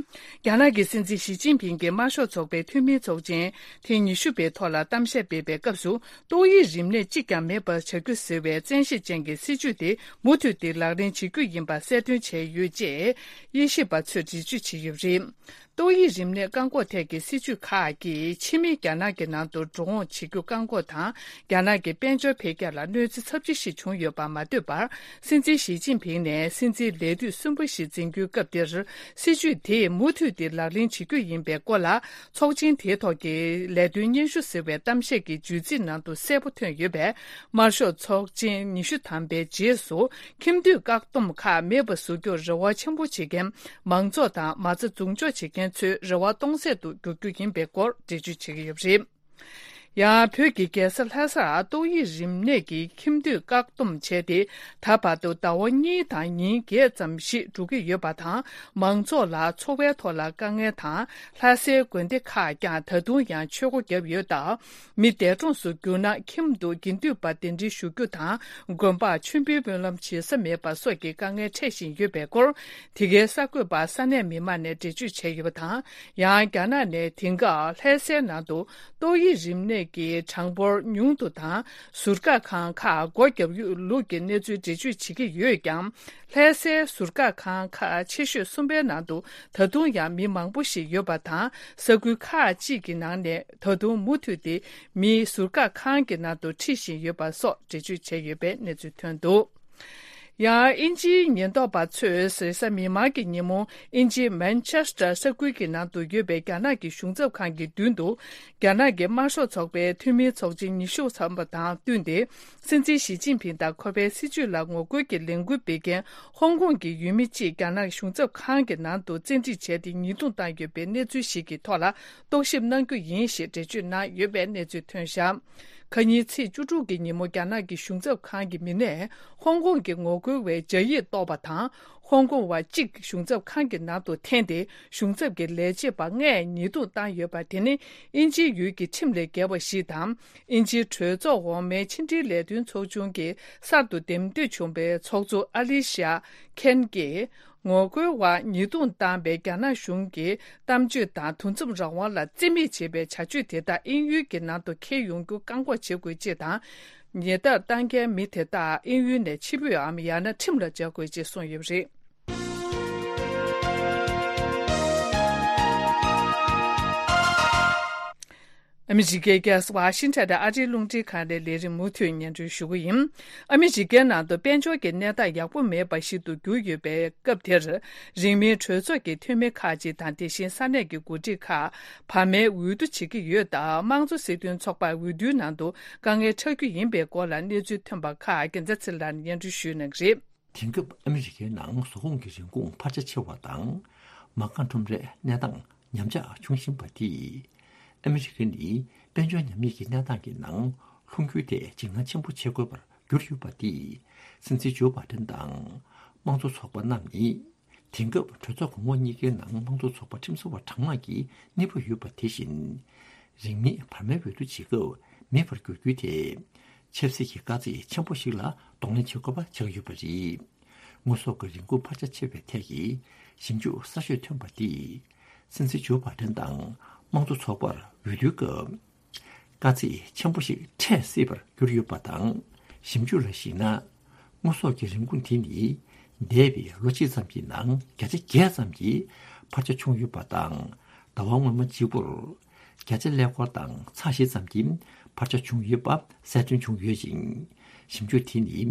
རྒྱ་ནག་གི་སྲིད་འཛིན་ཞི་ཅིན་ཕིང་གིས་དམར་ཤོག་ཚོགས་པའི་འཐུས་མིའི་ཚོགས་ཆེན་ཐེངས་ཉི་ཤུ་པའི་ཐོག་ལ་གཏམ་བཤད་སྤེལ་བའི་སྐབས་སུ། ཏོག་དབྱིབས་རིམས་ནད་གཅིག་ཀྱང་མེད་པར་བྱ་རྒྱུ་ཟེར་བའི་བཙན་ཤེད་ཅན་གྱི་སྲིད་བྱུས་དེ་མུ་མཐུད་དེ་ལག་ལེན་བྱེད་རྒྱུ་ཡིན་པ་གསལ་སྟོན་བྱས་ཡོད་ཅེས་དབྱེ་ཞིབ་པ་ཚོས་འགྲེལ་བརྗོད་བྱས་ཡོད་པ་རེད། ཏོག་དབྱིབས་རིམས་ནད་བཀག་འགོག་ཐད་ཀྱི་སྲིད་བྱུས་ཁག་གིས་ཕྱི་མི་རྒྱ་ནག་གི་ནང་དུ་འགྲོ་འོང་བྱེད་རྒྱུ་བཀག་འགོག་དང་། རྒྱ་ནག་གི་དཔལ་འབྱོར་འཕེལ་རྒྱས་ལ་གནོད་འཚེ་ཚབས་ཆེ་ཞིག་བྱུང་ཡོད་པར་མ་ལྟོས་པར། སྲིད་འཛིན་ཞི་ཅིན་ཕིང་ནས་སྲིད་འཛིན་ལས་དུས་གསུམ་པ་ཞིག་འཛིན་རྒྱུའི་སྐབས་འདིར། སྲིད་བྱུས་དེ་མུ་མཐུད་དེ་ལག་ལེན་བྱེད་རྒྱུ་ཡིན་པའི་སྐོར་ལ། ཚོགས་ཆེན་དེའི་ཐོག་གི་ལས་དོན་སྙན་ཞུ་ཟེར་བའི་གཏམ་བཤད་ཀྱི་བརྗོད་ཚིག་ནང་དུ་གསལ་པོ་ཐོན་ཡོད་པས། དམར་ཤོག་ཚོགས་ཆེན་ཉི་ཤུ་ཐམ་པའི་རྗེས་སུ། ཁྱིམ་སྡོད་བཀག་སྡོམ་ཁག་མེད་པ་བཟོ་རྒྱུར་རེ་བ་ཆེན་པོ་བྱེད་མཁན་མང་ཚོགས་དང་མ་རྩ་འཛུགས་འཇོག་བྱེད་མཁན་ཚོའི་རེ་བ་སྟོང་ཟད་དུ་འགྱུར་རྒྱུ་ཡིན་པའི་སྐོར་འགྲེལ་བརྗོད་བྱེད་ཀྱི་ཡོད་པ་རེད། ཡང་བོད་ཀྱི་རྒྱལ་ས་ལྷ་སར་ཏོག་དབྱིབས་རིམས་ནད་ཀྱི་ཁྱིམ་སྡོད་བཀག་སྡོམ་བྱས་ཏེ། ད་བར་དུ་ཟླ་བ་གཉིས་དང་ཉིན་བརྒྱད་ཙམ་ཞིག་འགྲོ་གི་ཡོད་པ་དང་། མང་ཚོགས་ལ་འཚོ་བའི་ཐོག་ལ་དཀའ་ངལ་དང་། ལྷ་སའི་དགོན་སྡེ་ཁག་ཀྱང་ད་དུང་ཡང་ཆོས་སྒོ་བརྒྱབ་ཡོད་སྟབས། མི་འདས་གྲོངས་སུ་གྱུར་ན་ཁྱིམ་དུ་དགེ་འདུན་པ་གདན་འདྲེན་ཞུ་རྒྱུ་དང་། དགོན་པར་མཆོད་འབུལ་སྨོན་ལམ་བྱེད་ས་མེད་པ་སོགས་ཀྱི་དཀའ་ངལ་འཕྲད་བཞིན་ཡོད་པའི་སྐོར། དེ་གའི་གསར་འགོད་པར་ས་གནས་མི་མང་ནས་འགྲེལ་བརྗོད་བྱས་ཡོད་པ་དང་། ཡང་རྒྱ་ནག་ནས་དེང་སྐབས་ལྷ་སའི་ནང་དུ་ཏོག་དབྱིབས་རིམས་ནད་ཀྱི་གྲངས་འབོར་ཉུང་དུ་དང་། ཟུར་བཀག་ཁང་ཁག་སྒོ་བརྒྱབ་ཡོད་ལུགས་ཀྱི་གནས་ཚུལ་འགྲེལ་བརྗོད་བྱེད་ཀྱི་ཡོད་ཀྱང་། ལྷ་སའི་ཟུར་བཀག་ཁང་ཁག་ཆེ་ཤོས་གསུམ་པའི་ནང་དུ་ད་དུང་ཡང་མི་མང་པོ་ཞིག་ཡོད་པ་དང་། ས་ཁུལ་ཁག་ཅིག་གི་ནང་ནས་ད་དུང་མུ་མཐུད་དེ་མི་ཟུར་བཀག་ཁང་གི་ནང་དུ་ཁྲིད་བཞིན་ཡོད་པ་སོགས་འགྲེལ་བརྗོད་བྱས་ཡོད་པའི་གནས་ཚུལ་ཐོན་འདུག། ཡང་དབྱིན་ཇིའི་ཉེན་རྟོག་པ་ཚོས་རེས་གཟའ་མིག་དམར་གྱི་ཉིན་མོ་དབྱིན་ཇིའི་མན་ཆེ་སི་ཊར་ས་ཁུལ་གྱི་ནང་དུ་ཡོད་པའི་རྒྱ་ནག་གི་གཞུང་ཚབ་ཁང་གི་མདུན་དུ། རྒྱ་ནག་གི་དམར་ཤོག་ཚོགས་པའི་འཐུས་མིའི་ཚོགས་ཆེན་ཉི་ཤུ་ཐམ་པ་དང་བསྟུན་ཏེ། སྲིད་འཛིན་ཞི་ཅིན་ཕིང་དང་ཁོ་པའི་སྲིད་བྱུས་ལ་ངོ་རྒོལ་གྱི་ལས་འགུལ་སྤེལ་མཁན་ཧོང་ཀོང་གི་ཡུལ་མི་གཅིག་རྒྱ་ནག་གཞུང་ཚབ་ཁང་གི་ནང་དུ་བཙན་ཁྲིད་བྱས་ཏེ་ཉེས་རྡུང་བཏང་ཡོད་པའི་གནས་ཚུལ་ཞིག་གི་ཐོག་ལ་རྟོག་ཞིབ་གནང་རྒྱུ་ཡིན་ཞེས་འགྲེལ་བརྗོད་གནང་ཡོད་པའི་གནས་ཚུལ་ཐོན་བཞག། ཁ་ཉིན་ཚེས་བཅུ་དྲུག་གི་ཉིན་མོ་རྒྱ་ནག་གི་གཞུང་ཚབ་ཁང་གི་མི་སྣས་ཧོང་ཀོང་གི་ངོ་རྒོལ་བའི་སྦྱར་ཡིག་གཏོར་བ་དང་། ཧོང་ཀོང་བ་གཅིག་གཞུང་ཚབ་ཁང་གི་ནང་དུ་འཐེན་ཏེ། གཞུང་ཚབ་ཀྱི་ལས་བྱེད་པ་ལྔས་ཉེས་རྡུང་བཏང་ཡོད་པ་དེ་ནི། དབྱིན་ཇིའི་ཡུལ་གྱི་ཁྲིམས་ལས་འགལ་བ་ཞིག་དང་། དབྱིན་ཇིའི་གྲོས་ཚོགས་འོག་མའི་ཕྱི་འབྲེལ་ལས་དོན་ཚོགས་ཆུང་གིས་གསར་དུ་འདེམས་ཐོན་བྱུང་བའི་ཚོགས་གཙོ་ཨ་ལི་ཤ་ཁེན་གྱིས། ངོ་རྒོལ་བར་ཉེས་རྡུང་བཏང་བའི་རྒྱ་ནག་གཞུང་གི་གཏམ་བརྗོད་དང་། འདུ་འཛོམས་རང་དབང་ལ་བརྩི་མེད་བྱེད་པའི་བྱ་སྤྱོད་དེ་དག་དབྱིན་ཡུལ་གྱི་ནང་དུ་འཁྱེར་ཡོང་རྒྱུ་བཀག་འགོག་བྱེད་དགོས་ཅེས་དང་། ཉེས་རྡུང་བཏང་མཁན་མི་དེ་དག་དབྱིན་ཡུལ་ནས་ཕྱིར་འབུད་འམ། ཡང་ན་ཁྲིམས་ལ་སྦྱར་དགོས་ཅེས་གསུངས་ཡོད་པ་རེད། ཨ་མི་རི་ཀའི་རྒྱལ་ས་ཝ་ཤིང་ཊོན་དུ་ཨ་རིའི་རླུང་འཕྲིན་ཁང་ནས་ལས་རིམ་མུ་མཐུད་སྙན་སྒྲོན་ཞུ་གི་ཡིན། ཨ་མི་རི་ཀའི་ནང་དུ་དཔལ་འབྱོར་གྱི་གནས་སྟངས་ཡག་པོ་མེད་པ་ཞིག་ཏུ་གྱུར་ཡོད་པའི་སྐབས་དེར། རིང་མིན་གྲོས་ཚོགས་ཀྱི་འཐུས་མི་ཁག་ཅིག་དང་། དེ་བཞིན་ས་གནས་ཀྱི་འགོ་ཁྲིད་ཁག་བར་མའི་འོས་བསྡུ་བྱེད་ཀྱི་ཡོད་སྟབས། དམངས་གཙོ་སྲིད་དོན་ཚོགས་པར་འོས་བསྡུའི་ནང་དུ་དཀའ་ངལ་འཕྲད་རྒྱུ་ཡིན་པའི་སྐོར་ལ་གནས་ཚུལ་ཐོན་པ་ཁག་རྒྱལ་མཚན་ཚེ་རིང་ལགས་ནས་སྙན་སྒྲོན་ཞུ་གནང་གི་རེད། དེང་སྐབས་ཨ་མི་རི་ཀའི་ནང་ཟོག་གོང་གི་རིན་གོང་འཕར་ཆ་ཆེ་བ་དང་། མ་རྐང་ཁྲོམ་རའི་གནས་སྟངས་ཉམས་ཆག་བྱུང་བཞིན་པ་དེས། ཨ་མི་རི་ཀ་ནི་དཔལ་འབྱོར་ཉམས་ཉེས་ཀྱི་གནས་སྟངས་ཀྱི་ནང་ལྷུང་རྒྱུའི་ཐད་འཇིགས་སྣང་ཆེན་པོ་བྱེད་དགོས་པར་གྱུར་ཡོད་པ་དེས། སྲིད་འཛིན་ཇོ་བྷ་ཌེན་དང་དམངས་གཙོ་ཚོགས་པ་རྣམས་ནི། དེང་སྐབས་གྲོས་ཚོགས་གོང་འོག་གཉིས་ཀའི་ནང་དམངས་གཙོ་ཚོགས་པ་ཁྲིམས་བཟོ་བ་གྲངས་མང་གིས་གནས་སྤོས་ཡོད་པ་དེ་བཞིན། རིང་མིན་བར་མའི་འོས་བསྡུ་བྱེད་སྐབས་ མེད་པར་འགྱུར་རྒྱུ་དེ། ཆབ་སྲིད་ཀྱི་དཀའ་ཚེགས་ཆེན་པོ་ཞིག་ལ་གདོང་ལེན་བྱེད་དགོས་པ་ཆགས་ཡོད་པ་རེད། དངོས་ཟོག་གི་རིན་གོང་འཕར་ཆ་ཆེ་བའི་ཐད་ཀྱི་ཞིབ་འཇུག་གསར་ཤོས་ཐོན་པ་འདིས་སྲིད་འཛིན་ཇོ་བྷའི་ཏན་དང་དམངས་གཙོ་ཚོགས་པར་འོས་བསྡུའི་སྐབས། དཀའ་ཚེགས་ཆེན་པོ་ཞིག་འཕྲད་སྲིད་པར་གྱུར་ཡོད་པ་དང་། ཞིབ་འཇུག་ལ་གཞིགས་ན། དངོས་ཟོག་གི་རིན་གོང་དེ་ནི་འདས་པའི་ལོ་གཅིག་ཙམ་གྱི་ནང་བརྒྱ་ཆ་བརྒྱད་ཙམ་གྱི་འཕར་ཆ་བྱུང་ཡོད་པ་དང་། ཟླ་བ་སྔོན་མ་གཅིག་པུར་བརྒྱ་ཆ་ཀླད་ཀོར་དང་ཚེག་བཞི་ཙམ་གྱི་འཕར་ཆ་བྱུང་ཡོད་པ་གསལ་སྟོན་བྱུང་ཡོད་ཅིང་། ཞིབ་འཇུག་དེ་ནི་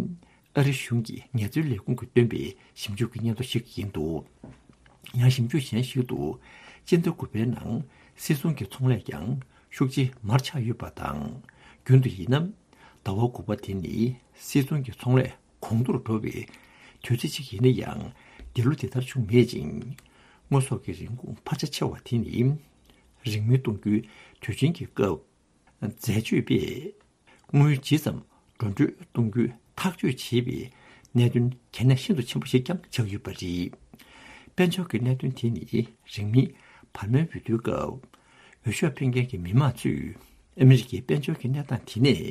ཨ་རི་གཞུང་གི་ངལ་རྩོལ་ལས་ཁུངས་ཀྱིས་བཏོན་པའི་ཞིབ་འཇུག་གི་སྙན་ཐོ་ཞིག་ཡིན་འདུག་ཡང་ཞིབ་འཇུག་གཞན་ཞིག་ཏུ། སྤྱི་ཟླ་དགུ་པའི་ནང་སིལ་ཚོང་གི་ཚོང་ལས་ཀྱང་ཤུགས་ཆེ་མར་ཆག་ཡོད་པ་དང་། རྒྱུན་དུ་ཡིན་ན། ཟླ་བ་དགུ་པ་དེ་ནི་སིལ་ཚོང་གི་ཚོང་ལས་གོང་མཐོར་འགྲོ་བའི་དུས་ཚོད་ཅིག་ཡིན་ན་ཡང་། འདི་ལོ་དེ་ལྟར་བྱུང་མེད་ཅིང་། དངོས་ཟོག་གི་རིན་གོང་འཕར་ཆ་ཆེ་བ་དེ་ནི། རིན་མེད་གཏོང་རྒྱུའི་དུས་ཆེན་གྱི་སྐབས། འཛད་སྤྱོད་པས་དངུལ་ཇི་ཙམ་འགྲོ་གྲོན་གཏོང་རྒྱུའི་ཐག་གཅོད་བྱེད་པའི་གནད་དོན་གལ་གནད་ཤིན་ཏུ་ཆེན་པོ་ཞིག་ཀྱང་ཆགས་ཡོད་པ་རེད། དཔལ་འབྱོར་གྱི་གནད་དོན་དེ་ནི་རིང་མིན་བར་མའི་འོས་བསྡུའི་སྐབས། འོས་ཤོག་འཕེན་མཁན་གྱི་མི་མང་ཚོས་ཨ་མི་རི་ཀའི་དཔལ་འབྱོར་གྱི་གནས་སྟངས་དེ་ནས་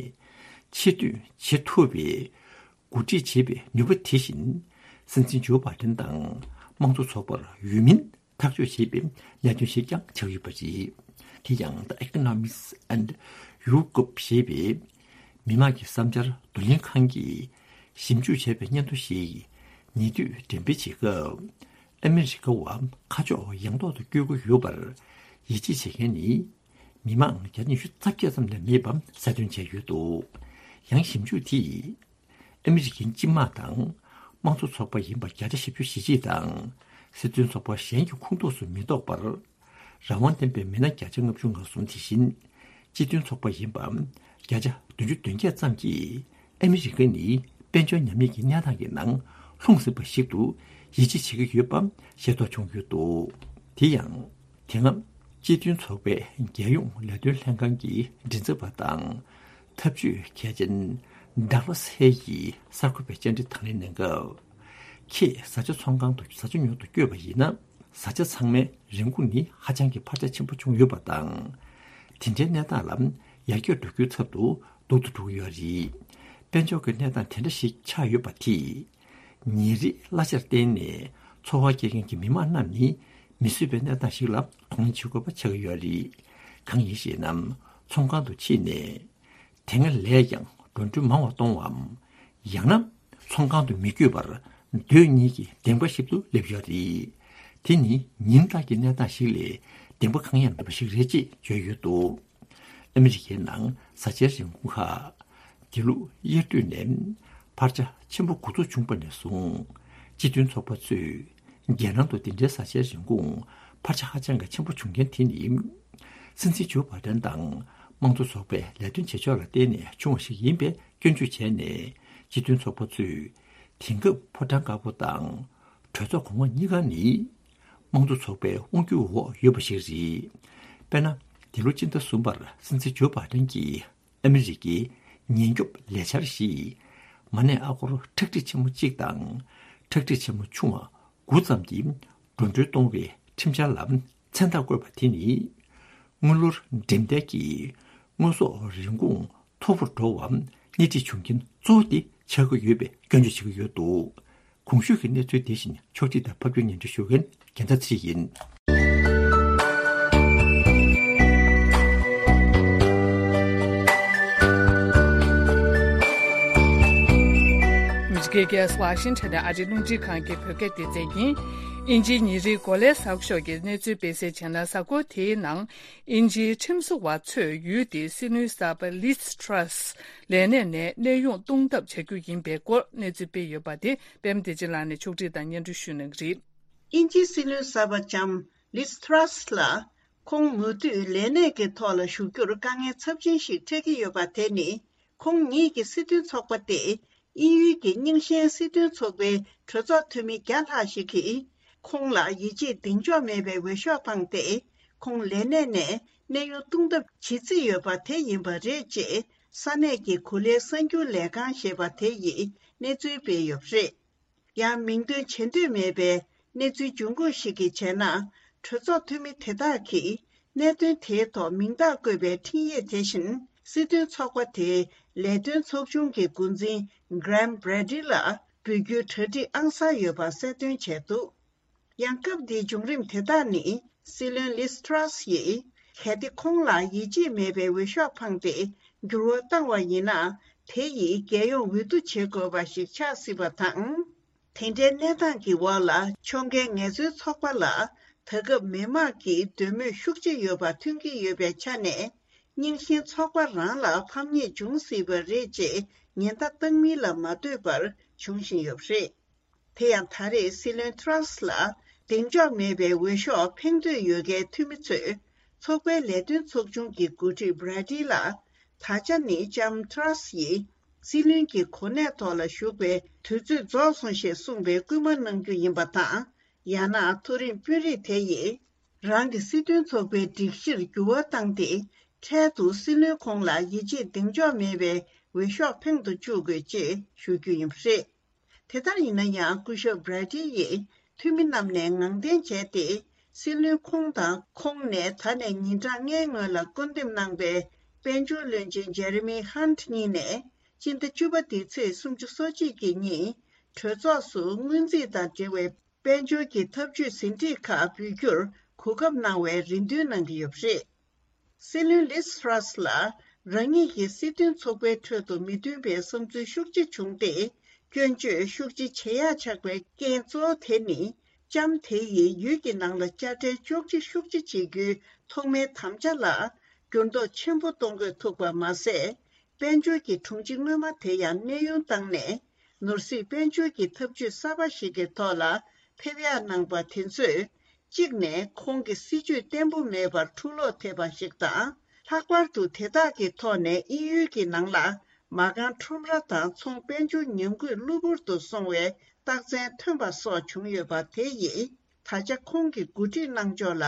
ཕྱིར་འཐེན་བྱེད་ཐུབ་པའི་འགོ་ཁྲིད་བྱེད་པའི་ནུས་པ་དེ་བཞིན། སྲིད་འཛིན་ཇོ་བྷའི་ཏན་དང་དམངས་གཙོ་ཚོགས་པར་འོས་མིན་ཐག་གཅོད་བྱེད་པའི་གནད་དོན་ཞིག་ཀྱང་ཆགས་ཡོད་པ་རེད། དེ་ཡང་The Economics and Europe ཞེས་པའི་མི་དམངས་ཀྱི་བསམ་འཆར་བསྡུ་ལེན་ཁང་གིས་ཞིབ་འཇུག་བྱས་པའི་སྙན་ཐོ་ཞིག་ཉེ་དུས་འགྲེམས་སྤེལ་བྱེད་སྐབས། ཨ་མི་རི་ཀ་བ་ཁ་ཕྱོགས་ཡངས་ཐོག་ཏུ་བསྐྱོད་ཀྱི་ཡོད་པར་ཡིད་ཆེས་བྱེད་མཁན་ནི་མི་མང་བརྒྱ་ཆ་ཉི་ཤུ་རྩ་བརྒྱད་ཙམ་ལས་མེད་པ་གསལ་སྟོན་བྱས་ཡོད་འདུག་ཡང་ཞིབ་འཇུག་དེས། ཨ་མི་རི་ཀའི་སྤྱི་དམངས་དང་དམངས་གཙོ་ཚོགས་པ་ཡིན་པ་བརྒྱ་ཆ་བཞི་བཅུ་ཞེ་གཅིག་དང་། སྲིད་དོན་ཚོགས་པ་གཞན་གྱི་ཁོངས་གཏོགས་སུ་མི་གཏོགས་པར། རང་དབང་ལྡན་པའི་མི་སྣ་བརྒྱ་ཆ་ལྔ་བཅུ་ང་གསུམ་དེ་བཞིན། སྤྱི་མཐུན་ཚོགས་པ་ཡིན་པ་བརྒྱ་ཆ་བདུན་ཅུ་དོན་བརྒྱད་ཙམ་གྱིས། ཨ་མི་རི་ཀ་ནི་དཔལ་འབྱོར་ཉམས་ཉེས་ཀྱི་གནས་སྟངས་ཀྱི་ནང་ལྷུང་ཟིན་པ་ཞིག་ཏུ་ཡིད་ཆེས་བྱེད་ཀྱི་ཡོད་པ་ཤེས་རྟོགས་བྱུང་ཡོད་འདུག་དེ་ཡང་། དེ་སྔ་སྤྱི་མཐུན་ཚོགས་པའི་རྒྱལ་ཡོངས་ལས་དོན་ལྷན་ཁང་གི་མགྲིན་ཚབ་པ་དང་། འཐབ་ཇུས་མཁས་ཅན་ཌག་ལ་སི་ཧེ་ཡིས་གསར་འགོད་པའི་བཅར་འདྲི་དང་ལེན་གནང་སྐབས། ཁྱེད་བཟའ་བཅའ་ཚོང་ཁང་དུ་བཟའ་བཅའ་ཉོ་དུ་བསྐྱོད་པ་ཡིན་ན། བཟའ་བཅའ་ཚང་མའི་རིན་གོང་ནི་ཧ་ཅང་གི་འཕར་ཆ་ཆེན་པོ་བྱུང་ཡོད་པ་དང་། དེ་འདྲའི་གནས་སྟངས་ལ་ཡར་རྒྱས་འགྲོ་རྒྱུའི་ཚབ་ཏུ་སྡུག་ཏུ་འགྲོ་གི་ཡོད་རེད། དཔལ་འབྱོར་གྱི་གནས་སྟངས་དེ་འདྲ་ཞིག་ཆགས་ཡོད་པ་དེས། ཉིན་རེའི་གླ་ཆར་བརྟེན་ནས་འཚོ་བ་སྐྱེལ་མཁན་གྱི་མི་མང་རྣམས་ནི་མི་བཟོད་པའི་གནས་སྟངས་ཤིག་ལ་གདོང་ལེན་བྱེད་དགོས་པ་ཆགས་ཀྱི་ཡོད་རེད། གང་ཡིན་ཞེ་ན། ཚོང་ཁང་དུ་ཕྱིན་ནས་དེ་སྔ་ལས་ཀྱང་འགྲོ་གྲོན་མང་བ་གཏོང་བའམ། ཡང་ན་ཚོང་ཁང་དུ་མི་བསྐྱོད་པར་སྡོད་མཁན་གྱི་སྡིངས་པ་ཞིག་ཏུ་སླེབས་ཡོད་རེད། དེ་ནི་ཉིན་ལྟར་གྱི་གནས་སྟངས་ཤིག་ལས་སྡིངས་པ་གང་ཡང་མེད་པ་ཞིག་རེད་ཅེས་བརྗོད་ཡོད་འདུག་ཨ་མི་རི་ཀའི་ནང་བཟའ་བཅའི་རིན་གོང་ཁག་འདི་ལོ་དབྱར་དུས་ནས་འཕར་ཆ་ཆེན་པོ་འགོ་ཚུགས་བྱུང་བ་ནས་བཟུང་། སྤྱི་མཐུན་ཚོགས་པ་ཚོས་རྒྱལ་ནང་དུ་འདི་འདྲའི་བཟའ་བཅའི་རིན་གོང་འཕར་ཆ་ཧ་ཅང་གི་ཆེན་པོ་བྱུང་རྐྱེན་དེ་ནི། སྲིད་འཛིན་ཇོ་བྷའི་ཏན་དང་དམངས་གཙོ་ཚོགས་པའི་ལས་དོན་བྱེད་ཕྱོགས་ལ་བརྟེན་ནས་བྱུང་བ་ཞིག་ཡིན་པའི་སྐྱོན་བརྗོད་བྱས་ནས། སྤྱི་མཐུན་ཚོགས་པ་ཚོས་དེང་སྐབས་ཕོ་བྲང་དཀར་པོ་དང་གྲོས་ཚོགས་གོང་འོག་གཉིས་ཀ་ནི་དམངས་གཙོ་ཚོགས་པའི་དབང་སྒྱུར་འོག་ཡོད་པ་ཞིག་རེད། དཔེར་ན། འདི་ལོ་སྤྱི་ཟླ་གསུམ་པར་སྲིད་འཛིན་ཇོ་བྷའི་ཏན་གྱིས་ཨ་མི་རི་ཀའི་ཉེན་སྐྱོབ་ལས་འཆར་ཞེས་མ་གནས་ཨ་སྒོར་ཁྲག་ཁྲིག་ཆེན་མོ་གཅིག་དང་ཁྲག་ཁྲིག་ཆེན་མོ་ཆུང་བ་དགུ་ཙམ་གྱི་འགྲོ་གྲོན་གཏོང་བའི་ཁྲིམས་འཆར་ལ་མཚན་རྟགས་བཀོད་པ་དེ་ནི། དངུལ་ལོར་འགྲེམས་སྟེགས་ཀྱི་དངོས་ཟོག་རིན་གོང་མཐོ་པོར་འགྲོ་བའམ་སྣེ་ཁྲིད་བྱུང་རྐྱེན་གཙོ་བོ་དེ་ཆགས་ཀྱི་ཡོད་པའི་སྐྱོན་བརྗོད་བྱེད་ཀྱི་ཡོད་འདུག་གོང་ཞུས་ཀྱི་གནས་ཚུལ་དེ་བཞིན་ཕྱོགས་སྒྲིག་དང་ཕབ་སྒྱུར་སྙན་སྒྲོན་ཞུ་མཁན་རྒྱལ་མཚན་ཚེ་རིང་ཡིན། ཨ་མི་རི་ཀའི་རྒྱལ་ས་ཝ་ཤིང་ཊོན་ནས་ཨ་རིའི་རླུང་འཕྲིན་ཁང་གི་བོད་སྐད་སྡེ་ཚན་ཡིན། དབྱིན་ཇིའི་ཉིན་རེའི་གོ་ལའི་གསར་ཤོག་གི་གནས་ཚུལ་སྤེལ་གསལ་བྱས་ན། གཟའ་འཁོར་དེའི་ནང་དབྱིན་ཇིའི་ཁྲིམས་བཟོ་བ་ཚོས་ཡུལ་དེའི་སྲིད་བློན་གསར་པ་ལིཛ་ཊྲ་སི་ལས་གནས་ནས་གནས་དབྱུང་གཏོང་ཐབས་བྱ་རྒྱུ་ཡིན་པའི་སྐོར་གནས་ཚུལ་སྤེལ་ཡོད་པ་དེ་པད་མ་བདེ་ཆེན་ལགས་ནས་ཕྱོགས་སྒྲིག་དང་སྙན་སྒྲོན་ཞུ་གནང་གི་རེད། དབྱིན་ཇིའི་སྲིད་བློན་གསར་པ་ལྕམ་ལིཛ་ཊྲ་སི་ལ། ཁོང་མུ་མཐུད་ལས་གནས་ཀྱི་ཐོག་ལ་བཞུགས་རྒྱུར་དཀའ་ངལ་ཚབས་ཆེན་ཞིག་འཕྲད་ཀྱི་ཡོད་པ་དེ་ནི། ཁོང་ཉིད་ཀྱི་སྲིད་དོན་ཚོགས་པ་སྟེ། དབྱིན་ཡུལ་གྱི་རྙིང་ཞེན་སྲིད་དོན་ཚོགས་པའི་གྲོས་ཚོགས་འཐུས་མི་བརྒྱ་ལྷག་ཞིག་གིས། ཁོང་ལ་ཡིད་ཆེས་གདེང་འཇོག་མེད་པའི་འོས་ཤོག་བཏང་སྟེ། ཁོང་ལས་གནས་ནས་གནས་དབྱུང་གཏོང་ཐབས་བྱེད་རྩིས་ཡོད་པ་དེ་ཡིན་པ་རེད་ཅེས། ས་གནས་ཀྱི་གོ་ལའི་གསར་འགྱུར་ལས་ཁང་ཞེས་པ་དེ་ཡིས་གནས་ཚུལ་སྤེལ་ཡོད་པ་རེད། ཡང་མིང་འདོན་བྱེད་འདོད་མེད་པའི་གནས་ཚུལ་འབྱུང་ཁུངས་ཤིག་གིས་བྱས་ན། གྲོས་ཚོགས་འཐུས་མི་དེ་དག་གིས་གནད་དོན་དེའི་ཐོག་མིང་རྟགས་བཀོད་པའི་འཕྲིན་ཡིག་དེ་བཞིན་ སྲིད་དོན་ཚོགས་པ་དེའི་ལས་དོན་ཚོགས་ཆུང་གི་འགོ་འཛིན་Graham Brady་ལ་འབོད་སྐུལ་གྲ་སྒྲིག་ཨང་གསར་ཡོད་པ་གསལ་སྟོན་བྱས་འདུག་ཡང་སྐབས་འདིའི་བྱུང་རིམ་དེ་དག་ནི་སྲིད་བློན་Liz Truss་ཡིས་གལ་ཏེ་ཁོང་ལ་ཡིད་ཆེས་མེད་པའི་འོས་ཤོག་འཕངས་ཏེ་འགྱུར་བ་བཏང་བ་ཡིན་ན། དེ་ཡིས་རྒྱལ་ཡོངས་འོས་བསྡུ་བྱེད་དགོས་པ་ཞིག་ཆགས་སྲིད་པ་དང་། དེ་འདྲའི་གནས་སྟངས་ཀྱི་འོག་ལ་ཕྱོགས་འགལ་ངལ་རྩོལ་ཚོགས་པ་ལ་ད་སྐབས་མི་དམངས་ཀྱི་འདོད་མོས་ཤུགས་ཆེ་ཡོད་པ་ཐོན་གྱི་ཡོད་པའི་ཆ་ནས། རྙིང་ཞེན་ཚོགས་པ་རང་ལ་ཕམ་ཉེས་འབྱུང་སྲིད་པ་རེད་ཅེས་ཉེན་བརྡ་བཏང་མིན་ལ་མ་ལྟོས་པར་འབྱུང་བཞིན་ཡོད་པ་རེད། དེ་ཡང་ད་རེས་སྲིད་བློན་Truss་ལ་གདེང་འཇོག་མེད་པའི་འོས་ཤོག་འཕེན་འདོད་ཡོད་མཁན་འཐུས་མི་ཚོས་ཚོགས་པའི་ལས་དོན་ཚོགས་ཆུང་གི་འགོ་ཁྲིད་Brady་ལ། ད་ཆ་ནི་ལྕམ་Truss་ཡིས་སྲིད་བློན་གྱི་གོ་གནས་ཐོག་ལ་བཞུགས་པའི་དུས་ཚོད་རྫོགས་སོང་ཞེས་གསུངས་པའི་སྐུལ་མ་གནང་རྒྱུ་ཡིན་པ་དང་། ཡང་ན་མཐོ་རིམ་དཔོན་རིགས་དེ་ཡིས་རང་གི་སྲིད་དོན་ཚོགས་པའི་སྒྲིག་གཞིར་འགྱུར་བ་བཏང་སྟེ། འཕྲལ་དུ་སྲིད་བློན་ཁོང་ལ་ཡིད་ཆེས་གདེང་འཇོག་མེད་པའི་འོས་ཤོག་འཕེན་དུ་བཅུག་དགོས་ཅེས་ཞུ་རྒྱུ་ཡིན་པ་རེད། དེ་ལྟར་ཡིན་ན་ཡང་སྐུ་ཞབས་Brady་ཡིས་འཐུས་མི་རྣམས་ནས་ངང་བསྟན་བྱས་ཏེ། སྲིད་བློན་ཁོང་དང་ཁོང་ནས་ད་ནས་ཉིན་གྲངས་ལྔའི་སྔོན་ལ་བསྐོ་འདེམས་གནང་པའི་དཔལ་འབྱོར་བློན་ཆེན་Jeremy Hunt་གཉིས་ནས་སྤྱི་ཟླ་བཅུ་པ་འདིའི་ཚེས་སུམ་ཅུ་སོ་གཅིག་གི་ཉིན་གྲོས་ཚོགས་སུ་སྔོན་རྩིས་དང་འབྲེལ་བའི་དཔལ་འབྱོར་གྱི་ཐབས་ཇུས་ཟིན་བྲིས་ཁག་འབུལ་རྒྱུར་གོ་སྐབས་གནང་བའི་རེ་འདུན་གནང་གི་ཡོད་པ་རེད། སྲིད་བློན་Liz Truss་ལ་རང་ཉིད་ཀྱི་སྲིད་དོན་ཚོགས་པའི་ཁྲོད་དུ་མི་མཐུན་པའི་བསམ་ཚུལ་ཤུགས་ཆེ་བྱུང་སྟེ། སྐྱོན་བརྗོད་ཤུགས་ཆེ་བྱེད་ཡག་ཆགས་པའི་རྐྱེན་གཙོ་བོ་དེ་ནི། ལྕམ་དེ་ཡིས་ཡུལ་གྱི་ནང་ལ་དཔྱ་ཁྲལ་གཅོག་མཆན་ཤུགས་ཆེ་བྱེད་རྒྱུའི་ཐོག་མའི་དམ་བཅའ་ལ་འགྱུར་ལྡོག་ཆེན་པོ་གཏོང་དགོས་ཐུག་པ་མ་ཟད། དཔལ་འབྱོར་གྱི་དྲུང་ཆེ་སྔོན་མ་དེ་ཡང་གནས་དབྱུང་བཏང་ནས། ནོར་སྲིད་དཔལ་འབྱོར་གྱི་ཐབས་ཇུས་གསར་པ་ཞིག་གི་ཐོག་ལ་ཕེབས་ཡག་གནང་པ་དེ་ཚོས། གཅིག་ནས་ཁོང་གི་སྲིད་ཇུས་བརྟན་པོ་མེད་པར་འཁྲུག་ལོག་ཐེབས་པ་ཞིག་དང་། ལྷག་པར་དུ་དེ་དག་གི་ཐོག་ནས་དབྱིན་ཡུལ་གྱི་ནང་ལ་མ་རྐང་ཁྲོམ་ར་དང་ཚོང་དཔལ་འབྱོར་ཉམས་རྒུད་གློ་བུར་དུ་སོང་བའི་རྟགས་མཚན་ཐོན་པ་སོགས་བྱུང་ཡོད་པ་དེ་ཡིས། ད་ཆ་ཁོང་གི་འགོ་ཁྲིད་གནང་ཕྱོགས་ལ་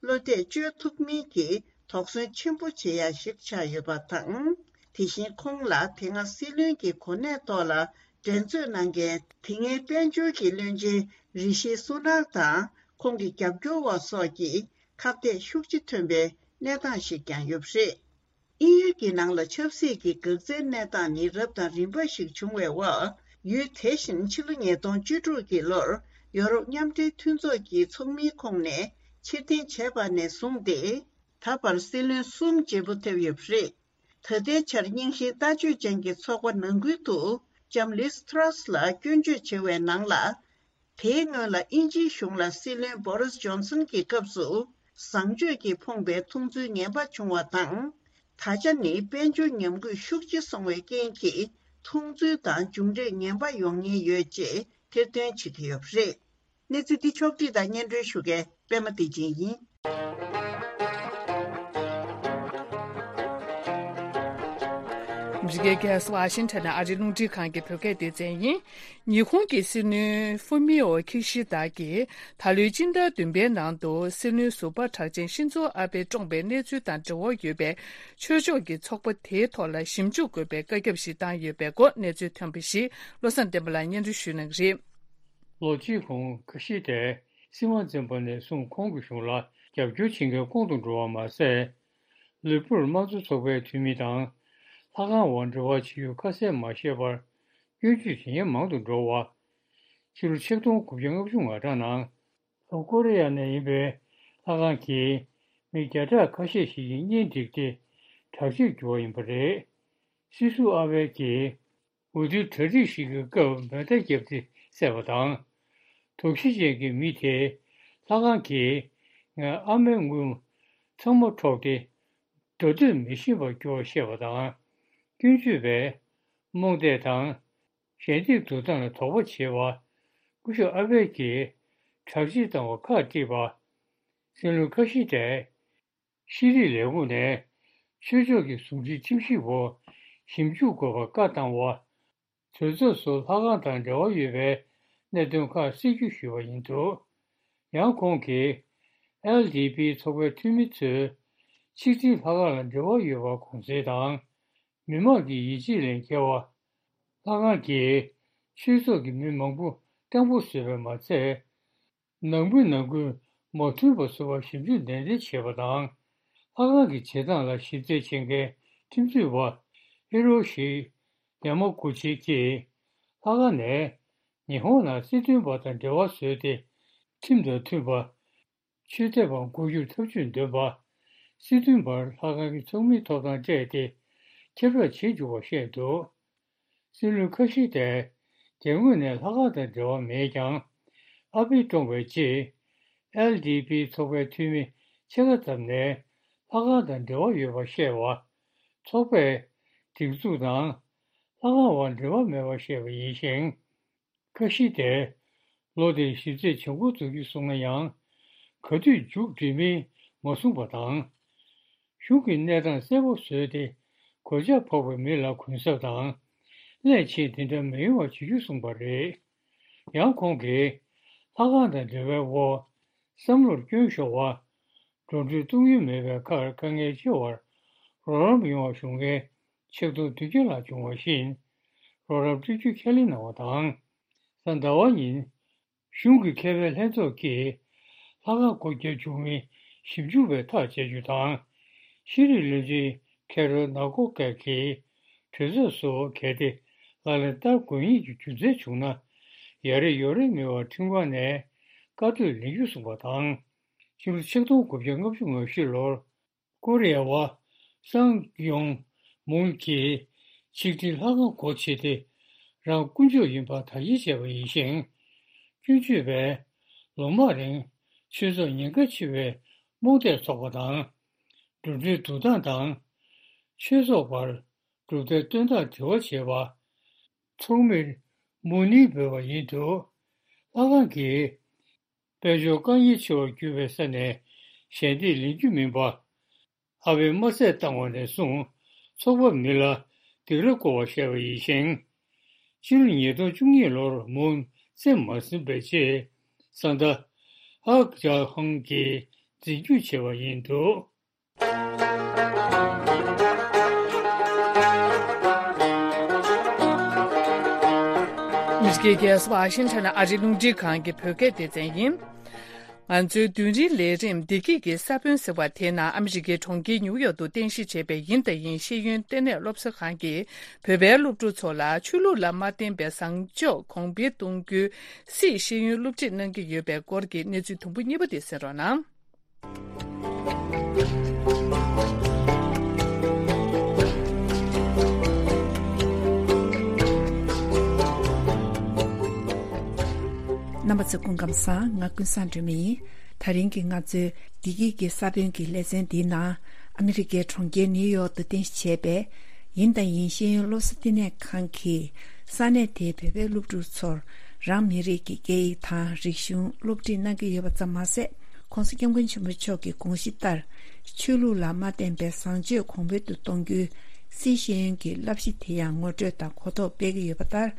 བློ་གཏད་བཅོལ་ཐུབ་མིན་གྱི་དོགས་ཟོན་ཆེན་པོ་བྱེད་ཡ་ཞིག་ཆགས་ཡོད་པ་དང་། དེ་བཞིན་ཁོང་ལ་དེ་སྔ་སྲིད་བློན་གྱི་གོ་གནས་ཐོག་ལ་འགྲན་རྩོད་གནང་མཁན་དེ་སྔའི་དཔལ་འབྱོར་གྱི་བློན་ཆེན་རི་ཤི་སུ་ནག་དང་ཁོང་གི་རྒྱབ་སྐྱོར་བ་སོགས་ཀྱི་ཁ་གཏད་ཤུགས་ཆེ་ཐོན་པའི་གནས་སྟངས་ཤིག་ཀྱང་ཡོད་པ་རེད། དབྱིན་ཡུལ་གྱི་ནང་ལ་ཆབ་སྲིད་ཀྱི་འགག་རྩའི་གནས་སྟངས་ནི་རབ་དང་རིམ་པ་ཞིག་བྱུང་བའི་འོག་ཡུལ་དེ་བཞིན་ཕྱི་ལོ་ཉིས་སྟོང་བཅུ་དྲུག་གི་ལོར་ཡོ་རོབ་མཉམ་འབྲེལ་མཐུན་ཚོགས་ཀྱི་ཚོགས་མིའི་ཁོངས་ནས་ཕྱིར་འཐེན་བྱས་པ་ནས་བཟུང་སྟེ། ད་བར་སྲིད་བློན་གསུམ་བརྗེ་པོ་ཐེབས་ཡོད་པ་རེད། ད་ལྟའི་ཆར་རྙིང་ཞེན་ལྟ་སྤྱོད་ཅན་གྱི་ཚོགས་པ་ནང་ཁུལ་དུ་ལྕམ་ལིས་ཐྲ་སི་ལ་སྐྱོན་བརྗོད་བྱེད་པའི་ནང་ལ། དེའི་སྔོན་ལ་དབྱིན་ཇིའི་གཞུང་ལ་སྲིད་བློན་བོ་རིས་ཇོན་སན་གྱི་སྐབས་སུ་བཟང་སྤྱོད་ཀྱིས་ཕོངས་པའི་མཐོང་ཚུལ་ངན་པ་བྱུང་བ་དང་། ད་ཆ་ནི་དཔལ་འབྱོར་ཉམས་རྒུད་ཤུགས་ཆེ་སོང་བའི་རྐྱེན་གྱིས་མཐོང་ཚུལ་དང་མཇུག་འབྲས་ངན་པ་ཡོང་ཉེན་ཡོད་ཅེས་ཐེར་འདོན་བྱེད་ཀྱི་ཡོད་པ་རེད། གནས་ཚུལ་འདི་ཕྱོགས་བསྒྲིགས་དང་སྙན་སྒྲོན་ཞུ་མཁན་པད་མ་བདེ་ཆེན་ཡིན། འདི་གའི་གྷལ་ཝ་ཤིང་ཊོན་ནས་ཨ་རིའི་རླུང་འཕྲིན་ཁང་གི་བོད་སྐད་སྡེ་ཚན་ཡིན། ཉི་ཧོང་གི་སྲིད་བློན་ཧྥུ་མི་ཨོ་ཁི་ཤི་དཱ་གིས་ད་ལོའི་སྤྱི་ཟླ་བདུན་པའི་ནང་དུ་སྲིད་བློན་ཟུར་པ་གྲགས་ཅན་ཤིན་ཛོ་ཨ་བྷེ་བཀྲོངས་པའི་གནས་ཚུལ་དང་འབྲེལ་བ་ཡོད་པའི་ཆོས་ཕྱོགས་ཀྱི་ཚོགས་པ་དེའི་ཐོག་ལ་ཞིབ་འཇུག་དགོས་པའི་བཀའ་ཁྱབ་ཞིག་བཏང་ཡོད་པའི་སྐོར་གནས་ཚུལ་ཐོན་པ་ཞིག་བློ་བཟང་བསྟན་པ་ལགས་སྙན་སྒྲོན་ཞུ་གནང་གི་རེད། ལོ་གཅིག་གོང་ཁི་ཤི་དཱས་སྲིད་དབང་འཛིན་པ་ནས་བཟུང་ཁོང་གི་གཞུང་ལ་རྒྱབ་སྐྱོར་བྱེད་མཁན་ཁོང་དུ་འགྲོ་བ་མ་ཟད། ལུས་པོར་དམངས་གཙོ་ཚོགས་པའི་འཐུས་མི་དང་། ལྷ་ཁང་འོག་འབྲེལ་བ་བྱེད་ཡུལ་ཁ་གསལ་མ་ཤེས་པར་སྐྱོན་བརྗོད་བྱེད་མཁན་མང་དུ་འགྲོ་བ། ཕྱི་ལོ་ཆིག་སྟོང་དགུ་བརྒྱ་ལྔ་བཅུ་ང་གྲངས་ནང་ལྷོ་ཀོ་རི་ཡ་ནས་ཡིན་པའི་ལྷ་ཁང་གིས་མི་བརྒྱ་ཕྲག་ཁ་ཤས་ཤིག་གི་གཉེན་བསྒྲིགས་ཏེ་དྲག་སྤྱོད་བྱས་པ་ཡིན་པ་རེད། སྲིད་ཟུར་ཨ་བྷེ་གིས། འོས་བསྡུའི་གྲ་སྒྲིག་ཞིག་གི་སྐབས་མེ་མདའ་བརྒྱབ་སྟེ་བསད་པ་དང་། དོགས་གཞི་ཅན་གྱི་མི་དེས་ལྷ་ཁང་གིས་ངའི་ཨ་མའི་དངུལ་ཚང་མ་འཕྲོག་སྟེ་སྒྲ་སྡུད་མི་ཤེས་པར་གྱུར་བ་བཤད་པ་དང་། སྐྱོན་བརྗོད་པས་རྨོངས་དད་དང་ཞལ་འདེབས་བསྡུ་སྟངས་ལ་དོགས་པ་བྱེད་པ། སྐུ་ཞབས་ཨ་བྷེ་གིས་དྲག་སྤྱོད་བཏང་བར་ཁག་དཀྲིས་པ། སྲིད་བློན་ཁ་ཤི་དཱས། ཤེས་རིག་ལས་ཁུངས་ནས་ཆོས་ཕྱོགས་ཀྱི་ཟུང་འབྲེལ་ཁྲིམས་ཞིབ་པུ་ཞིབ་འཇུག་དགོས་པར་བཀའ་བཏང་བ། གྲོས་ཚོགས་སུ་ལྷ་ཁང་དང་འབྲེལ་བ་ཡོད་པའི་གནད་དོན་ཁག་སྲིད་ཇུས་ཞུས་པ་ཡིན་འདུག་ཡང་ཁོང་གིས་ཨེལ་ཌི་པི་ཚོགས་པའི་འཐུས་མི་ཚོས་ཆིག་ཐིག་ལྷ་ཁང་ལ་འབྲེལ་བ་ཡོད་པར་དགོངས་སེལ་དང་། མི་མང་གི་ཡིད་ཆེས་ལས་འགལ་བ། ལྷ་ཁང་གིས་ཆོས་ཚོགས་ཀྱི་མི་མང་པོ་གཏན་པོ་བཟོས་པས་མ་ཚད། ནང་མི་ནང་ཁུལ་མ་མཐུན་པ་བཟོ་བར་ཞིབ་འཇུག་ནན་ཏན་བྱས་པ་དང་། ལྷ་ཁང་གི་བྱེད་སྟངས་ལ་ཞིབ་རྩད་བྱེད་མཁན་ ཁྲིམས་རྩོད་པ་ཧི་རོ་ཤི་ཡ་མ་གུ་ཆི་གྱིས་ལྷག་དཀར་ནས་ཉི་ཧོང་ནང་སྲིད་དོན་པ་དང་འབྲེལ་བ་བཟོས་ཏེ། ཁྲིམས་དང་མཐུན་པ། ཆོས་དད་པ་མགོ་སྒྱུར་ཐབས་ཇུས་འདོན་པ། སྲིད་དོན་པར་ལྷག་དཀར་གྱི་ཚོགས་མིའི་ཐོབ་ཐང་སྤྲད་དེ་ཁྱབ་བསྒྲགས་བྱེད་འཇུག་པ་བཤད་འདུག་སྲིད་བློན་ཁ་ཤི་ཏས་རྒྱབ་ངོས་ནས་ལྷག་དཀར་དང་འབྲེལ་བ་མེད་ཀྱང་། ཨ་ཕི་བཀྲོངས་པའི་རྗེས། ཨེལ་ཌི་པི་ཚོགས་པའི་འཐུས་མི་ཕྱེད་ཀ་ཙམ་ནས་ལྷག་དཀར་དང་འབྲེལ་བ་ཡོད་པ་བཤད་པ། ཚོགས་པས་སྒྲིག་འཛུགས་དང་ལྷག་དཀར་བར་འབྲེལ་བ་མེད་པ་བཤད་པ་ཡིན་ཞིང་། ཁ་ཤི་དེས་ལོ་དེའི་ཞིབ་དཔྱད་བྱེད་འགོ་འཛུགས་རྒྱུ་སོང་ན་ཡང་། ག་དུས་མཇུག་སྒྲིལ་མིན་མ་གསུངས་པ་དང་། གཞུང་གི་གནས་སྟངས་གསལ་པོ་བཟོས་ཏེ་གོད་ཆག་ཕོག་པའི་མི་ལ་གུན་གསབ་དང་། སླད་ཕྱིན་དེ་འདྲ་མི་ཡོང་བ་བྱེད་རྒྱུ་གསུངས་པ་རེད། ཡང་ཁོང་གིས་ལྷག་དཀར་དང་འབྲེལ་བའི་འོག་བསམ་བློར་སྐྱོན་ཤོར་བ། འགྲོ་གྲོན་གཏོང་ཡུལ་མེད་པའི་ཁར་དཀའ་ངལ་ཆེ་བར་རོགས་རམ་ཡོང་བ་ཞུ་མཁན་ཆིག་སྟོང་བདུན་བརྒྱ་ལྷག་བྱུང་བ་བཞིན་རོགས་རམ་སྤྲོད་རྒྱུ་ཁས་ལེན་གནང་བ་དང་། གཟའ་ཟླ་བ་ཉིན་གཞུང་གི་མཁས་པའི་ལྷན་ཚོགས་ཀྱིས་ལྷག་དཀར་སྒོ་བརྒྱབ་བཅུག་མིན་ཞིབ་འཇུག་པས་ཐག་བཅད་རྒྱུ་དང་། ཤེས་རིག་བློན་ཆེན་ཁེ་རོལ་ནག་གོ་ཀེ་གིས་གྲོས་ཚོགས་སུ་གལ་ཏེ་ལག་ལེན་བསྟར་དགོས་ངེས་ཀྱི་རྒྱུ་མཚན་བྱུང་ན། ཡ་རེད་ཡོ་རེད་མེད་པར་ཁྲིམས་ཁང་ནས་བཀའ་ཐོག་ལེན་རྒྱུ་གསུངས་པ་དང་། ཕྱི་ལོ་ཆིག་སྟོང་དགུ་བརྒྱ་ལྔ་བཅུ་ང་བཞི་ལོར་ཀོ་རི་ཡ་བ་སང་ཡོང་མུན་གྱིས་ཆིག་སྒྲིལ་ལྷག་དཀར་སྒོ་ཕྱེ་སྟེ་རང་དཀོན་མཆོག་ཡིན་པ་དག་སྐྱེལ་བྱས་པ་ཡིན་ཞིང་། སྐྱོན་བརྗོད་པས་ལོ་མང་རིང་ཆོས་ཚོགས་ཉེན་ཁ་ཆེ་བའི་རྨོངས་དད་ཚོགས་པ་དང་། འགྲོ་གྲོན་བསྡུ་སྟངས་དང་། ཆོས་ཚོགས་བར་གྲུབ་མཐའི་བཏོན་སྟངས་འབྲེལ་བ་བྱས་པ། ཚོགས་མིར་མུ་ནི་འབོད་པ་ཡིན་འདུག་ལྷག་དཀར་གྱིས་དཔལ་འབྱོར་དཀའ་ངལ་ཆེ་བར་གྱུར་པའི་ས་ནས་ཞལ་འདེབས་ལེན་རྒྱུ་མིན་པ། ཨ་ཕས་མ་ཚད་བཏང་བ་ནས་བཟུང་ཚོགས་པ་མི་ལ་སྡིགས་ར་བསྐུལ་བ་བཤད་པ་ཡིན་ཞིང་། སྤྱི་ལོ་ཉིས་སྟོང་བཅུ་གཉིས་ལོར་མུན་རྩེ་མ་ཟིན་པའི་རྗེས་ས་མཐའ་ཧག་ཇཱ་ཧང་གིས་འཛིན་སྐྱོང་བྱས་པ་ཡིན་འདུག་ཨ་མི་རི་ཀའི་རྒྱལ་ས་ཝ་ཤིང་ཊོན་ཨ་རིའི་རླུང་འཕྲིན་ཁང་གི་བོད་སྐད་སྡེ་ཚན་ཡིན། ང་ཚོའི་རྡུལ་ཕྲན་ལས་རིམ་བདེ་སྐྱིད་ཀྱི་ས་བོན་ཟེར་བ་དེའི་ནང་ཨ་མི་རི་ཀའི་གྲོང་ཁྱེར་ཉིའུ་ཡོག་ཏུ་རྟེན་གཞི་བྱས་པའི་ཡིན་དང་ཡིན་ཤེས་ཡོན་ལྟེ་གནས་སློབ་གསོ་ཁང་གིས་བོད་པའི་སློབ་ཕྲུག་ཚོ་ལ་ཆོས་ལུགས་ལ་མ་བརྟེན་པའི་བཟང་སྤྱོད་གོང་འཕེལ་གཏོང་རྒྱུའི་སྲིད་ཤེས་ཡོན་སློབ་ཁྲིད་གནང་གི་ཡོད་པའི་སྐོར་གྱི་གནས་ཚུལ་དུམ་བུ་གཉིས་པ་དེ་གསན་རོགས་གནང་། རྣམ་པ་ཚོ་སྐུ་ཁམས་བཟང་། ང་ཀུན་བཟང་སྒྲོལ་མ་ཡིན། དེ་རིང་གི་ང་ཚོའི་བདེ་སྐྱིད་ཀྱི་ས་བོན་གྱི་ལེ་ཚན་འདིའི་ནང་ཨ་མི་རི་ཀའི་གྲོང་ཁྱེར་ནིའུ་ཡོག་ཏུ་རྟེན་གཞི་བྱས་པའི་ཡིན་དང་ཡིན་ཤེས་ཡོན་སློབ་གསོ་བསྟི་གནས་ཁང་གིས་ས་གནས་དེའི་བོད་པའི་སློབ་ཕྲུག་ཚོར་རང་མི་རིགས་ཀྱི་སྐད་ཡིག་དང་རིག་གཞུང་སློབ་ཁྲིད་གནང་གི་ཡོད་པ་ཙམ་མ་ཟད། ྋགོང་ས་ྋསྐྱབས་མགོན་ཆེན་པོ་མཆོག་གི་དགོངས་གཞི་ལྟར། ཆོས་ལུགས་ལ་མ་བརྟེན་པའི་བཟང་སྤྱོད་གོང་འཕེལ་དུ་གཏོང་རྒྱུའི་སྲིད་ཤེས་ཡོན་གྱི་བསླབ་གཞི་དེ་ཡང་ངོ་སྤྲོད་དང་གོ་རྟོགས་སྤེལ་གྱི་ཡོད་པ་ལྟར།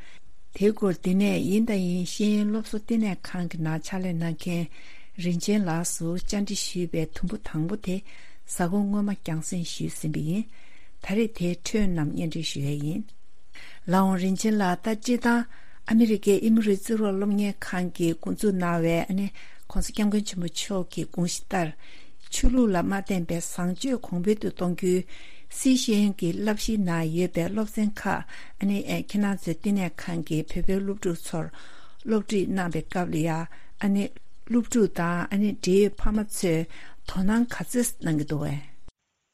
དེའི་སྐོར་འདི་ནས་ཡིན་དང་ཡིན་ཤེས་ཡོན་སློབ་གསོ་ལྟེ་གནས་ཁང་གི་ནང་ཕྱག་ལས་གནང་མཁན་རིན་ཆེན་ལགས་སུ་བཅར་འདྲི་ཞུས་པའི་དུམ་བུ་དང་པོ་དེ་གཟའ་འཁོར་སྔོན་མ་རྒྱང་སྲིང་ཞུས་ཟིན་པ་ཡིན། ད་རེས་དེའི་འཕྲོས་རྣམས་སྙན་སྒྲོན་ཞུ་ཡས་ཡིན། ལགས་འོང་རིན་ཆེན་ལགས། ད་སྤྱིར་བཏང་ཨ་མི་རི་ཀའི་ཨི་མོ་རི་རྩིས་རོགས་སློབ་གཉེར་ཁང་གིས་འགོ་འཛུགས་གནང་བའི་ཨ་ནི་ྋགོང་ས་ྋསྐྱབས་མགོན་ཆེན་པོ་མཆོག་གི་དགོངས་གཞི་ལྟར། ཆོས་ལུགས་ལ་མ་བརྟེན་པའི་བཟང་སྤྱོད་གོང་འཕེལ་དུ་གཏོང་རྒྱུའི་སྲིད་ཤེས་ཡོན་གྱི་བསླབ་གཞིའི་ནང་ཡོད་པའི་སློབ་ཚན་ཁག་ཨ་ནི་ཨེ་ཁྱེད་རང་ཚོའི་བསྟི་གནས་ཁང་གི་བོད་པའི་སློབ་ཕྲུག་ཚོར་སློབ་ཁྲིད་གནང་བའི་སྐབས་ལ་ཡ་ཨ་ནི་སློབ་ཕྲུག་དང་ཨ་ནི་འབྲེལ་ཡོད་ཕ་མ་ཚོས་དོ་སྣང་ག་ཚོད་གནང་གི་འདུག་བས།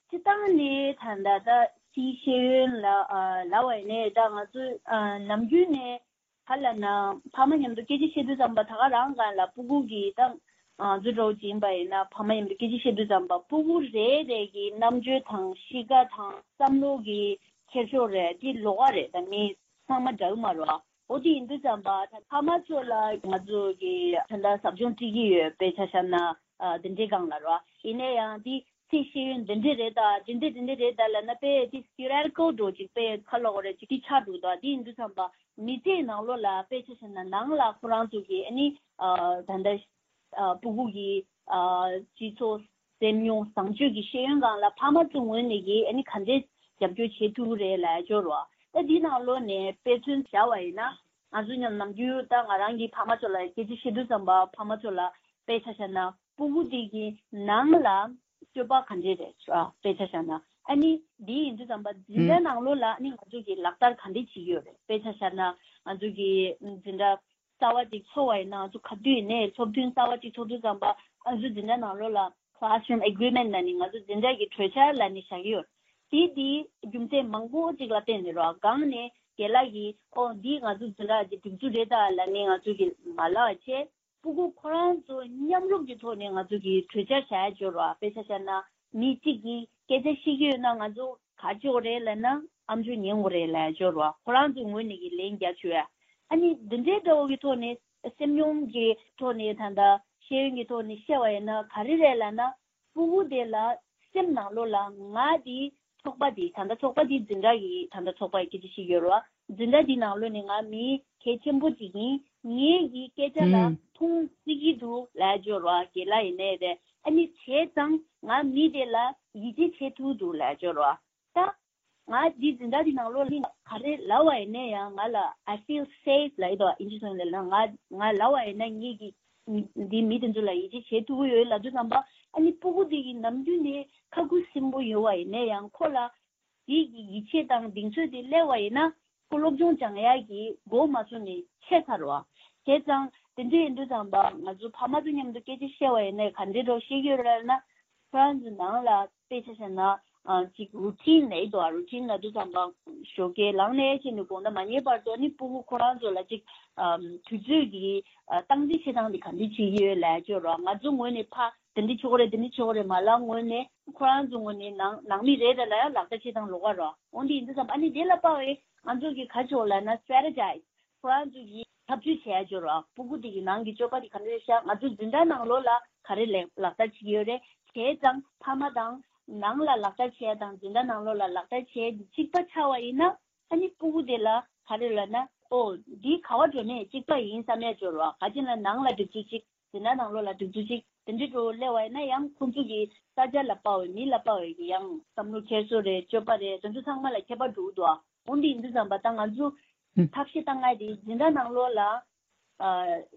སྤྱིར་བཏང་ནི་ད་ལྟ་ད་སྲིད་ཤེས་ཡོན་ལ་ཨ་ལབ་པ་ཡིན་ནའི་ད་ང་ཚོ་ཨ་ནམ་རྒྱུན་ནས་ག་ལབ་ན་ཕ་མ་མཉམ་དུ་སྐད་ཆ་བཤད་དུས་ཙམ་པ་ད་ག་རང་སྒང་ལ་སྤུ་གུ་གིས་ད་ང་ཚོ་འདྲ་བོ་ཅིག་ཡིན་པ་ཡིན་ན་ཕ་མ་མཉམ་དུ་སྐད་ཆ་བཤད་དུས་ཙམ་པ་སྤུ་གུ་རེ་རེ་གི་རྣམ་དཔྱོད་དང་གཤིས་ཀ་དང་བསམ་བློ་གི་འཁྱེར་ཕྱོགས་རེད་དེ་ལོགས་ཀ་རེད། ད་མི་ཚང་མ་འདྲ་གི་མ་རེད་བ། འོ་དེ་ཡིན་དུས་ཙམ་པ་ད་ཕ་མ་ཚོ་ལ་ང་ཚོ་གི་ད་ལྟ་ཟབ་སྦྱོང་སྤྲད་ཀྱི་ཡོད་དཔེ་ཆ་བཞག་ན་ཨ་དེ་འདྲའི་སྒང་ལ་རེད་བ། ཡིན་ན་ཡང་དེ་སྲིད་ཤེས་ཡོན་འདི་འདྲ་རེད་ད་འདི་འདྲ་འདི་འདྲ་རེད་ད་ལབ་ན་དཔེ་དེ་ཐི་ཡོ་རི་ཊི་ཀལ་འདྲ་བོ་ཅིག་དཔེ་ཁ་ལོག་རེ་ཅིག་དེ་ཆགས་འགྲོ་ད། དེ་ཡིན་དུས་ཙམ་པ་མི་ཚེའི་ནང་ལོགས་ལ་དཔེ་ཆ་བཞག་ན་ནང་ལ་ཁོ་རང་ཚོ་གི་ཨ་ནི་ཨ་ད་ལྟ་ཨ་སྤུ་གུ་གི་ཨ་སྤྱི་ཚོགས་སེམས་མྱོང་བཟང་སྤྱོད་ཀྱི་ཤེས་ཡོན་སྒང་ལ་ཕ་མ་ཚོ་ངོས་ནས་ཀྱི་ཨ་ནི་ག་འདྲས་རྒྱབ་སྐྱོར་བྱེད་ཐུབ་ཀྱི་རེད་ལབ་ཡ་ཅིག་ཡོད་རེད་བ། ད་དེའི་ནང་ལོགས་ནས་དཔེ་མཚོན་བཞག་པ་ཡིན་ན་ང་ཚོ་ཉམས་ནམ་རྒྱུན་ད་ང་རང་གི་ཕ་མ་ཚོ་ལ་སྐད་ཆ་བཤད་དུས་ཙམ་པ་ཕ་མ་ཚོ་ལ་དཔེ་ཆ་བཞག་ན་སྤུ་གུ་དེ་གི་ནང་ལ་སྤྱོད་པ་ག་འདྲས་རེད་བ། དཔེ་ཆ་བཞག་ན་ ཨ་ནི་འདི་ཡིན་དུས་ཙམ་པ་འཛིན་གྲྭ་ནང་ལོགས་ལ་ཨ་ནི་ང་ཚོ་གི་ལག་བསྟར་ག་འདྲ་བྱེད་ཀྱི་ཡོད་རེད། དཔེ་ཆ་བཞག་ན་ང་ཚོ་གི་འཛིན་གྲྭ་གསར་བ་ཅིག་ཚོགས་པ་ཡིན་ན་ང་ཚོ་ག་དུས་ཡིན་ནའི་ཚོགས་ཐུན་གསར་བ་ཅིག་ཚོགས་དུས་ཙམ་པ་ང་ཚོ་འཛིན་གྲྭ་ནང་ལོགས་ལ་classroom agreement ལབ་ནི་ང་ཚོ་འཛིན་གྲྭ་གི་གྲོས་འཆར་ལབ་ནི་བཞག་གི་ཡོད། དེ་དེའི་རྒྱུ་མཚན་མང་པོ་ཅིག་ལ་བརྟེན་ནས་རོ། སྒང་ནས་རྒན་ལགས་ཀྱིས་ཨོ་འདི་ང་ཚོ་འཛིན་གྲྭ་གི་སྒྲིག་འཛུགས་རེད་ད་ལབ་ནི་ང་ཚོ་གི་མ་ལབ་བྱས། སྤུ་གུ་ཁོ་རང་ཚོ་མཉམ་རུབ་ཀྱི་ཐོག་ནས་ང་ཚོ་གི་གྲོས་འཆར་བཞག་ཡ་སྦྱོར་བ། དཔེ་ཆ་བཞག་ན་མི་གཅིག་གིས་སྐད་ཆ་བཤད་ཀྱི་ཡོད་ན་ང་ཚོ་ག་བྱེད་དགོས་རེད་ལབ་ན་ཨམ་ཅོག་ཉན་དགོས་རེད་ལབ་ཡ་སྦྱོར་བ། ཁོ་རང་ཚོའི་ངོས་ནས་ཀྱི་ལན་རྒྱག་ཆོག་ཡ། ཨ་ནི་འདི་འདྲའི་འདྲ་བོ་གི་ཐོག་ནས་སེམས་མྱོང་གི་ཐོག་ནས་ད་ལྟ་ཤེས་ཡོན་གྱི་ཐོག་ནས་བཤད་པ་ཡིན་ན་ག་རེ་རེད་ལབ་ན། སྤུ་གུ་དེ་ལ་སེམས་ནང་ལོགས་ལ་ང་དེ་ཚོགས་པ་དེ་ད་ལྟ་ཚོགས་པ་དེ་འཛིན་གྲྭ་གི་ད་ལྟ་ཚོགས་པ་ཡི་སྐད་ཆ་བཤད་ཡོད་རེད་བ། འཛིན་གྲྭ་དེ་ནང་ལོགས་ནས་ང་མི་གལ་ཆེན་པོ་ཅིག་ཡིན། ངའི་གི་སྐད་ཆ་ལ་ཨུམ། མཐོང་སྲིད་ཀྱི་འདུག་ལབ་ཡ་སྦྱོར་བ་རྒན་ལགས་ཡིན་ནའི་རེད། ཨ་ནི་བྱས་ཙང་ང་མི་དེ་ལ་ཡིད་ཆེས་བྱེད་ཐུབ་འདུག་ལབ་ཡ་སྦྱོར་བ། ད་ང་འདི་འཛིན་གྲྭ་འདི་ནང་ལོགས་ལ་ག་རེ་ལབ་པ་ཡིན་ན་ཡང་ང་ལ་I feel safe ལབ་ཡོད་དོ། ཨིན་ཇི་ཚོ་ནས་ལབ་ན་ང་ང་ལབ་པ་ཡིན་ན་ངེད་ཀྱི་འདི་མི་དེ་ཚོ་ལ་ཡིད་ཆེས་བྱེད་ཐུབ་ཀྱི་ཡོད་ལབ་དུས་ཙམ་པ། ཨ་ནི་སྤུ་གུ་དེ་གི་ནམ་རྒྱུན་ནས་ཁ་ཁུ་སིམ་པོ་ཡོད་པ་ཡིན་ན་ཡང་ཁོ་ལ་དེ་གི་ཡིད་ཆེས་དང་གདེང་ཚོད་དེ་སླེབས་པ་ཡིན་ན་ཁོ་སློབ་སྦྱོང་སྦྱང་ཡག་གི་འགོ་མ་ཚུགས་ནས་ཆད་ཚར་བ། བྱས་ཙང་དེ་འདྲ་ཡིན་དུས་ཙམ་པ་ང་ཚོ་ཕ་མ་ཚོ་མཉམ་དུ་སྐད་ཆ་བཤད་པ་ཡིན་ན་ག་འདྲའི་འདྲ་བོ་བཤད་ཀྱི་ཡོད་རེད་ལབ་ན། ཁོ་རང་ཚོ་ནང་ལ་དཔེ་ཆ་བཞག་ན་ཨ་ཅིག་རུ་ཊིན་ལབ་ཡོད་དོ། རུ་ཊིན་ལབ་དུས་ཙམ་པ་ཞོགས་ཀས་ལངས་ནས་ཕྱིན་ནས་དགོང་དག་མ་ཉལ་བར་དུ་ནི་སྤུ་གུ་ཁོ་རང་ཚོ་ལ་ཅིག་ཨམ་དུས་ཚོད་ཀྱི་ཨ་སྟངས་འཛིན་བྱེད་སྟངས་དེ་ག་འདྲ་བྱེད་ཀྱི་ཡོད་ལབ་ཡ་ཅིག་ཡོད་རེད་བ། ང་ཚོ་ངོས་ནས་ཕ་དེ་འདྲ་བྱེད་དགོས་རེད་དེ་འདྲ་བྱེད་དགོས་རེད་མ་ལབ་ངོས་ནས་ཁོ་རང་ཚོ་ངོས་ནས་ནང་ནང་མི་རེད་རེད་ལབ་ཡ་ལག་བསྟར་བྱེད་སྟངས་ལོགས་ཀ་རེད་བ། འོན་ཏེ་ཡིན་དུས་ཙམ་པ་ཨ་ནི་དེ་ལ་དཔག་པའི་ང་ཚོ་གི་ག་ཅིག་ཡོད་ལབ་ན་སི་ཊེ་རེ་ཇི་ཨའི་ཛི། ཁོ་རང་ཚོ་གིས་ཐབས་ཇུས་བྱས་ཡ་སྦྱོར་བ། སྤུ་གུ་དེ་གི་ནང་གི་སྤྱོད་པ་དེ་ག་འདྲ་རེད་ཤག་ང་ཚོ་འཛིན་གྲྭ་ནང་ལོགས་ལ་ག་རེ་ལས་ལག་བསྟར་བྱེད་ཀྱི་ཡོད་རེད། བྱས་ཙང་ཕ་མ་དང་ནང་ལ་ལག་བསྟར་བྱས་དང་འཛིན་གྲྭ་ནང་ལོགས་ལ་ལག་བསྟར་བྱས་དེ་གཅིག་པ་ཆགས་པ་ཡིན་ན། ཨ་ནི་སྤུ་གུ་དེ་ལ་ག་རེ་ལབ་ན་ཨོ་འདི་ག་བ་འགྲོ་ནས་གཅིག་པ་ཡིན་བསམ་ཡ་སྦྱོར་བ། ག་ཅི་ན་ནང་ལ་སྒྲིག་འཛུགས་གཅིག་འཛིན་གྲྭ་ནང་ལོགས་ལ་སྒྲིག་འཛུགས་གཅིག་དེ་འདྲའི་འགྲོ་སླེབས་པ་ཡིན་ན་ཡང་ཁོང་ཚོ་གི་ས་ཆ་ལ་དཔག་པའི་མི་ལ་དཔག་པའི་གི་ཡང་བསམ་བློ་འཁྱེར་སོ་རེད། སྤྱོད་པ་རེད། དེ་ཚོ་ཚང་མ་ལ་ཁྱད་པར་འགྲོ་གི་འདུག་འོན་ཏེ་ཡིན་དུས་ཙམ་པ་ད་ང་ཚོ་ཨུ། ཐབས་ཤེས་བཏང་ཡ་དེ་འཛིན་གྲྭ་ནང་ལོགས་ལ་ཨ་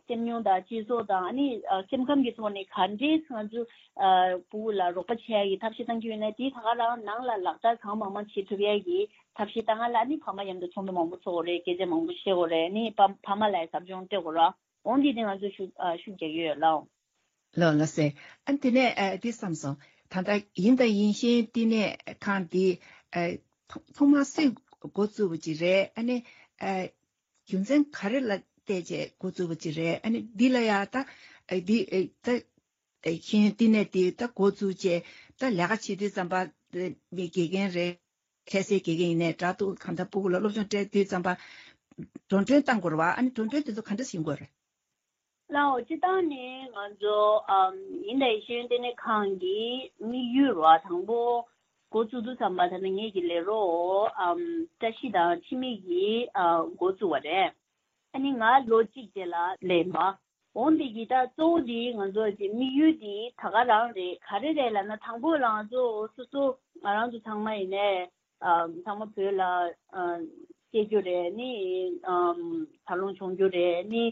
སེམས་མྱོང་དང་སྤྱི་ཚོགས་དང་ཨ་ནི་ཨ་སེམས་ཁམས་ཀྱི་ཐོག་ནས་ག་འདྲས་ང་ཚོ་ཨ་སྤུ་གུ་ལ་རོགས་པ་བྱེད་ཡ་གི་ཐབས་ཤེས་བཏང་གི་ཡོད་ན་དེ་ད་ག་རང་ནང་ལ་ལག་བསྟར་གང་མང་མང་བྱེད་ཐུབ་ཡ་གི་ཐབས་ཤེས་བཏང་ཡ་ལ་ཨ་ནི་ཕ་མ་མཉམ་དུ་ཚོགས་འདུ་མང་པོ་ཚོགས་དགོས་རེད། སྐད་ཆ་མང་པོ་བཤད་དགོས་རེད། ཨ་ནི་ཕ་ཕ་མ་ལ་ཡ་ཟབ་སྦྱོང་སྤྲད་དགོས་རེད། འོན་ཏེ་དེ་ང་ཚོ་ཤུགས་ཨ་ཤུགས་རྒྱག་གི་ཡོད་ལགས། ལགས་ལགས་སེ། ཨ་དེ་ནས་ཨ་འདི་བསམ་སོང་། ད་ལྟ་ཡིན་དང་ཡིན་ཤེས་བསྟི་གནས་ཁང་འདི་ཨ་ཐོག་ཐོག་མར་སུས་འགོ་བཙུགས་པ་ཅིག་རེད། ཨ་ནི་ཨ་རྒྱུ་མཚན་ག་རེ་ལ་བལྟས་བྱས་འགོ་བཙུགས་པ་ཅིག་རེད། ཨ་ནི་འདི་ལ་ཡ་ད་ཨ་འདི་ཨ་ད་ཨ་ཤེས་ཡོན་བསྟི་གནས་འདི་ད་འགོ་བཙུགས་བྱས་ད་ལས་ཀ་བྱེད་དུས་ཙམ་པ་མི་དགེ་རྒན་རེད། ཁ་སའི་དགེ་རྒན་ཡིན་ནའི་འདྲ་འདུག་གང་ལྟར་སྤུ་གུ་ལ་སློབ་སྦྱོང་སྤྲད་དུས་ཙམ་པ་འགྲོ་གྲོན་བཏང་དགོས་རེད་བ། ཨ་ནི་འགྲོ་གྲོན་དེ་ཚོ་ག་འདྲ་ཞིག་དགོས་རེད། ལའོ། སྤྱིར་བཏང་ནས་ང་ཚོ་ཨམ་ཡིན་དང་ཡིན་ཤེས་ཡོན་ལྟེ་གནས་ཁང་གི་དམིགས་ཡུལ་རེད་བ། དང་པོ་འགོ་བཙུགས་དུས་ཙམ་པ་ད་ནི་ངེད་ཀྱི་ལས་རོགས་ཨམ་བཀྲ་ཤིས་དང་འཆི་མེད་ཀྱིས་ཨ་འགོ་བཙུགས་པ་རེད། ཨ་ནི་ང་ལོ་གཅིག་རྗེས་ལ་སླེབས་པ། འོན་ཏེ་གི་ད་གཙོ་བོ་དེ་ང་ཚོ་གི་དམིགས་ཡུལ་དེ་ད་ག་རང་རེད། ག་རེ་རེད་ལབ་ན་དང་པོ་ལ་ང་ཚོ་སོ་སོ་ང་རང་ཚོ་ཚང་མ་ཡིན་ནའི་ཨམ་ཚང་མ་བོད་ལ་ཨ་སྐྱེས་རྒྱུ་རེད། ནི་ཨམ་འཚར་ལོངས་བྱུང་རྒྱུ་རེད། ནི་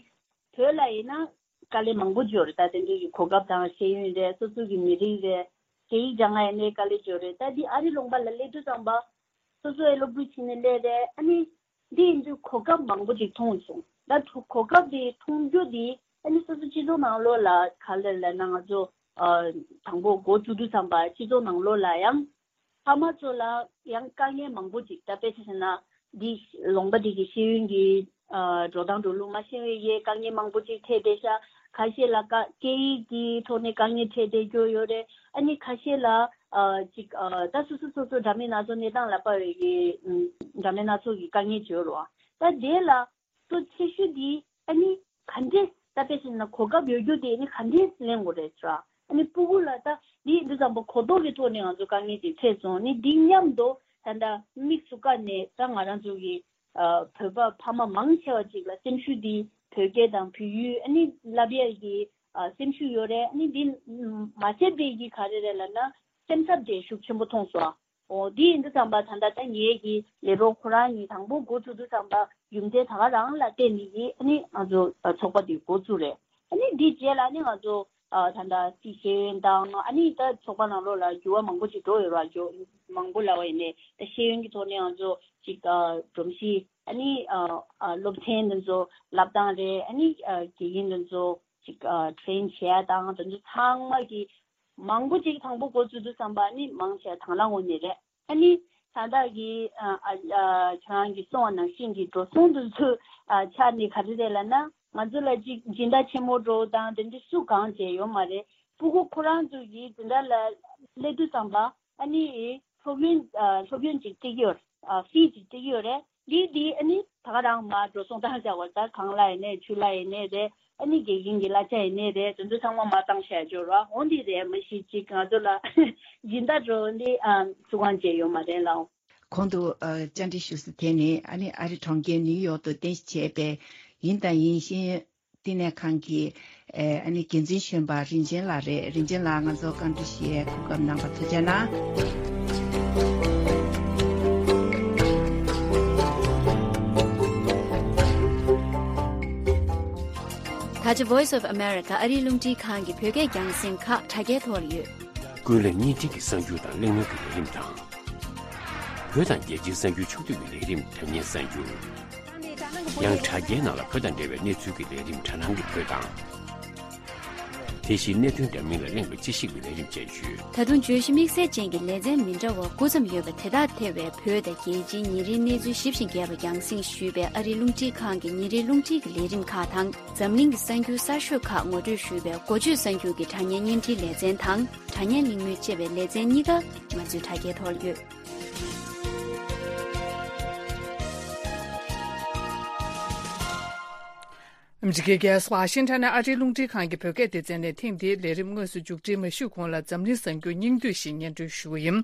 བོད་ལ་ཡིན་ན་དཀའ་ལས་མང་པོ་ཅིག་ཡོད་རེད། ད་དེ་འདྲའི་གི་གོ་སྐབས་དང་ཤེས་ཡོན་རེད། སོ་སོ་གི་མི་རིགས་རེད། སྐད་ཡིག་སྦྱང་ཡ་ཡིན་ནའི་དཀའ་ལས་ཅིག་ཡོད་རེད། ད་འདི་ཨ་རི་ལུང་པ་ལ་སླེབས་དུས་ཙམ་པ་སོ་སོ་ཡི་སློབ་ཕྲུག་བྱས་ནས་སླེབས་རེད། ཨ་ནི་འདི་ཡིན་དུས་གོ་སྐབས་མང་པོ་ཅིག་མཐོང་སོང་། ད་གོ་སྐབས་དེ་མཐོང་རྒྱུ་དེ་ཨ་ནི་སོ་སོ་སྤྱི་ཚོགས་ནང་ལོགས་ལ་ག་ལེར་ལབ་ན་ང་ཚོ་ཨ་དང་པོ་འགོ་བཙུགས་དུས་ཙམ་པ་སྤྱི་ཚོགས་ནང་ལོགས་ལ་ཡང་ཕ་མ་ཚོ་ལ་ཡང་དཀའ་ངལ་མང་པོ་ཅིག་ད་དཔེ་ཆ་བཞག་ན་འདི་ལུང་པ་འདི་གི་ཤེས་ཡོན་གྱི་ཨ་འགྲོ་སྟངས་འགྲོ་ལུགས་མ་ཤེས་པའི་ཡའི་དཀའ་ངལ་མང་པོ་ཅིག་འཕྲད་བསྡད་ཤག་ཁ་ཤས་ལ་ཀ་སྐད་ཡིག་གི་ཐོག་ནས་དཀའ་ངལ་འཕྲད་བསྡད་རྒྱུ་ཡོད་རེད། ཨ་ནི་ཁ་ཤས་ལ་ཨ་ཅིག་ཨ་ད་སོ་སོ་སོ་སོ་འདྲ་མིན་སྣ་ཚོགས་གནས་སྟངས་ལ་དཔག་པའི་གི་ཨ་འདྲ་མིན་སྣ་ཚོགས་ཀྱི་དཀའ་ངལ་ཅིག་ཡོད་རེད་བ། ད་དེ་ལ་གཙོ་ཆེ་ཤོས་དེ་ཨ་ནི་ག་འདྲས་ད་དཔེ་བཞག་ན་གོ་སྐབས་ཡོད་རྒྱུ་དེ་ཨ་ནི་ག་འདྲས་ལེན་དགོས་རེད་ཟེར་བ། ཨ་ནི་སྤུ་གུ་ལ་ད་འདི་འདི་ཙམ་པ་གོ་རྟོགས་ཀྱི་ཐོག་ནས་ང་ཚོ་དཀའ་ངལ་དེ་འཕྲད་སོང་། ཨ་ནི་འདི་མཉམ་དུ་ད་ལྟ་དམིགས་སུ་བཀར་ནས་ད་ང་རང་ཚོ་གི་ཨ་བོད་པ་ཕ་མ་མང་ཆེ་བ་ཅིག་ལ་སེམས་ཤུགས་འདི་བོད་སྐད་དང་བོད་ཡིག་ཨ་ནི་བསླབ་ཡས་ཀྱི་ཨ་སེམས་ཤུགས་ཡོད་རེད། ཨ་ནི་འདི་མ་བྱས་པའི་གི་ག་རེ་རེད་ལབ་ན་སེམས་འཚབ་དེ་ཤུགས་ཆེན་པོ་མཐོང་སོང་། ཨོ་འདི་ཡིན་དུས་ཙམ་པ་ད་ལྟ་ད་ངེད་ཀྱི་ལས་རོགས་ཁོ་རང་གཉིས་དང་པོ་འགོ་ཚུགས་དུས་ཙམ་པ་རྒྱུ་མཚན་ད་ག་རང་ལ་བརྟེན་ནས་ཀྱི་ཨ་ནི་ང་ཚོ་ཚོགས་པ་འདི་འགོ་ཚུགས་རེད། ཨ་ནི་འདི་རྗེས་ལ་ནི་ང་ཚོ་ ཨ་ད་ལྟ་སྲིད་ཤེས་ཡོན་དང་ཨ་ནི་ད་ཚོགས་པ་ནང་ལོགས་ལ་འགྱུར་བ་མང་པོ་ཅིག་འགྲོ་ཡོད་ར། འགྱུར་མང་པོ་ལབ་པ་ཡིན་ནའི་ད་ཤེས་ཡོན་གྱི་ཐོག་ནས་ང་ཚོ་ཅིག་ཨ་སྒྲོམ་གཞི་ཨ་ནི་ཨ་ཨ་སློབ་ཚན་འདི་ཚོ་བསླབ་སྟངས་རེད། ཨ་ནི་ཨ་དགེ་རྒན་འདི་ཚོ་ཅིག་ཨ་ཊེ་རེན་བྱེད་ཡ་དང་དེ་ཚོ་ཚང་མ་གི་མང་པོ་ཅིག་དང་པོ་འགོ་བཙུགས་དུས་ཙམ་པ་ཨ་ནི་མང་ཆེ་དང་བླངས་ངོས་ནས་རེད། ཨ་ནི་ད་ལྟ་གི་ཨ་ཨ་ཨ་ཁྱེད་རང་གིས་གསུངས་པ་ནང་བཞིན་གྱི་འགྲོ་སོང་དེ་ཚོའི་ཨ་ཆ་ནས་ག་རེ་རེད་ལབ་ན། ང་ཚོ་ལ་ཅིག་སྦྱིན་བདག་ཆེན་མོ་འདྲ་བོ་དང་དེ་འདྲ་སུ་གང་བྱས་ཡོད་མ་རེད། སྤུ་གུ་ཁོ་རང་ཚོ་གིས་དེ་འདྲ་ལ་སླེབས་དུས་ཙམ་པ་ཨ་ནི་སློབ་ཡོན་ཨ་སློབ་ཡོན་ཅིག་སྤྲད་ཀྱི་ཡོད་རེད། ཨ་ཧྥི་ཅིག་སྤྲད་ཀྱི་ཡོད་རེད། འདི་འདི་ཨ་ནི་ད་ག་རང་མར་འགྲོ་སོང་བཏང་བཞག་པ་ད་གངས་ལ་ཡིན་ནའི་ཆུ་ལ་ཡིན་ནའི་རེད། ཨ་ནི་དགེ་རྒན་གྱི་གླ་ཆ་ཡིན་ནའི་རེད། དེ་ཚོ་ཚང་མ་མར་བཏང་བཞག་ཡོད་རེད། འོ་འདི་རེད། མ་གཞི་ཅིག་ང་ཚོ་ལ་སྦྱིན་བདག་འདྲ་བོ་འདི་ཨ་སུ་གང་བྱས་ཡོད་མ་རེད་ལགས། གོང་དུ་ཨ་བཅར་འདྲི་ཞུ་ས་དེ་ནི་ཨ་ནི་ཨ་རི་གྲོང་ཁྱེར་ནིའུ་ཡོག་ཏུ་རྟེན་གཞི་བྱས་པའི་ཡིན་དང་ཡིན་ཤེས་ཡོན་བསྟི་གནས་ཁང་གི་ཨ་ནི་འགན་འཛིན་གཞོན་པ་རིན་ཆེན་ལགས་རེད། རིན་ཆེན་ལགས་ང་ཚོ་བཀའ་འདྲི་ཞུ་ཡས་གོ་སྐབས་གནང་བར་ཐུགས་རྗེ་གནང་། ད་ཆ་Voice of America ཨ་རིའི་རླུང་འཕྲིན་ཁང་གི་བོད་སྐད་རྒྱང་སྲིང་ཁག་དྲ་རྒྱའི་ཐོག་ལ་ཡོད། ཀུན་གླེང་བརྙན་འཕྲིན་གྱི་གསར་འགྱུར་དང་གླེང་མོལ་གྱི་ལས་རིམ་དང་། བོད་དང་རྒྱལ་སྤྱིའི་གསར་འགྱུར་ཕྱོགས་བསྡུས་ཀྱི་ལས་རིམ་དྲ་བརྙན་གསར་འགྱུར། ཡང་དྲ་རྒྱའི་ནང་ལ་བོད་དང་འབྲེལ་བའི་གནས་ཚུལ་གྱི་ལས་རིམ་དྲ་སྣང་གི་བོད་དང་། དེ་བཞིན་གནད་དོན་འདྲ་མིན་ལ་གླེང་བའི་དཔྱད་ཞིབ་ཀྱི་ལས་རིམ་བཅས་ཡོད། ད་དུང་བརྗོད་གཞི་དམིགས་བསལ་ཅན་གྱི་ལེ་ཚན་མི་འདྲ་བ་དགུ་ཙམ་ཡོད་པ་དེ་དག་ཐེ་བའི་བོད་དང་རྒྱལ་སྤྱིའི་ཉིན་རེའི་གནས་ཚུལ་ཞིབ་ཅིང་རྒྱས་པ་རྒྱང་སྲིང་ཞུས་པའི་ཨ་རིའི་རླུང་འཕྲིན་ཁང་གི་ཉིན་རེའི་རླུང་འཕྲིན་གྱི་ལས་རིམ་ཁག་དང་། འཛམ་གླིང་གི་གསར་འགྱུར་གསར་ཤོས་ཁག་ངོ་སྤྲོད་ཞུས་པའི་འགོ་བརྗོད་གསར་འགྱུར་གྱི་དྲ་བརྙན་བརྙན་འཕྲིན་ལེ་ཚན་དང་། དྲ་བརྙན་གླེང་མོལ་ཅེས་པའི་ལེ་ཚན་གཉིས་ཀ་ང་ཚོའི་དྲ་རྒྱའི་ཐོག་ལ་ཡོད། ཨ་མི་རི་ཀའི་རྒྱལ་ས་ཝ་ཤིང་ཊོན་ནས་ཨ་རིའི་རླུང་འཕྲིན་ཁང་གི་བོད་སྐད་སྡེ་ཚན་ནས་ཐེངས་འདིའི་ལས་རིམ་དངོས་སུ་མཇུག་སྒྲིལ་མ་ཞུས་གོང་ལ་འཛམ་གླིང་གསར་འགྱུར་སྙིང་བསྡུས་ཤིག་སྙན་སྒྲོན་ཞུ་གི་ཡིན།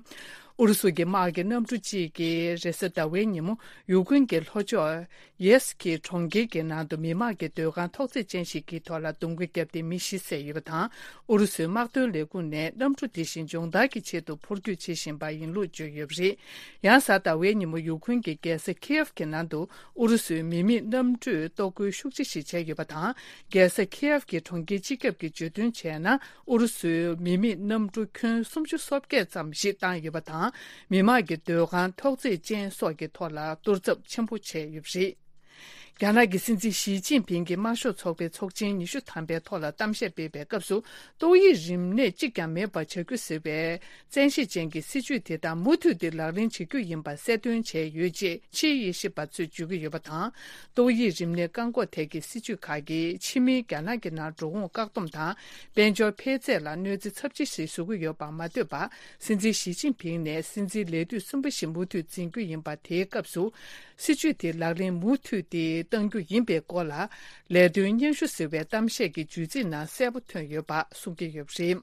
ཨུ་རུ་སུ་གྱི་དམག་གི་གནམ་གྲུ་གཅིག་གིས་རེས་གཟའ་ཟླ་བའི་ཉིན་མོ་ཡུཀ་རེན་གྱི་ལྷོ་ཕྱོགས་ཡེས་ཀྱི་གྲོང་ཁྱེར་གྱི་ནང་དུ་མི་དམངས་ཀྱི་སྡོད་ཁང་ཐོག་བརྩེགས་ཅན་ཞིག་གི་ཐོག་ལ་རྡུང་རྡེག་བརྒྱབ་སྟེ་མི་བཞི་བསད་ཡོད་པ་དང་། ཨུ་རུ་སུའི་དམག་དོན་ལས་ཁུངས་ནས་གནམ་གྲུ་དེ་བཞིན་སྦྱོང་བརྡར་གྱི་ཆེད་དུ་འཕུར་སྐྱོད་བྱེད་བཞིན་པ་ཡིན་ལུགས་བརྗོད་ཡོད་པ་རེད། ཡང་གཟའ་ཟླ་བའི་ཉིན་མོ་ཡུཀ་རེན་གྱི་རྒྱལ་ས་ཁི་ཡེབ་ཀྱི་ནང་དུ་ཨུ་རུ་སུའི་མི་མེད་གནམ་གྲུས་གཏོར་རྒོལ་ཤུགས་ཆེ་ཞིག་བྱས་ཡོད་པ་དང་། རྒྱལ་ས་ཁི་ཡེབ་ཀྱི་གྲོང་ཁྱེར་སྤྱི་ཁྱབ་ཀྱིས་བརྗོད་དོན་བྱས་ན། ཨུ་རུ་སུའི་མི་མེད་གནམ་གྲུ་ཁྱོན་སུམ་ཅུ་སོ་བརྒྱད་ཙམ་ཞིག་བཏང་ཡོད་པ་དང་། མི་དམངས་ཀྱི་སྡོད་ཁང་ཐོག་བརྩེགས་ཅན་སོགས་ཀྱི་ཐོག་ལ་གཏོར་ཚབས་ཆེན་པོ་བྱས་ཡོད་པ་རེད། རྒྱ་ནག་གི་སྲིད་འཛིན་ཞི་ཅིན་ཕིང་གིས་དམར་ཤོག་ཚོགས་པའི་ཚོགས་ཆེན་ཉི་ཤུ་ཐམ་པའི་ཐོག་ལ་གཏམ་བཤད་སྤེལ་བའི་སྐབས་སུ། ཏོག་དབྱིབས་རིམས་ནད་གཅིག་ཀྱང་མེད་པར་བྱ་རྒྱུ་ཟེར་བའི་བཙན་ཤེད་ཅན་གྱི་སྲིད་ཇུས་དེ་དག་མུ་མཐུད་དེ་ལག་ལེན་བྱེད་རྒྱུ་ཡིན་པ་གསལ་སྟོན་བྱས་ཡོད་ཅེས་ཕྱིའི་དབྱེ་ཞིབ་པ་ཚོས་བརྗོད་ཀྱི་ཡོད་པ་དང་། ཏོག་དབྱིབས་རིམས་ནད་བཀག་འགོག་ཐད་ཀྱི་སྲིད་ཇུས་ཁག་གིས་ཕྱི་མིའི་རྒྱ་ནག་གི་ནང་འགྲོ་འོང་བཀག་སྡོམ་དང་། དཔལ་འབྱོར་འཕེལ་ཚད་ལ་གནོད་འཚེ་ཚབས་ཆེ་ཞིག་བཟོ་གི་ཡོད་པར་མ་ལྟོས་པར། སྲིད་འཛིན་ཞི་ཅིན་ཕིང་ནས་སྲིད་འཛིན་ལས་དུས་གསུམ་པ་ཞིག་མུ་མཐུད་འཛིན་རྒྱུ་ཡིན་པ་དེའི་སྐབས་སུ། སྲིད་ཇུས་དེ་ལག་ལེན་མུ་མཐུད་དེ་གཏང་རྒྱུ་ཡིན་པའི་སྐོར་ལ། ལས་དོན་སྙན་ཞུ་ཟེར་བའི་གཏམ་བཤད་ཀྱི་བརྗོད་ཚིག་ནང་གསལ་པོ་ཐོན་ཡོད་པ་གསུང་གི་ཡོད་པ་རེད།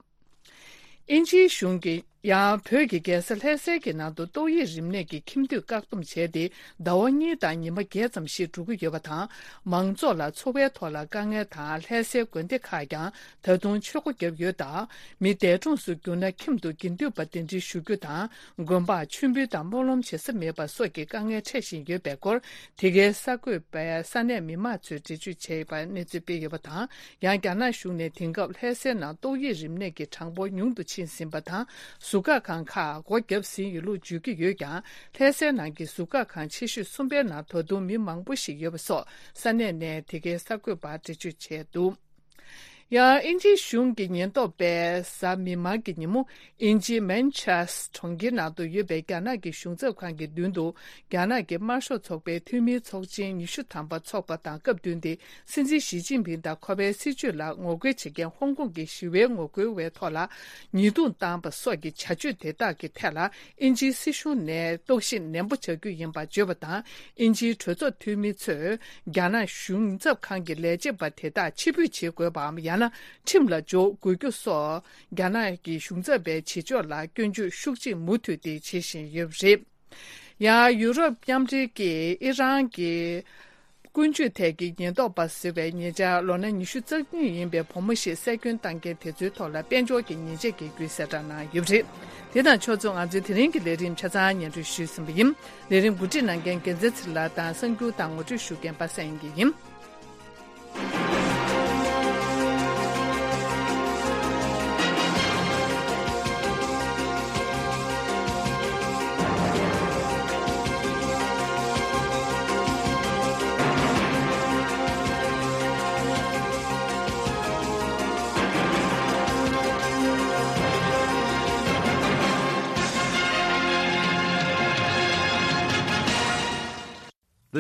དབྱིན་ཇིའི་གཞུང་གིས་ཡང་བོད་ཀྱི་རྒྱལ་ས་ལྷ་སའི་གི་ནང་དུ་ཏོག་དབྱིབས་རིམས་ནད་ཀྱི་ཁྱིམ་སྡོད་བཀག་སྡོམ་བྱས་ཏེ་ཟླ་བ་གཉིས་དང་ཉི་མ་བརྒྱད་ཙམ་ཞིག་འགྲོ་གི་ཡོད་པ་དང་། མང་ཚོགས་ལ་འཚོ་བའི་ཐོག་ལ་དཀའ་ངལ་དང་། ལྷ་སའི་དགོན་སྡེ་ཁག་ཀྱང་ད་དུང་ཆོས་སྒོ་བརྒྱབ་ཡོད་སྟབས། མི་འདས་གྲོངས་སུ་གྱུར་ན་ཁྱིམ་དུ་དགེ་འདུན་པ་གདན་འདྲེན་ཞུ་རྒྱུ་དང་། དགོན་པར་མཆོད་འབུལ་དང་སྨོན་ལམ་བྱེད་ས་མེད་པ་སོགས་ཀྱི་དཀའ་ངལ་འཕྲད་བཞིན་ཡོད་པའི་སྐོར། དེ་གའི་གསར་འགོད་པས་ས་གནས་མི་མང་ཚོས་འགྲེལ་བརྗོད་བྱས་པར་གནས་ཚུལ་སྤེལ་ཡོད་པ་དང་། ཡང་རྒྱ་ནག་གཞུང་ནས་དེང་སྐབས་ལྷ་སའི་ནང་ཏོག་དབྱིབས་རིམས་ནད་ཀྱི་གྲངས་འབོར་ཉུང་དུ་ཕྱིན་ཟིན་པ་དང་། ཟུར་བཀག་ཁང་ཁག་སྒོ་བརྒྱབ་ཟིན་ཡོད་ལུགས་བརྗོད་ཀྱི་ཡོད་ཀྱང་། ལྷ་སའི་ནང་གི་ཟུར་བཀག་ཁང་ཆེ་ཤོས་གསུམ་པའི་ནང་ད་དུང་མི་མང་པོ་ཞིག་ཡོད་པ་སོགས་ས་གནས་ནས་དེ་གའི་གསར་འགོད་པར་འགྲེལ་བརྗོད་བྱས་འདུག་ཡང་དབྱིན་ཇིའི་གཞུང་གི་ཉེན་རྟོག་པས་གཟའ་མིག་དམར་གྱི་ཉིན་མོ། དབྱིན་ཇིའི་མན་ཆེ་སི་ཊར་གྲོང་ཁྱེར་ནང་དུ་ཡོད་པའི་རྒྱ་ནག་གི་གཞུང་ཚབ་ཁང་གི་མདུན་དུ། རྒྱ་ནག་གི་དམར་ཤོག་ཚོགས་པའི་འཐུས་མིའི་ཚོགས་ཆེན་ཉི་ཤུ་ཐམ་པ་འཚོགས་པ་དང་སྐབས་བསྟུན་ཏེ། སྲིད་འཛིན་ཞི་ཅིན་ཕིང་དང་ཁོ་པའི་སྲིད་བྱུས་ལ་ངོ་རྒོལ་བྱེད་མཁན་ཧོང་ཀོང་གི་ཞི་བའི་ངོ་རྒོལ་བའི་ཐོག་ལ་ཉེས་རྡུང་བཏང་པ་སོགས་ཀྱི་བྱ་སྤྱོད་དེ་དག་གི་ཐད་ལ། དབྱིན་ཇིའི་སྲིད་གཞུང་ནས་རྟོག་ཞིབ་ནན་པོ་བྱ་རྒྱུ་ཡིན་པར་བརྗོད་པ་དང་། དབྱིན་ཇིའི་གྲོས་ཚོགས་འཐུས་མི་ཚོས་རྒྱ་ནག་གཞུང་ཚབ་ཁང་གི་ལས་བྱེད་པ་དེ་དག་ཕྱིར་འབུད་བྱེད་དགོས་པའམ། ཡང་ན་ཁྲིམས་ལ་འཇོག་དགོས་རྒྱུ་སོགས། རྒྱ་ནག་གི་གཞུང་ཚབ་པའི་བྱེད་ཕྱོགས་ལ་སྐྱོན་བརྗོད་ཤུགས་ཆེ་མུ་མཐུད་དེ་བྱེད་བཞིན་ཡོད་པ་རེད། ཡང་ཡུ་རོབ་མཉམ་འབྲེལ་གྱིས་ཨི་རན་གྱི་ཀུན་སྤྱོད་ཐད་ཀྱི་ཉེན་རྟོག་པ་ཟེར་བའི་ཉེ་ཆར་ལོ་ན་ཉི་ཤུ་རྩ་གཉིས་ཡིན་པའི་བུ་མོ་ཞིག་བསད་སྐྱོན་བཏང་མཁན་དེ་ཚོའི་ཐོག་ལ་དཔལ་འབྱོར་གྱི་ཉེས་ཆད་འགེལ་རྒྱུའི་གསལ་བསྒྲགས་གནང་ཡོད་པ་རེད། དེ་དང་ཕྱོགས་མཚུངས་ང་ཚོའི་དེ་རིང་གི་ལས་རིམ་ཆ་ཚང་སྙན་སྒྲོན་ཞུས་ཟིན་པ་ཡིན། ལས་རིམ་གོ་སྒྲིག་གནང་མཁན་རྒྱལ་མཚན་ཚེ་རིང་ལགས་དང་གསར་འགྱུར་དང་ངོ་སྤྲོད་ཞུ་མཁན་པ་སངས་དབྱངས་སྐྱིད་ཡིན།